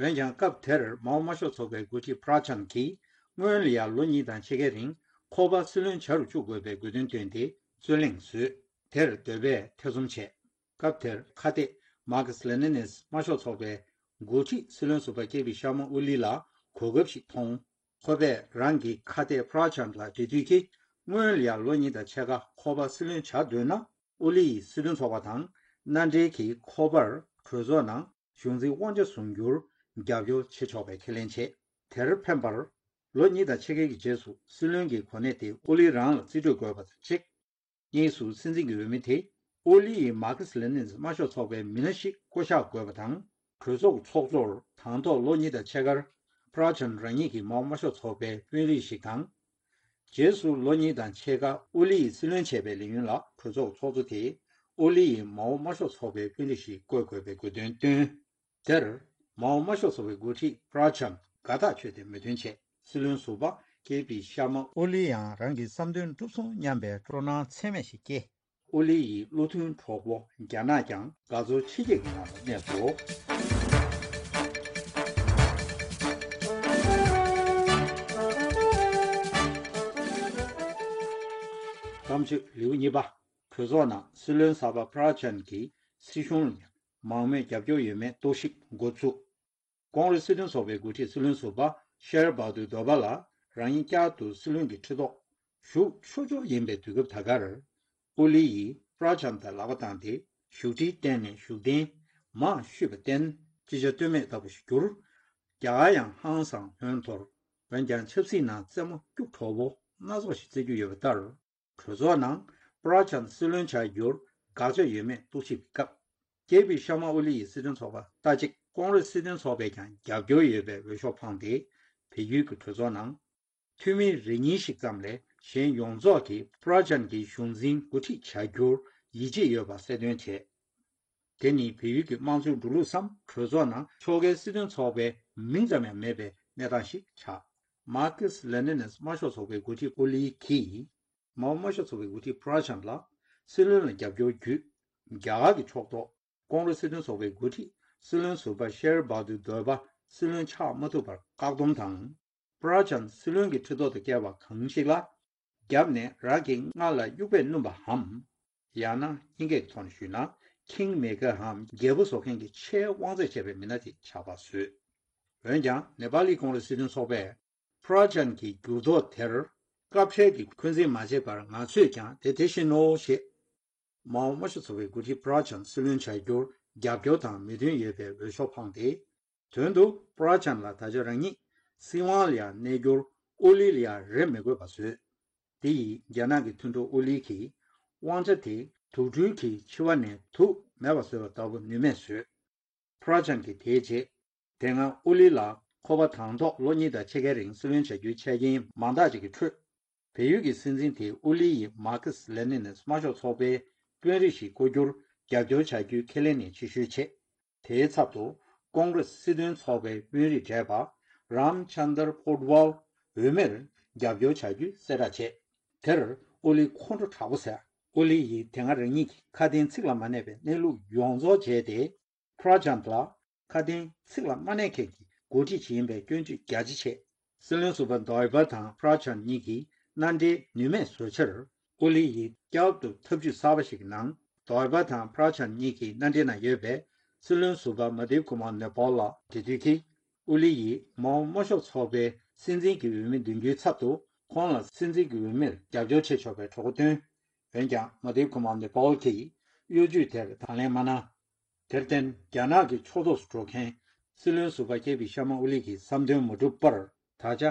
འོན་ཀྱང་། སྐབས་དེར་མའོ་དམར་ཤོག་ཚོགས་པའི་འགོ་ཁྲིད་པྲ་ཆན་གྱིས་སྔོན་ལ་ཡང་ལོ་གཉིས་དང་ཕྱེད་ཀའི་རིང་ཁོ་པ་སྲིད་བློན་བྱ་རུ་བཅུག་དགོས་པའི་དགོས་འདུན་བཏོན་ཏེ་རྩོད་གླེང་བཟོས། དེར་འདོད་པས་ཐེ་ཚོམ་བྱས། སྐབས་དེར་ཁ་གཏད་མར་ཁེ་སི་ལེ་ནིན་དམར་ཤོག་ཚོགས་པའི་འགོ་ཁྲིད་སྲིད་བློན་ཟུར་པ་ཀེ་པི་ཤར་མ་ཨོ་ལི་ལ་གོ་སྐབས་ཤིག་མཐོང་། ཁོ་པས་རང་གི་ཁ་གཏད་པྲ་ཆན་ལ་འབྲེལ་མཐུད་ཀྱིས། སྔོན་ལ་ཡང་ལོ་གཉིས་དང་ཕྱེད་ཀ་ཁོ་པ་སྲིད་བློན་བྱ་འདོད་ན། ཨོ་ལི་ཡི་སྲིད་དོན་ཚོགས་པ་དང་མནའ་འབྲེལ་གྱིས་ཁོ་པར་གྲོས་ཚོགས་ནང་གཞུང་འཛིན་དབང་ཆ་བཟུང་རྒྱུར་རྒྱབ་སྐྱོར་བྱེད་ཆོག་པའི་ཁས་ལེན་བྱས། དེར་ཕན་པར། ལོ་གཉིས་དང་ཕྱེད་ཀའི་རྗེས་སུ་སྲིད་བློན་གྱི་གོ་གནས་དེ་ཨོ་ལི་རང་ལ་རྩིས་སྤྲོད་དགོས་པ་དང་གཅིག་གཉིས་སུ་སྲིད་འཛིན་གྱི་འོས་མི་དེ་ཨོ་ལི་ཡི་མར་ཁེ་སི་ལེ་ནིན་དམར་ཤོག་ཚོགས་པའི་མི་སྣ་ཞིག་བསྐོ་གཞག་དགོས་པ་དང་། གྲོས་ཚོགས་ཚོགས་གཙོར་དང་ཐོག་ལོ་གཉིས་དང་ཕྱེད་ཀར་པྲ་ཆན་རང་ཉིད་ཀྱི་མའོ་དམར་ཤོག་ཚོགས་པའི་དཔོན་རིགས་ཤིག་དང་། རྗེས་སུ་ལོ་གཉིས་དང་ཕྱེད་ཀ་ཨོ་ལི་ཡིས་སྲིད་བློན་བྱས་པའི་ལས་ཡུན་ལ་གྲོས་ཚོགས་ཚོགས་གཙོ་དེས་ཨོ་ལི་ཡི་མའོ་དམར་ཤོག་ཚོགས་པའི་དཔོན་རིགས་ཤིག་བསྐོ་དགོས་པའི་དགོས་འདུན་བཏོན། དེར་མའོ་དམར་ཤོག་ཚོགས་པའི་འགོ་ཁྲིད་པྲ་ཆན་དགའ་ཐག་ཆོད་དེ་མོས་མཐུན་བྱས། སྲིད་བློན་ཟུར་པ་ཀེ་པི་ཤར་མ་ཨོ་ལི་ཡང་རང་གི་བསམ་དོན་འགྲུབ་སོང་སྙམ་པའི་སྤྲོ་སྣང་ཚད་མེད་ཞིག་སྐྱེས། ཨོ་ལི་ཡི་བློ་མཐུན་གྲོགས་པོ་རྒྱ་ནག་ཀྱང་དགའ་ཚོར་ཆེ་སྐྱེད་ཀྱི་ངང་དུ་གནས་སོ། གཏམ་བརྗོད་ལེའུ་གཉིས་པ། གྲོས་ཚོགས་ནང་སྲིད་བློན་གསར་པ་པྲ་ཆན་གྱིས་སྲིད་གཞུང་ལ་མང་མོས་རྒྱབ་སྐྱོར་ཡོད་མེད་རྟོག་ཞིབ་འགོ་བཙུགས། ཀོང་རེས་སྲིད་དོན་ཚོགས་པའི་འགོ་ཁྲིད་སྲིད་བློན་ཟུར་པ་ཤེར་བྷ་དུ་དོ་བྷ་ལ་རང་ཉིད་བསྐྱར་དུ་སྲིད་བློན་གྱི་ཁྲི་ཐོག་བཞུགས་ཆོག་ཆོག་ཡིན་པའི་དུས་སྐབས་ད་གར། ཨོ་ལི་ཡིས་པྲ་ཆན་དང་ལག་པ་བཏང་སྟེ་བཞུགས་ཁྲིར་བརྟེན་ནས་བཞུགས་གདན་མར་བཤུས་པར་བརྟེན་ཅི་བྱ་གཏོལ་མེད་ལྟ་བུ་ཞིག་གྱུར། རྒྱ་གར་ཡང་ཧང་སང་ཧོན་འཐོར། འོན་ཀྱང་ཆབ་སྲིད་ནང་རྩེད་མོ་སྐྱུག་བྲོ་བོ་སྣ་ཚོགས་ཤིག་རྩེ་རྒྱུ་ཡོད་པ་ལྟར། གྲོས་ཚོགས་ནང་པྲ་ཆན་སྲིད་བློན་བྱ་རྒྱུར་དགག་བྱ་ཡོད་མེད་རྟོག་ཞིབ་ཀྱི་སྐབས། ཀེ་པི་ཤར་མ་ཨོ་ལི་ཡི་སྲིད་དོན་ཚོགས་པ་ལྟ་ཅི། ཀོང་རེས་སྲིད་དོན་ཚོགས་པས་ཀྱང་རྒྱབ་སྐྱོར་ཡོད་པའི་འོས་ཤོག་འཕངས་ཏེ། བལ་ཡུལ་གྱི་གྲོས་ཚོགས་ནང་། འཐུས་མི་རེ་གཉིས་ཤིག་ཙམ་ལས་གཞན་ཡོངས་རྫོགས་ཀྱིས་པྲ་ཆན་གྱི་གཞུང་འཛིན་འགོ་ཁྲིད་བྱ་རྒྱུར་ཡིད་ཆེས་ཡོད་པ་གསལ་སྟོན་བྱས། དེ་ནི་བལ་ཡུལ་གྱི་དམངས་གཙོའི་འགྲོ་ལུགས་སམ། གྲོས་ཚོགས་ནང་ཕྱོགས་འགལ་སྲིད་དོན་ཚོགས་པའི་མིང་ཙམ་ཡང་མེད་པའི་གནས་སྟངས་ཤིག་ཆགས། མར་ཁེ་སི་ལེ་ནིན་དམར་ཤོག་ཚོགས་པའི་འགོ་ཁྲིད་ཨོ་ལི་གིས། མའོ་དམར་ཤོག་ཚོགས་པའི་འགོ་ཁྲིད་པྲ་ཆན་ལ་སྲིད་བློན་ལ་རྒྱབ་སྐྱོར་བརྒྱུད། རྒྱ་གར་གྱི་ཕྱོགས་གཏོགས་ཀོང་རེས་སྲིད་དོན་ཚོགས་པའི་འགོ་ཁྲིད་སྲིད་བློན་ཟུར་པ་ཤེར་བྷ་དུ་དོ་བྷ་སྲིད་བློན་ཆགས་མ་ཐུབ་པར་བཀག་སྡོམ་དང་། པྲ་ཆན་སྲིད་བློན་གྱི་ཁྲི་ཐོག་ཏུ་བསྐྱལ་བ་གང་ཞིག་ལ། རྒྱབ་ནས་རང་གི་རྔ་ལ་དབྱུག་པས་བསྣུན་པའམ། ཡང་ན་སྙིང་གའི་ཐོག་ནས་ཞུས་ན། ཁིང་མེ་ཀར་འམ་རྒྱལ་པོ་བཟོ་མཁན་གྱི་ཆེས་དབང་ཚད་ཆེ་བའི་མི་སྣ་དེ་ཆགས་པ་བཟོས། འོན་ཀྱང་ནེ་པ་ལི་ཀོང་རེས་སྲིད་དོན་ཚོགས་པས། པྲ་ཆན་གྱི་འགྱུར་ལྡོག་དེར་སྐབས་འཕྲལ་གྱི་འཁོན་འཛིན་མ་བྱས་པར་ང་ཚོས་ཀྱང་དེ་དེ་བཞིན་ནོ་ཞེས། མའོ་དམར་ཤོག་ཚོགས་པའི་འགོ་ཁྲིད་པྲ་ཆན་སྲིད་བློན་བྱ་རྒྱུར་རྒྱབ་སྐྱོར་དང་མོས་མཐུན་ཡོད་པའི་འོས་ཤོག་འཕངས་ཏེ། དོན་དུ་པྲ་ཆན་ལ་ད་ཆ་རང་ཉིད་སྲིད་དབང་ལ་ཡང་གནས་རྒྱུར་ཨོ་ལི་ལ་ཡང་རེ་མི་དགོས་པ་བཟོས། དེ་ཡིས་རྒྱ་ནག་གི་མཐུན་གྲོགས་ཨོ་ལི་གིས་དབང་ཆ་དེ་ དུག་སྦྲུལ་གྱིས་འཆི་བ་ནས་དུག་མེད་པར་བཟོས་པ་ལྟ་བུ་ནུས་མེད་བཟོས། ཕུ་ར་ཆན་གྱིས་དེའི་རྗེས། དེ་སྔ་ཨོ་ལི་ལ་ཁོ་པ་དང་ཐོག་ལོ་གཉིས་དང་ཕྱེད་ཀའི་རིང་སྲིད་བློན་བྱ་རྒྱུའི་ཆ་རྐྱེན་མང་དག་ཅིག་གི་ཁྲོད། བལ་ཡུལ་གྱི་སྲིད་འཛིན་དེས་ཨོ་ལི་ཡིས་མར་ཁེ་སི་ལེ་ནིན་དམར་ཤོག་ཚོགས་པའི་དཔོན་རིགས་ཤིག་བསྐོ་རྒྱུར་རྒྱབ་སྐྱོར་བྱ་རྒྱུའི་ཁས་ལེན་ནས་ཕྱིར་བཤོལ་བྱས། དེའི་ཚབ་ཏུ་ཀོང་རེ་སི་སྲིད་དོན་ཚོགས་པའི་དཔོན་རིགས་བགྲེས་པ་རམ་ཆན་དར་པོ་ཌི་ཝལ་འོས་མིར་རྒྱབ་སྐྱོར་བྱ་རྒྱུའི་གསལ་བསྒྲགས་བྱས། དེར་ཨོ་ལི་ཁོང་ཁྲོ་དྲག་པོ་ཟ། ཨོ་ལི་ཡིས་དེ་སྔ་རང་ཉིད་ཀྱི་ཁ་དན་ཚིག་ལ་མ་གནས་པའི་གནས་ལུགས་ཡོངས་རྫོགས་བརྗེད་དེ། ཕུ་ར་ཆན་ལ་ཁ་དན་ཚིག་ལ་མ་གནས་མཁན་གྱི་འགོ་ཁྲིད་ཅིག་ཡིན་པའི་སྐྱོན་བརྗོད་རྒྱ་ཆེ་བྱས། སྲིད་བློན་ཟུར་པ་དོ་ཡི་པ་དང་ཕུ་ར་ཆན་གཉིས་ཀྱིས་མནའ་འབྲེལ་ནུས་མེད་བཟོས་ཕྱིར། ཨོ་ལི་ཡིས་སྐྱབས་སུ་ཐབས་ཇུས་གསར་པ་ཞིག་གི་ནང་དོ་ཡི་པ་དང་ཕུ་ར་ཆན་གཉིས་ཀྱི་མནའ་འབྲེལ་ནང་ཡོད་པའི་སྲིད་བློན་ཟུར་པ་མ་དིབ་ཀུ་མར་ནེ་པོལ་ལ་འབྲེལ་མཐུད་ཀྱིས། ཨོ་ལི་ཡིས་མའོ་དམར་ཤོག་ཚོགས་པའི་སྲིད་འཛིན་གྱི་འོས་མི་འདེམས་རྒྱུའི་ཚབ་ཏུ་ཁོང་ལ་སྲིད་འཛིན་གྱི་འོས་མིར་རྒྱབ་སྐྱོར་བྱེད་ཆོག་པའི་གྲོས་འགོ་བཏོན། འོན་ཀྱང་མ་དིབ་ཀུ་མར་ནེ་པོལ་གྱིས་གཡོ་ཇུས་དེར་དང་ལེན་མ་གནང་། དེར་བརྟེན། རྒྱ་ནག་གི་ཕྱོགས་གཏོགས་སུ་འགྲོ་མཁན་སྲིད་བློན་ཟུར་པ་ཀེ་པི་ཤར་མ་ཨོ་ལི་གི་བསམ་དོན་མ་འགྲུབ་པར། ད་ཆ་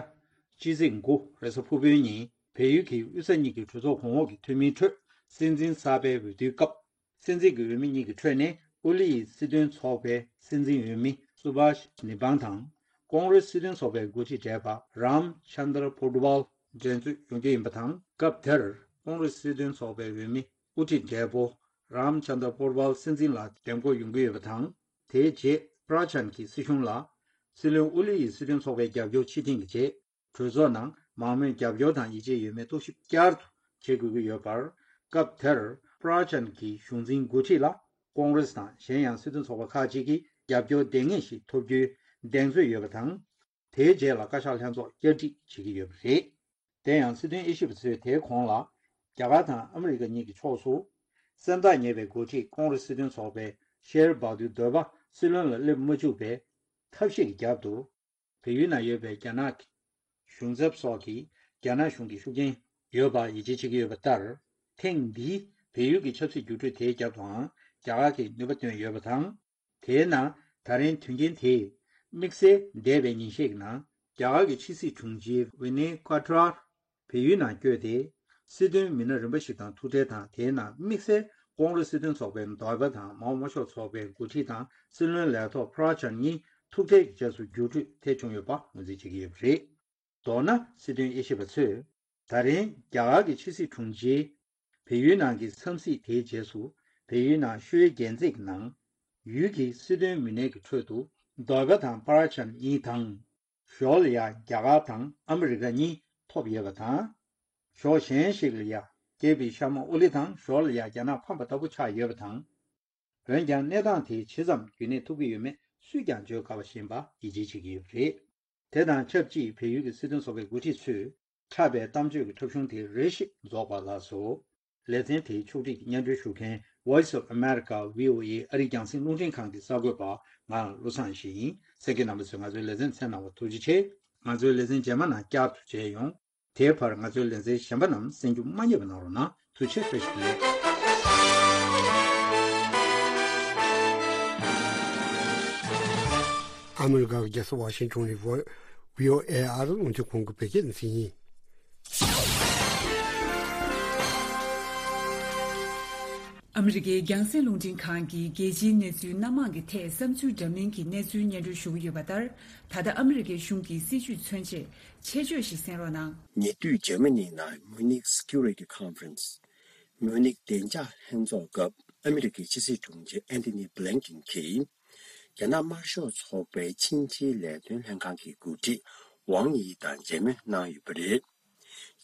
ཕྱི་ཚེས་དགུ་རེས་གཟའ་ཕུར་བུའི་ཉིན་བལ་ཡུལ་གྱི་དབུས་ས་གཉིས་ཀྱི་གྲོས་ཚོགས་གོང་འོག་གི་འཐུས་མིའི་ཁྲོད་སྲིད་འཛིན་གསར་པའི་འོས་བསྡུའི་སྐབས། སྲིད་འཛིན་གྱི་འོས་མི་གཉིས་ཀྱི་ཁྲོད་ནས་ཨོ་ལི་ཡི་སྲིད་དོན་ཚོགས་པའི་སྲིད་འཛིན་འོས་མི་སུ་བྷ་ཤ་ནི་བང་དང་། ཀོང་རེ་སི་སྲིད་དོན་ཚོགས་པའི་འགོ་ཁྲིད་བགྲེས་པ་རམ་ཆན་དར་པོ་ཌི་ཝལ་འགྲན་རྩོད་ཡོང་རྒྱུ་ཡིན་པ་དང་། སྐབས་དེར་ཀོང་རེ་སི་སྲིད་དོན་ཚོགས་པའི་འོས་མི་དབུ་ཁྲིད་བགྲེས་པོ་རམ་ཆན་དར་པོ་ཌི་ཝལ་སྲིད་འཛིན་ལ་འདེམས་བསྐོ་ཡོང་གི་ཡོད་པ་དང་། དེའི་རྗེས་ཕུ་ར་ཆན་གྱི་སྲིད་གཞུང་ལ་སྲིད་བློན་ཨོ་ལི་ཡི་སྲིད་དོན་ཚོགས་པའི་རྒྱབ་སྐྱོར་ཕྱིར་འཐེན་གྱི་རྗེས། གྲོས་ཚོགས་ནང་མང་མོས་རྒྱབ་སྐྱོར་དང་ཡིད་ཆེས་ཡོད་མེད་རྟོག་ཞིབ་བསྐྱར་དུ་བྱེད་དགོས་ཀྱི་ཡོད་པར། སྐབས་དེར་ཕུ་ར་ཆན་གྱི་གཞུང་འཛིན་འགོ་ཁྲིད་ལ་ཀོང་རེས་དང་གཞན་ཡང་སྲིད་དོན་ཚོགས་པ་ཁག་ཅིག་གིས་རྒྱབ་སྐྱོར་ལྡང་ངེས་ཤིག་ཐོབ་རྒྱུའི་གདེང་ཚོད་ཡོད་པ་དང་། དེའི་རྗེས་ལ་བཀའ་ཤག་ལྷན་ཚོགས་བསྐྱར་སྒྲིག་བྱེད་ཀྱི་ཡོད་པ་རེད། དེ་ཡང་སྲིད་དོན་དབྱེ་ཞིབ་པ་ཚོས་དེའི་གོང་ལ། རྒྱ་གར་དང་ཨ་མི་རི་ཀ་གཉིས་ཀྱི་ཕྱོགས་སུ། སེམས་ཐག་ཉེ་བའི་འགོ་ཁྲིད་ཀོང་རེས་སྲིད་དོན་ཚོགས་པའི་ཤེར་བྷ་དུ་དོད་པ་སྲིད་བློན་ལ་སླེབས་མ་བཅུག་པའི་ཐབས་ཤེས་ཀྱི་རྒྱབ་ཏུ། བལ་ཡུལ་ནང་ཡོད་པའི་རྒྱ་ནག་གི་གཞུང་ཚབ་སོགས་ཀྱིས་རྒྱ་ནག་གཞུང་གི་ཤུགས་རྐྱེན་ཡོད་པར་ཡིད་ཆེས་བྱེད་ཀྱི་ཡོད་པ་ལྟར། ཐེངས་འདིའི་བལ་ཡུལ་གྱི་ཆབ་སྲིད་འགྱུར་འགྲོས་དེའི་རྒྱབ་ཏུའང་རྒྱ་གར་གྱིས་ནུས་པ་བཏོན་ཡོད་པ་དང་། དེའི་ནང་ད་རིང་དོན་རྐྱེན་དེས་དམིགས་བསལ་འདས་པའི་ཉིན་ཤས་ཀྱི་ནང་རྒྱ་གར་གྱི་ཕྱི་སྲིད་དྲུང་ཆེ་ཝི་ནེ་ཀ་ཏྲར་བལ་ཡུལ་ནང་བསྐྱོད་དེ། སྲིད་དོན་མི་སྣ་རིམ་པ་ཞིག་དང་ཐུག་འཕྲད་དང་། དེའི་ནང་དམིགས་བསལ་ཀོང་རེས་སྲིད་དོན་ཚོགས་པའི་ཟུར་པ་དང་མའོ་དམར་ཤོག་ཚོགས་པའི་འགོ་ཁྲིད་དང་སྲིད་བློན་ལས་ཐོག་ཕུ་ར་ཆན་གཉིས་ཐུག་འཕྲད་ཀྱི་རྗེས་སུ་འགྱུར་འགྲོས་ཐེབས་བྱུང་ཡོད་པ་ངོས་འཛིན་བྱེད་ཀྱི་ཡོད་པ་རེད། མདོར་ན། སྲིད་དོན་དབྱེ་ཞིབ་པ་ཚོས། ད་རིང་རྒྱ་གར་གྱི་ཕྱི་སྲིད་དྲུང་ཆེས་བལ་ཡུལ་ནང་གི་འཚམས་གཟིགས་དེའི་རྗེས་སུ། བལ་ཡུལ་ནང་ཤོའི་རྒྱལ་མཛེས་ཀྱི་ནང་ཡུལ་གྱི་སྲིད་དོན་མི་སྣའི་གི་ཁྲོད་དུ་ཟུར་པ་དང་ཕུ་ར་ཆན་གཉིས་དང་། ཞོར་ལ་ཡང་རྒྱ་གར་དང་ཨ་མི་རི་ཀ་གཉིས་ཐོབ་ཡོད་པ་དང་། ཕྱོགས་གཞན་ཞིག་ལ་ཡང་ཀེ་པི་ཤར་མ་ཨོ་ལི་དང་། ཞོར་ལ་ཡང་རྒྱ་ནག་ཕམ་པ་ལྟ་བུ་ཆགས་ཡོད་པ་དང་། འོན་ཀྱང་གནས་སྟངས་དེ་ཇི་ཙམ་རྒྱུན་གནས་ཐུབ་ཀྱི་ཡོད་མེད་སུས་ཀྱང་བརྗོད་དཀའ་བ་ཞིག་ཡིན་པ་ཡིད་ཆེས་བྱེད་ཀྱི་ཡོད་པ་རེད། དེ་དང་ཆབས་ཅིག་བལ་ཡུལ་གྱི་སྲིད་དོན་ཚོགས་པའི་འགོ་ཁྲིད་ཚོས་འཁྲབ་པའི་གཏམ་བརྗོད་ཀྱི་འཁྲབ་གཞུང་དེ་རེ་ཞིག་རྫོགས་པ་ལགས་སོ། ལེ་ཚན་དེའི་ཕྱོགས་སྒྲིག་གིས་སྙན་སྒྲོན་ཞུ་མཁན་Voice of America V O A ཨ་རིའི་རྒྱང་སྲིང་རླུང་འཕྲིན་ཁང་གི་གསར་འགོད་པ་ང་བློ་བཟང་ཡེ་ཤེས་ཡིན། གསན་མཁན་རྣམ་པ་ཚོས་ང་ཚོའི་ལེ་ཚན་གསན་གནང་བར་ཐུགས་རྗེ་ཆེ། ང་ཚོའི་ལེ་ཚན་རྗེས་མ་ནང་བསྐྱར་དུ་མཇལ་ཡོང་། དེའི་བར་ང་ཚོའི་ལེ་ཚན་གཞན་པ་རྣམས་གསན་རྒྱུ་མ་བསྙེལ་བ་གནང་རོགས་གནང་། ཐུགས་རྗེ་ཆེ། བཀྲ་ཤིས་བདེ་ལེགས། ཨ་མི་རི་ཀ་གི་རྒྱལ་ས་ཝ་ཤིང་ཊོན་ནས་བྷོ་བྷི་ཨོ་ཨེ་ཨ་རི་རླུང་འཕྲིན་ཁང་གི་བོད་སྐད་སྡེ་ཚན་ཡིན། ཨ་མི་རི་ཀའི་རྒྱང་སྲིང་རླུང་འཕྲིན་ཁང་གིས་རྒྱལ་སྤྱིའི་གནས་ཚུལ་སྣ་མང་གི་ཐད་བསམ་ཚུལ་འདྲ་མིན་གྱི་གནས་ཚུལ་སྙན་སྒྲོན་ཞུ་གི་ཡོད་པ་ལྟར། ད་ལྟ་ཨ་མི་རི་ཀའི་གཞུང་གི་སྲིད་བྱུས་མཚོན་ཆེད་ཆེད་བརྗོད་ཞིག་གསན་རོགས་གནང་། ཉེ་དུས་འཇར་མ་ནི་ནང་Munich Security Conference། མུའུ་ནིག་བདེ་འཇགས་ལྷན་ཚོགས་སྐབས་ཨ་མི་རི་ཀའི་ཕྱི་སྲིད་དྲུང་ཆེ་ཨན་ཐོ་ནི་བྷི་ལིན་ཀིན་གྱིས། རྒྱ་ནག་དམར་ཤོག་ཚོགས་པའི་ཕྱི་འབྲེལ་ལས་དོན་ལྷན་ཁང་གི་འགོ་ཁྲིད་ཝང་ཡི་དང་མཇལ་མོལ་གནང་ཡོད་པ་རེད།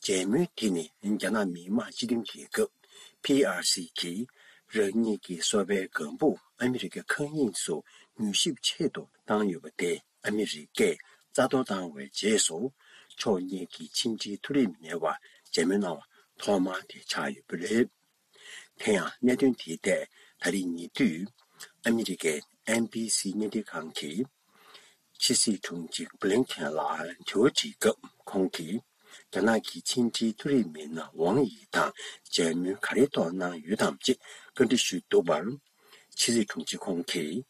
མཇལ་མོལ་དེ་ནི་རྒྱ་ནག་མི་དམངས་སྤྱི་མཐུན་རྒྱལ་ཁབ་P R C གིས་རང་ཉིད་ཀྱི་སོ་པའི་སྒམ་པོ་ཨ་མི་རི་ཀའི་མཁའ་དབྱིངས་སུ་མྱུལ་ཞིབ་ཆེད་དུ་བཏང་ཡོད་པ་དེ་ཨ་མི་རི་ཀས་རྩ་གཏོར་བཏང་བའི་རྗེས་སུ། ཕྱོགས་གཉིས་ཀྱི་ཕྱི་འབྲེལ་མཐོ་རིམ་མི་སྣའི་བར་མཇལ་མོལ་གནང་བ་ཐོག་མ་དེ་ཆགས་ཡོད་པ་རེད། དེ་ཡང་གནད་དོན་དེའི་ཐད་ད་རེས་ཉེ་དུས་ཨ་མི་རི་ཀའི་ཨེན་བྷི་སི་བརྙན་འཕྲིན་ཁང་གིས་ཕྱི་སྲིད་དྲུང་ཆེ་བྷི་ལིན་ཀིན་ལ་དྲི་བ་དྲིས་སྐབས། ཁོང་གིས་རྒྱ་ནག་གི་ཕྱི་འབྲེལ་མཐོ་རིམ་མི་སྣ་ཝང་ཡི་དང་མཇལ་མོལ་ག་རེའི་ཐོག་གནང་ཡོད་དམ་ཅེས་བཀའ་འདྲི་ཞུས་འདུག་པར། ཕྱི་སྲིད་དྲུང་ཆེ་ཁོང་གིས་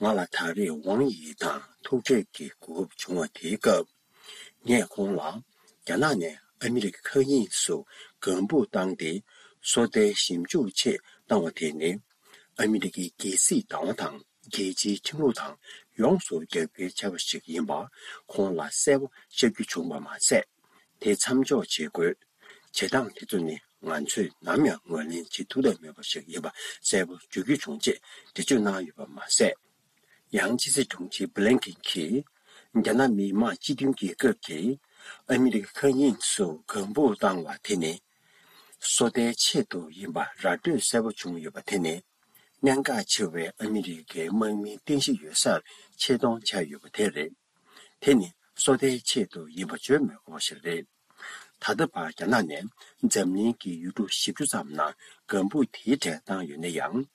ང་ལ་ད་རེས་ཝང་ཡི་དང་ཐུག་འཕྲད་ཀྱི་གོ་སྐབས་བྱུང་བ་དེའི་སྐབས། ངས་ཁོང་ལ་རྒྱ་ནག་ནས་ཨ་མི་རི་ཀའི་མཁའ་དབྱིངས་སུ་སྒམ་པོ་བཏང་སྟེ་སོ་ལྟའི་ཞིབ་འཇུག་ཆེད་ བཏང་བ་དེ་ནི། ཨ་མི་རི་ཀའི་རྒྱལ་སྲིད་བདག་དབང་དང་རྒྱལ་སྤྱིའི་ཁྲིམས་ལུགས་དང་ཡོངས་སུ་རྒྱབ་འགལ་བྱས་པ་ཞིག་ཡིན་པ་ཁོང་ལ་གསལ་པོ་ཤར་རྒྱུ་བྱུང་བ་མ་ཟད། དེ་མཚམས་འཇོག་བྱེད་དགོས། བྱེད་སྟངས་དེ་ཚོ་ནི་ང་ཚོས་ནམ་ཡང་ངོས་ལེན་བྱེད་ཐུབ་ཐབས་མེད་པ་ཞིག་ཡིན་པ་གསལ་པོ་བརྗོད་རྒྱུ་བྱུང་ཅེས་འགྲེལ་བརྗོད་གནང་ཡོད་པ་མ་ཟད། ཡང་ཕྱི་སྲིད་དྲུང་ཆེ་བྷི་ལིན་ཀེན་གྱིས། རྒྱ་ནག་མི་དམངས་སྤྱི་མཐུན་རྒྱལ་ཁབ་ཀྱིས་ཨ་མི་རི་ཀའི་མཁའ་དབྱིངས་སུ་ལྒང་བུ་བཏང་བ་དེ་ནི། སོ་ལྟའི་ཆེད་དུ་ཡིན་པ་ར་སྤྲོད་གསལ་པོ་བྱུང་ཡོད་པ་དེ་ནི། གནད་འགག་ཆེ་བའི་ཨ་མི་རི་ཀའི་དམག་མིའི་རྟེན་གཞི་ཡོད་སར་ཆེད་གཏོང་བྱས་ཡོད་པ་དེ་རེད། དེ་ནི་སོ་ལྟའི་ཆེད་དུ་ཡིན་པ་བརྗོད་མི་དགོས་པ་ཞིག་རེད། ད་ལྟ་བར་རྒྱ་ནག་ནས་འཛམ་གླིང་གི་ཡུལ་གྲུ་བཞི་བཅུ་ཙམ་ནང་ལྒང་བུ་དེའི་གྲས་བཏང་ཡོད་ན་ཡང་།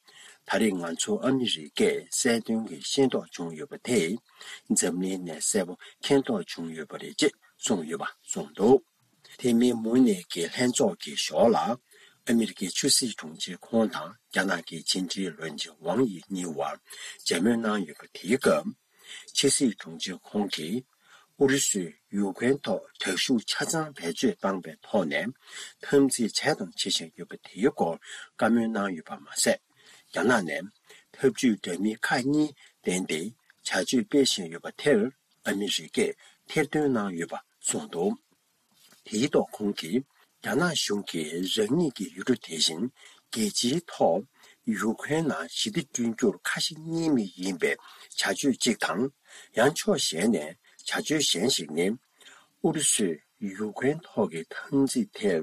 ད་རེས་ང་ཚོ་ཨ་མི་རི་ཀས་གསལ་སྟོན་གྱི་ཤེས་རྟོགས་བྱུང་ཡོད་པ་དེས། འཛམ་གླིང་ནས་གསལ་པོ་མཁྱེན་རྟོགས་བྱུང་ཡོད་པ་རེད་ཅེས་གསུངས་ཡོད་པ་གསུངས་འདུག་དེ་མིན་མུ་ནེ་གི་ལྷན་ཚོགས་ཀྱི་ཞོར་ལ། ཨ་མི་རི་ཀའི་ཕྱི་སྲིད་དྲུང་ཆེ་ཁོང་དང་རྒྱ་ནག་གི་ཕྱི་འབྲེལ་བློན་ཆེན་ཝང་ཡི་གཉིས་བར་མཇལ་མོལ་གནང་ཡོད་པ་དེའི་སྐབས། ཕྱི་སྲིད་དྲུང་ཆེ་ཁོང་གིས། ཨུ་རུ་སུས་ཡུ་ཀེ་རེན་ཐོག་དྲག་ཤུགས་ཆ་ཚང་བེད་སྤྱོད་བཏང་པའི་ཐོག་ནས་འཐབ་འཛིང་བྱས་དང་བྱེད་བཞིན་ཡོད་པ་དེའི་སྐོར་བཀའ་མོལ་གནང་ཡོད་པ་མ་ཟད། རྒྱ་ནག་ནས་འཐབ་ཇུས་འདྲ་མིན་ཁག་གཉིས་བཏོན་ཏེ་བྱ་སྤྱོད་སྤེལ་བཞིན་ཡོད་པ་དེར་ཨ་མི་རི་ཀས་ཐེར་འདོན་གནང་ཡོད་པ་གསུངས་འདུག་དེའི་ཐོག་ཁོང་གིས། རྒྱ་ནག་གཞུང་གིས་རང་ཉིད་ཀྱི་ཡུལ་གྲུ་དེ་བཞིན་རྒྱལ་སྤྱིའི་ཐོག་ཡུ་ཀེ་རེན་ནང་ཞི་བདེ་བསྐྲུན་རྒྱུར་ཁ་ཞེ་གཉིས་མེད་ཡིན་པའི་བྱ་སྤྱོད་ཅིག་དང་། ཡང་ཕྱོགས་གཞན་ནས་བྱ་སྤྱོད་གཞན་ཞིག་ནི། ཨུ་རུ་སུས་ཡུ་ཀེ་རེན་ཐོག་གི་འཐབ་འཛིང་དེར་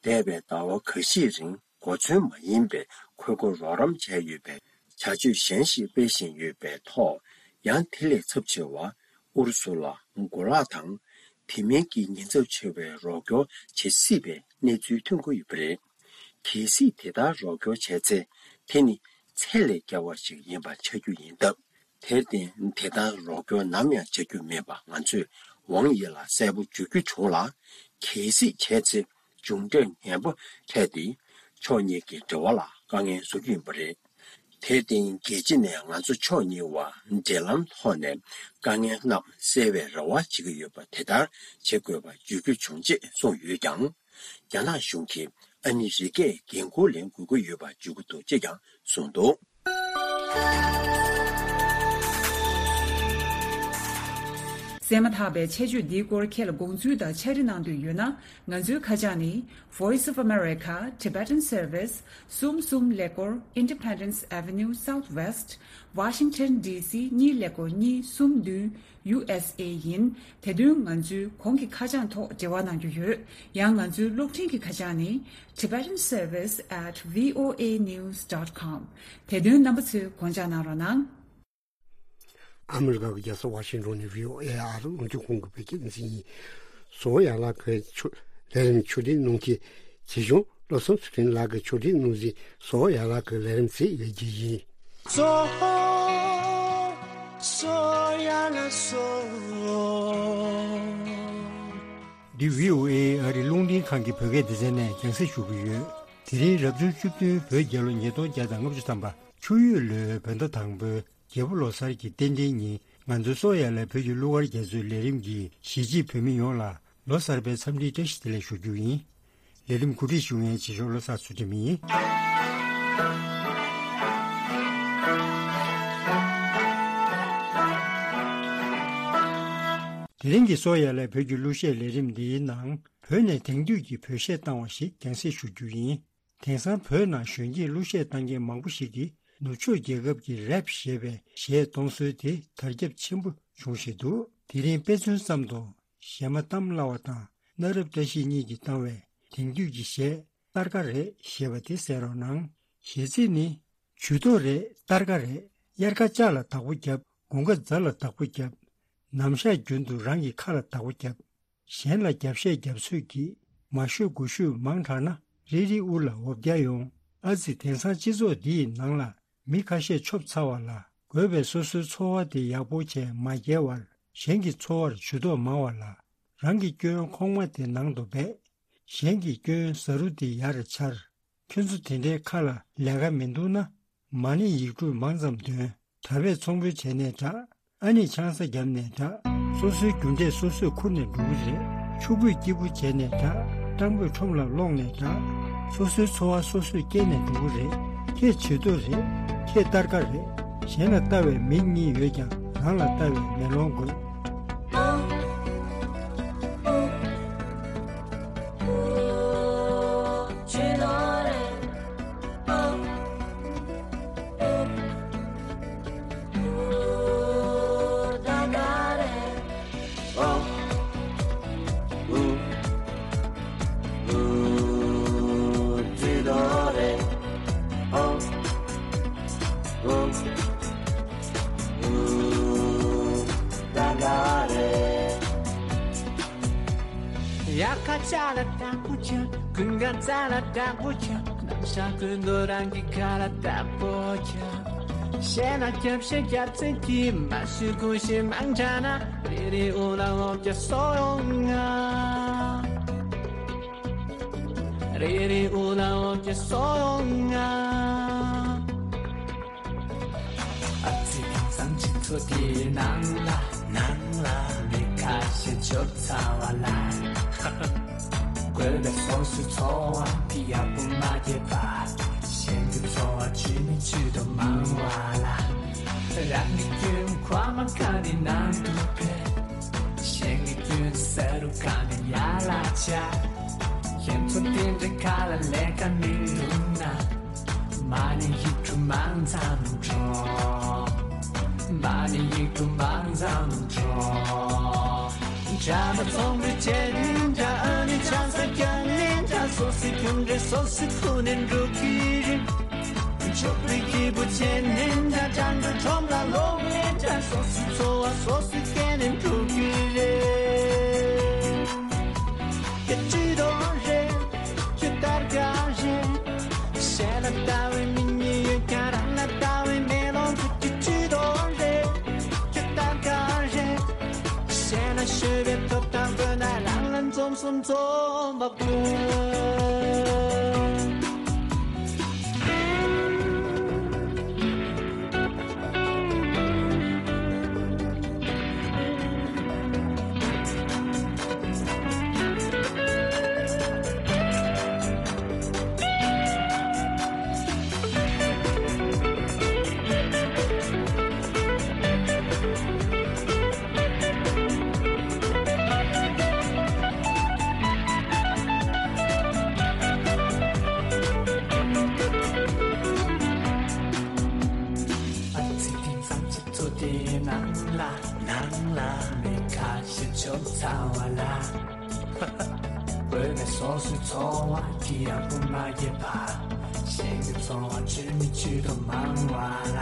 འདས་པའི་ཟླ་བ་འགའ་ཤས་རིང་གོ་མཚོན་མ་ཡིན་པའི་འཁོར་སྐོར་རོགས་རམ་བྱས་ཡོད་པའི་བྱ་སྤྱོད་གཞན་ཞིག་སྤེལ་བཞིན་ཡོད་པའི་ཐོག་ཡང་དེ་ལས་ཚབས་ཆེ་བ། ཨུ་རུ་སུ་ལ་གོ་ལག་དང་། དེ་མིན་གྱི་ཉེན་ཚབས་ཆེ་བའི་རོགས་སྐྱོར་བྱེད་སྲིད་པའི་གནས་ཚུལ་ཐོན་གྱི་ཡོད་པ་རེད། གལ་སྲིད་དེ་ལྟར་རོགས་སྐྱོར་བྱས་ཚེ། དེ་ནི་ཚད་ལས་བརྒལ་བ་ཞིག་ཡིན་པ་ཆགས་རྒྱུ་ཡིན་སྟབས། དེར་བརྟེན་དེ་ལྟར་རོགས་སྐྱོར་ནམ་ཡང་བྱ་རྒྱུ་མེད་པ་ང་ཚོས་ཝང་ཡི་ལ་གསལ་པོ་བརྗོད་རྒྱུ་བྱུང་ལ། གལ་སྲིད་བྱས་ཚེ། མཇུག་འབྲས་ངན་པ་འཕྲད་དེ། ཕྱོགས་གཉིས་ཀྱི་འབྲེལ་བ་ལ་དཀའ་ངལ་བཟོ་རྒྱུ་ཡིན་པ་རེད། དེར་བརྟེན་རྒྱལ་སྤྱི་ནས་ང་ཚོ་ཕྱོགས་གཉིས་བར་འབྲེལ་ལམ་ཐོག་ནས་དཀའ་ངལ་རྣམས་སེལ་བའི་རེ་བ་བྱེད་ཀྱི་ཡོད་པ་དེ་ལྟར་བྱེད་དགོས་པ་བརྗོད་རྒྱུ་བྱུང་ཅེས་གསུངས་ཡོད་ཀྱང་། རྒྱ་ནག་གཞུང་གིས་ཨ་མི་རི་ཀས་འགན་འཁུར་ལེན་དགོས་ཀྱི་ཡོད་པ་བརྗོད་ཀྱི་འདུག་ཅེས་ཀྱང་གསུངས་འདུག་གསན་མ་ཐག་པའི་ཆེད་བརྗོད་འདིའི་སྐོར་ཁྱེད་ལ་དགོངས་ཚུལ་དང་ཕྱག་བྲིས་གནང་འདོད་ཡོད་ན། ང་ཚོའི་ཁ་བྱང་ནི། Voice of America, Tibetan Service, གསུམ་གསུམ་ཀླད་ཀོར་Independence Avenue Southwest, Washington D C གཉིས་ཀླད་ཀོར་གཉིས་གསུམ་བདུན། U S A ཡིན། དེ་དོན་ང་ཚོའི་གོང་གི་ཁ་བྱང་ཐོག་འབྲེལ་བ་གནང་རྒྱུ་ཡོད། ཡང་ང་ཚོའི་གློག་འཕྲིན་གྱི་ཁ་བྱང་ནི། Tibetan Service at V O A news dot com དེ་དོན་རྣམ་པ་ཚོས་དགོངས་འཇགས་གནང་རོགས་གནང་། ཨ་མི་རི་ཀ་གི་རྒྱལ་ས་ཝ་ཤིང་ཊོན་ནས་V O A ཨ་རི་རླུང་འཕྲིན་ཁང་གི་བོད་སྐད་སྡེ་ཚན་ཡིན། བཟོ་ཡ་ལ་གི་ཆུ་ལས་རིམ་ཆུ་འདྲེན་གནང་མཁན་བྱེད་གཞུང་བློ་བཟང་ཚུལ་ཁྲིམས་ལགས་ཀྱི་ཆུ་འདྲེན་གནང་གཟིགས་བཟོ་ཡ་ལ་གི་ལས་རིམ་ཚེས་ཡོད་རྒྱུ་ཡིན། བཟོ་བཟོ་ཡ་ལ་བཟོ། འདི་V O A ཨ་རི་རླུང་འཕྲིན་ཁང་གི་བོད་སྐད་སྡེ་ཚན་ནས་རྒྱང་སྲིང་ཞུ་གི་ཡོད། དེ་རིང་རབ་བྱུང་བཅུ་བདུན་བོད་རྒྱལ་ལོ་ཉིས་སྟོང་བརྒྱ་དང་ལྔ་བཅུ་ཐམ་པ། ཆུ་ཡོས་ལོའི་བོད་ཟླ་དང་པོའི་རྒྱལ་པོ་ལོ་གསར་གྱི་རྟེན་འབྲེལ་ཉིན། ང་ཚོའི་བཟོ་ཡ་ལ་བོད་ཀྱི་གླུ་གར་རྒྱ་མཚོའི་ལས་རིམ་གྱིས་གཞིས་བྱེས་བོད་མི་ཡོངས་ལ་ལོ་གསར་པའི་འཚམས་འདྲིའི་བཀྲ་ཤིས་བདེ་ལེགས་ཞུ་རྒྱུ་ཡིན། ལས་རིམ་གོ་སྒྲིག་ཞུ་མཁན་བྱེད་ཕྱོགས་བློ་བཟང་ཚུལ་ཁྲིམས་ཡིན། དེ་རིང་གི་བཟོ་ཡ་ལ་བོད་ཀྱི་གླུ་གཞས་ལས་རིམ་འདིའི་ནང་བོད་ནས་དེང་དུས་ཀྱི་བོད་གཞས་བཏང་བ་ཞིག་རྒྱང་སྲིང་ཞུ་རྒྱུ་ཡིན། དེང་སང་བོད་ནང་གཞོན་སྐྱེས་གླུ་གཞས་བཏང་མཁན་མང་པོ་ཞིག་གིས་ནུབ་ཕྱོགས་རྒྱལ་ཁབ་ཀྱི་རེབ་ཞེས་པའི་གཞས་གཏོང་སྲོལ་དེ་དར་ཁྱབ་ཆེན་པོ་བྱུང་བཞིན་འདུག་དེ་རིང་དཔེ་མཚོན་ཙམ་དུ་གཞས་མ་གཏམ་སླ་བ་དང་གནའ་རབས་བཀྲ་ཤིས་གཉིས་ཀྱིས་བཏང་བའི་དེང་དུས་ཀྱི་གཞས་སྟར་ཀ་རེད་ཞེས་པ་དེ་གསན་རོགས་གནང་། གཞས་ཚིག་ནི། ཇུས་གཏོགས་རེད་སྟར་ཀ་རེད། དབྱར་ཁ་ལྕགས་ལ་བདག་པོ་བརྒྱབ། དགུན་ཁ་རྫ་ལ་བདག་པོ་བརྒྱབ། ནམ་ཞག་རྒྱུན་དུ་རང་གི་ཁ་ལ་བདག་པོ་བརྒྱབ། གཞན་ལ་རྒྱབ་བཤད་རྒྱབ་ཚོད་ཀྱིས། མ་ཤོད་དགུ་ཤོད་མང་དྲགས་ན། རིལ་རིལ་དབུ་ལ་འོ་བརྒྱལ་ཡོང་། ཨ་ཙི་དེང་སང་སྤྱི་ཚོགས་འདི་ཡི་ནང་ལ། མི་ཁ་ཤས་ཆོབ་ཚར་བ་ལ། དགོས་པའི་སོ་སོའི་འཚོ་བ་དེ་ཡག་པོ་བྱས་མ་བརྒྱལ་བར། གཞན་གྱི་འཚོ་བར་ཇུས་གཏོགས་མང་བ་ལ། རང་གི་སྐྱོན་ཁོག་མ་དེ་ནང་དུ་སྦས། གཞན་གྱི་སྐྱོན་ཟ་རུ་དེ་ཡར་འཕྱར། ཁྱོད་ཚོ་དེ་འདྲའི་ཁ་ལ་ལས་ཀ་མི་འདུག་ན། མ་ཎི་ཡིག་དྲུག་མང་ཙམ་འདོན། ད་བས་ཚོང་དཔོན་བྱས་ནས་དྲག་ཨ་ནི་ཆང་ས་བརྒྱབ་ནས་དྲག་སོ་སོའི་རྒྱུ་འབྲས་སོ་སོས་ཁུར་ནས་འགྲོ་གི་རེད། ཕྱུག་པོས་སྐྱིད་པོ་བྱས་ནས་དྲག་སྤྲང་པོས་ཁྲོམ་ལ་སློག་ནས་དྲག་སོ་སོའི་འཚོ་བ་སོ་སོས་སྐྱེལ་ནས་འགྲོ་གི་རེད། ཁྱེད་ཇུས་གཏོགས་རེད། ཁྱེད་སྟར་ཀ་རེད། གཞན་ལ་ལྟ་བའི་མིག་གཉིས་ཡོད་ཀྱང་རང་ལ་ལྟ་བའི་མེ་ལོང་དགོས། དབྱར་ཁ་ཆར་ལ་དྭགས་པོ་ཆགས། དགུན་ཁ་རྩྭ་ལ་དྭགས་པོ་ཆགས། ནམ་ཞག་ཀུན་ཏུ་རང་གི་ཁ་ལ་དྭགས་པོ་ཆགས། གཞན་ལ་སྐྱབས་ཤེས་སྐྱབས་ཚེ་གྱིས། མ་ཤི་ཁུ་ཤི་མང་དྲགས་ན། རེ་རེ་དབུ་ལ་འོབ་ཀྱི་སོ་ཡོང་ང་། རེ་རེ་དབུ་ལ་འོབ་ཀྱི་སོ་ཡོང་ང་། ཨ་ཙི་དེང་སང་སྤྱི་ཚོགས་དེའི་ནང་ལ། ནང་ལ། མི་ཁ་ཤས་ཆོབ་ཚ་བ་ལ། དགོས་པའི་སོ་སོའི་འཚོ་བ་དེ་ཡག་པོ་མ་སྐྱེལ་བར། གཞན་གྱི་འཚོ་བ་ཇི་མི་ཇི་ལྟར་མང་བ་ལ། རང་གི་སྐྱོན་ཁ་མ་ཁ་ནི་ནང་དུ་ཕེབས། གཞན་གྱི་སྐྱོན་ཟེར་རུ་ཁ་ནི་ཡར་ལ་ཆགས། ཁྱེད་ཚོ་དེ་འདྲའི་ཁ་ལ་ལས་ཀ་མི་འདུག་ན། མ་ཎི་ཡིག་དྲུག་མང་ཙམ་འགྲོ། མ་ཎི་ཡིག་དྲུག་མང་ཙམ་འགྲོ། གྲྭ་པ་ཚོང་འབྲེལ་བྱས་ནས་འདྲ། ཨ་ནི་ཆང་ས་བརྒྱབ་ནས་འདྲ། སོ་སོའི་རྒྱུ་འབྲས་སོ་སོས་ཁུར་ནས་འགྲོ་གི་རེད། ཕྱུག་པོའི་སྐྱིད་པོ་བྱས་ནས་འདྲ། སྤྲང་པོའི་ཁྲོམ་ལ་ལོག་ནས་འདྲ། སོ་སོའི་འཚོ་བ་སོ་སོས་སྐྱེལ་ནས་འགྲོ་གི་རེད། ཁྱེད་ཇུས་གཏོགས་རེད། ཁྱེད་སྟར་ཀ་རེད། གཞན་ལ་ལྟ་བའི་མིག་གཉིས་ཡོད་ཀྱང་རང་ལ་ལྟ་བའི་མེ་ལོང་དགོས། ཁྱེད་ཇུས་གཏོགས་རེད། ཁྱེད་སྟར་ཀ་རེད། གཞན་ལ་ཤོད་པའི་ཐོབ་ཐང་དགོས་ན་རང་ལ་འཛོམས་སུ་འཛོམས་པ་དགོས། ཨ་ཙི་དེང་སང་སྤྱི་ཚོགས་དེའི་ནང་ལ། ནང་ལ། མི་ཁ་ཤས་ཆོབ་ཚ་བ་ལ། དགོས་པའི་སོ་སོའི་འཚོ་བ་དེ་ཡག་པོ་མ་སྐྱེལ་བར། གཞན་གྱི་འཚོ་བ་ཇི་མི་ཇི་ལྟར་མང་བ་ལ།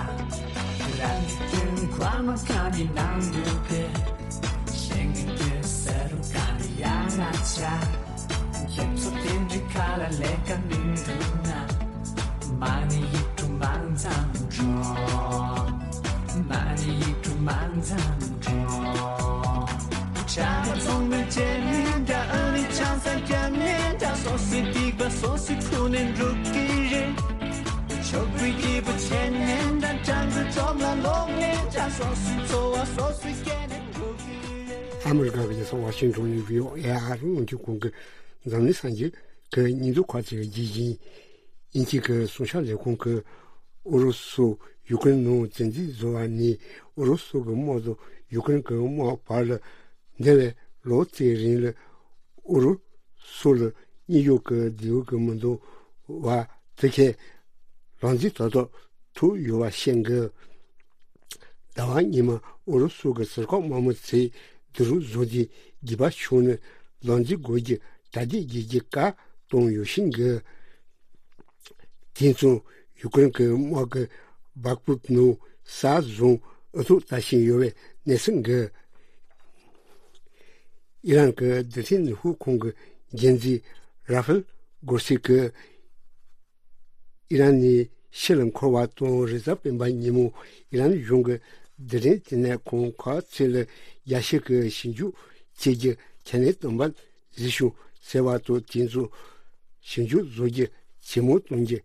རང་གི་སྐྱོན་ཁ་མ་ཁ་ནི་ནང་དུ་ཕེབས། གཞན་གྱི་སྐྱོན་ཟེར་རུ་ཁ་ནི་ཡར་ལ་ཆགས། ཁྱེད་ཚོ་དེ་འདྲའི་ཁ་ལ་ལས་ཀ་མི་འདུག་ན། མ་ཎི་ཡིག་དྲུག་མང་ཙམ་འགྲོ། མ་ཎི་ཡིག་དྲུག་མང་ཙམ་འགྲོ། གྲྭ་པ་ཚོང་འབྲེལ་བྱས་ནས་འདྲ། ཨ་ནི་ཆང་ས་བརྒྱབ་ནས་འདྲ། སོ་སོའི་སྡིག་པ་སོ་སོས་ཁུར་ནས་འགྲོ་གི་རེད། ཕྱུག་པོའི་སྐྱིད་པོ་བྱས་ནས་འདྲ། སྤྲང་པོའི་ཁྲོམ་ལ་ལོག་ནས་འདྲ། སོ་སོའི་འཚོ་བ་སོ་སོས་སྐྱེལ་ནས་འགྲོ་གི་རེད། ཨ་མི་རི་ཀ་གི་རྒྱལ་ས་ཝ་ཤིང་ཊོན་ནས་བྷི་ཨོ་ཨེ་ཨ་རི་རླུང་འཕྲིན་ཁང་གི་འཛམ་གླིང་སངས་རྒྱས་ཀྱི་སྙིང་སྡུག་ཁག་ཅིག་རྒྱས་ཤིང་། དབྱིན་ཇི་གི་གསུང་བཤད་ལས་ཁུངས་ཀྱིས་ཨུ་རུ་སུ་ཡུ་ཀེ་རེན་ནང་བཙན་འཛུལ་བཟོ་བ་ནས་ཨུ་རུ་སུ་གི་དམག་དང་ཡུ་ཀེ་རེན་གྱི་དམག་བར་ལ་འདས་པའི་ལོ་ཙཱའི་རིང་ལ་ཨུ་རུ་སུ་ལ་དངོས་ཡོད་ཀྱི་འབྲེལ་བ་གི་མི་འདུག་བ་དེ་གས་ལག་འཛིན་ཏག་ཏག་ཐུབ་ཡོད་པ་བཤད་འདུག་ཟླ་བ་སྔོན་མ་ཨུ་རུ་སུ་གི་ཟུར་བཀག་དམག་མི་ཚོས་སྡུག་རུས་བཟོ་རྒྱུའི་འགྱོད་པ་བྱུང་ནས་ལག་འཛིན་དགོས་རྒྱུའི་གྲ་སྒྲིག་བྱེད་རྒྱུའི་བཀའ་གཏོང་ཡོད་བཞིན་གི། དེང་སང་ཡུ་ཀེ་རེན་གྱི་དམག་གིས་སྦག་ཕུབ་ནང་ས་བཟུང་འུ་ཐུག་ལྟ་བཞིན་ཡོད་པའི་གནས་ཚུལ་འགའ། ཨི་རན་གྱི་རྡུལ་ཕྲན་ནུས་ཤུགས་ཁང་གི་འགན་འཛིན་ར་ཧྥེལ་གོ་སི་ཀྱིས་ཨི་རན་ནས་ཕྱིར་འཁོར་བ་དང་རེས་གཟའ་སྤེན་པ་ཉིན་མོ་ཨི་རན་གཞུང་གི་རྡུལ་ཕྲན་བསྟི་གནས་ཁང་ཁག་ཚོ་ལ་རྒྱ་ཤོད་ཀྱི་ཞིབ་འཇུག་བྱེད་རྒྱུ་ཁས་ལེན་བཏང་བ་གཟིགས་ཤོག་ཟེར་བ་དང་། དེ་ཚོ་ཞིབ་འཇུག་བཟོ་རྒྱུ་ཇེ་མང་གཏོང་རྒྱུ་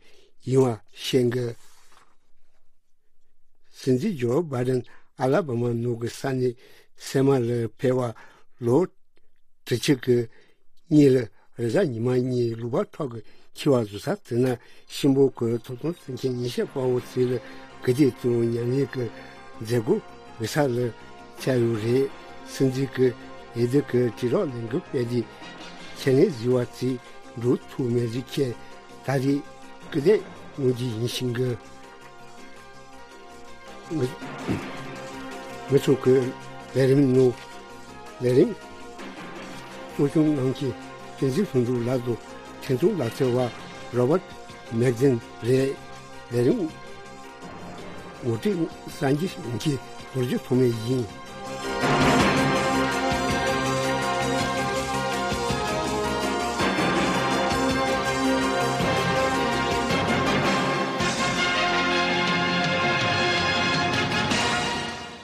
ཡིན་པ་བཤད་འདུག་སྲིད་འཛིན་ཇོ་བྷའི་ཌེན་ཨ་ལ་བྷ་མ་ནང་གི་ས་གནས་སེལ་མ་ལ་ཕེབས་པ་ལོ་དྲུག་ཅུ་གི་གཉིས་ལ་རེས་གཟའ་ཉི་མ་ཉིན་ལུང་པ་ཁྲོད་ཀྱི་ འཁྱེར་བ་བཟོ་ས་དེ་ན་གཤིན་པོ་གི་ཐོབ་ཐང་བརྩི་མཁན་ཉི་ཤུ་པ་བོ་ཚོས་ལ་གི་དེ་གཙོ་བོ་ཉམས་ལེན་གི་མཛད་སྒོ་འབུལ་ས་ལ་ཆགས་ཡོད་རེད། སྲིད་འཛིན་གི་འོས་བསྡུ་གི་དྲིལ་སྒྲོག་ལས་འགུལ་སྤེལ་དུས་ཁས་ལེན་བཟོས་པ་ཚོས་འགྲོ་ཐུབ་མེད་རིགས་ཁྱེད་ད་རེས་སྐུ་ལས་གནང་རྒྱུ་ཡིན་ཞིང་གི། ང་ང་ཚོ་གི་ལས་རིམ་ནང་ལས་རིམ་གཙོ་སྐྱོང་གནང་མཁན་བསྟན་འཛིན་ལྷུན་གྲུབ་ལགས་དང་འཕྲིན་གཏོང་ལག་རྩལ་བ་རོ་བར་མེག་ཛིན་རེད། ལས་རིམ་ངོ་སྤྲོད་གསར་འགྱུར་ཡོང་མཁན་རྡོ་རྗེ་ཐོགས་མེད་ཡིན།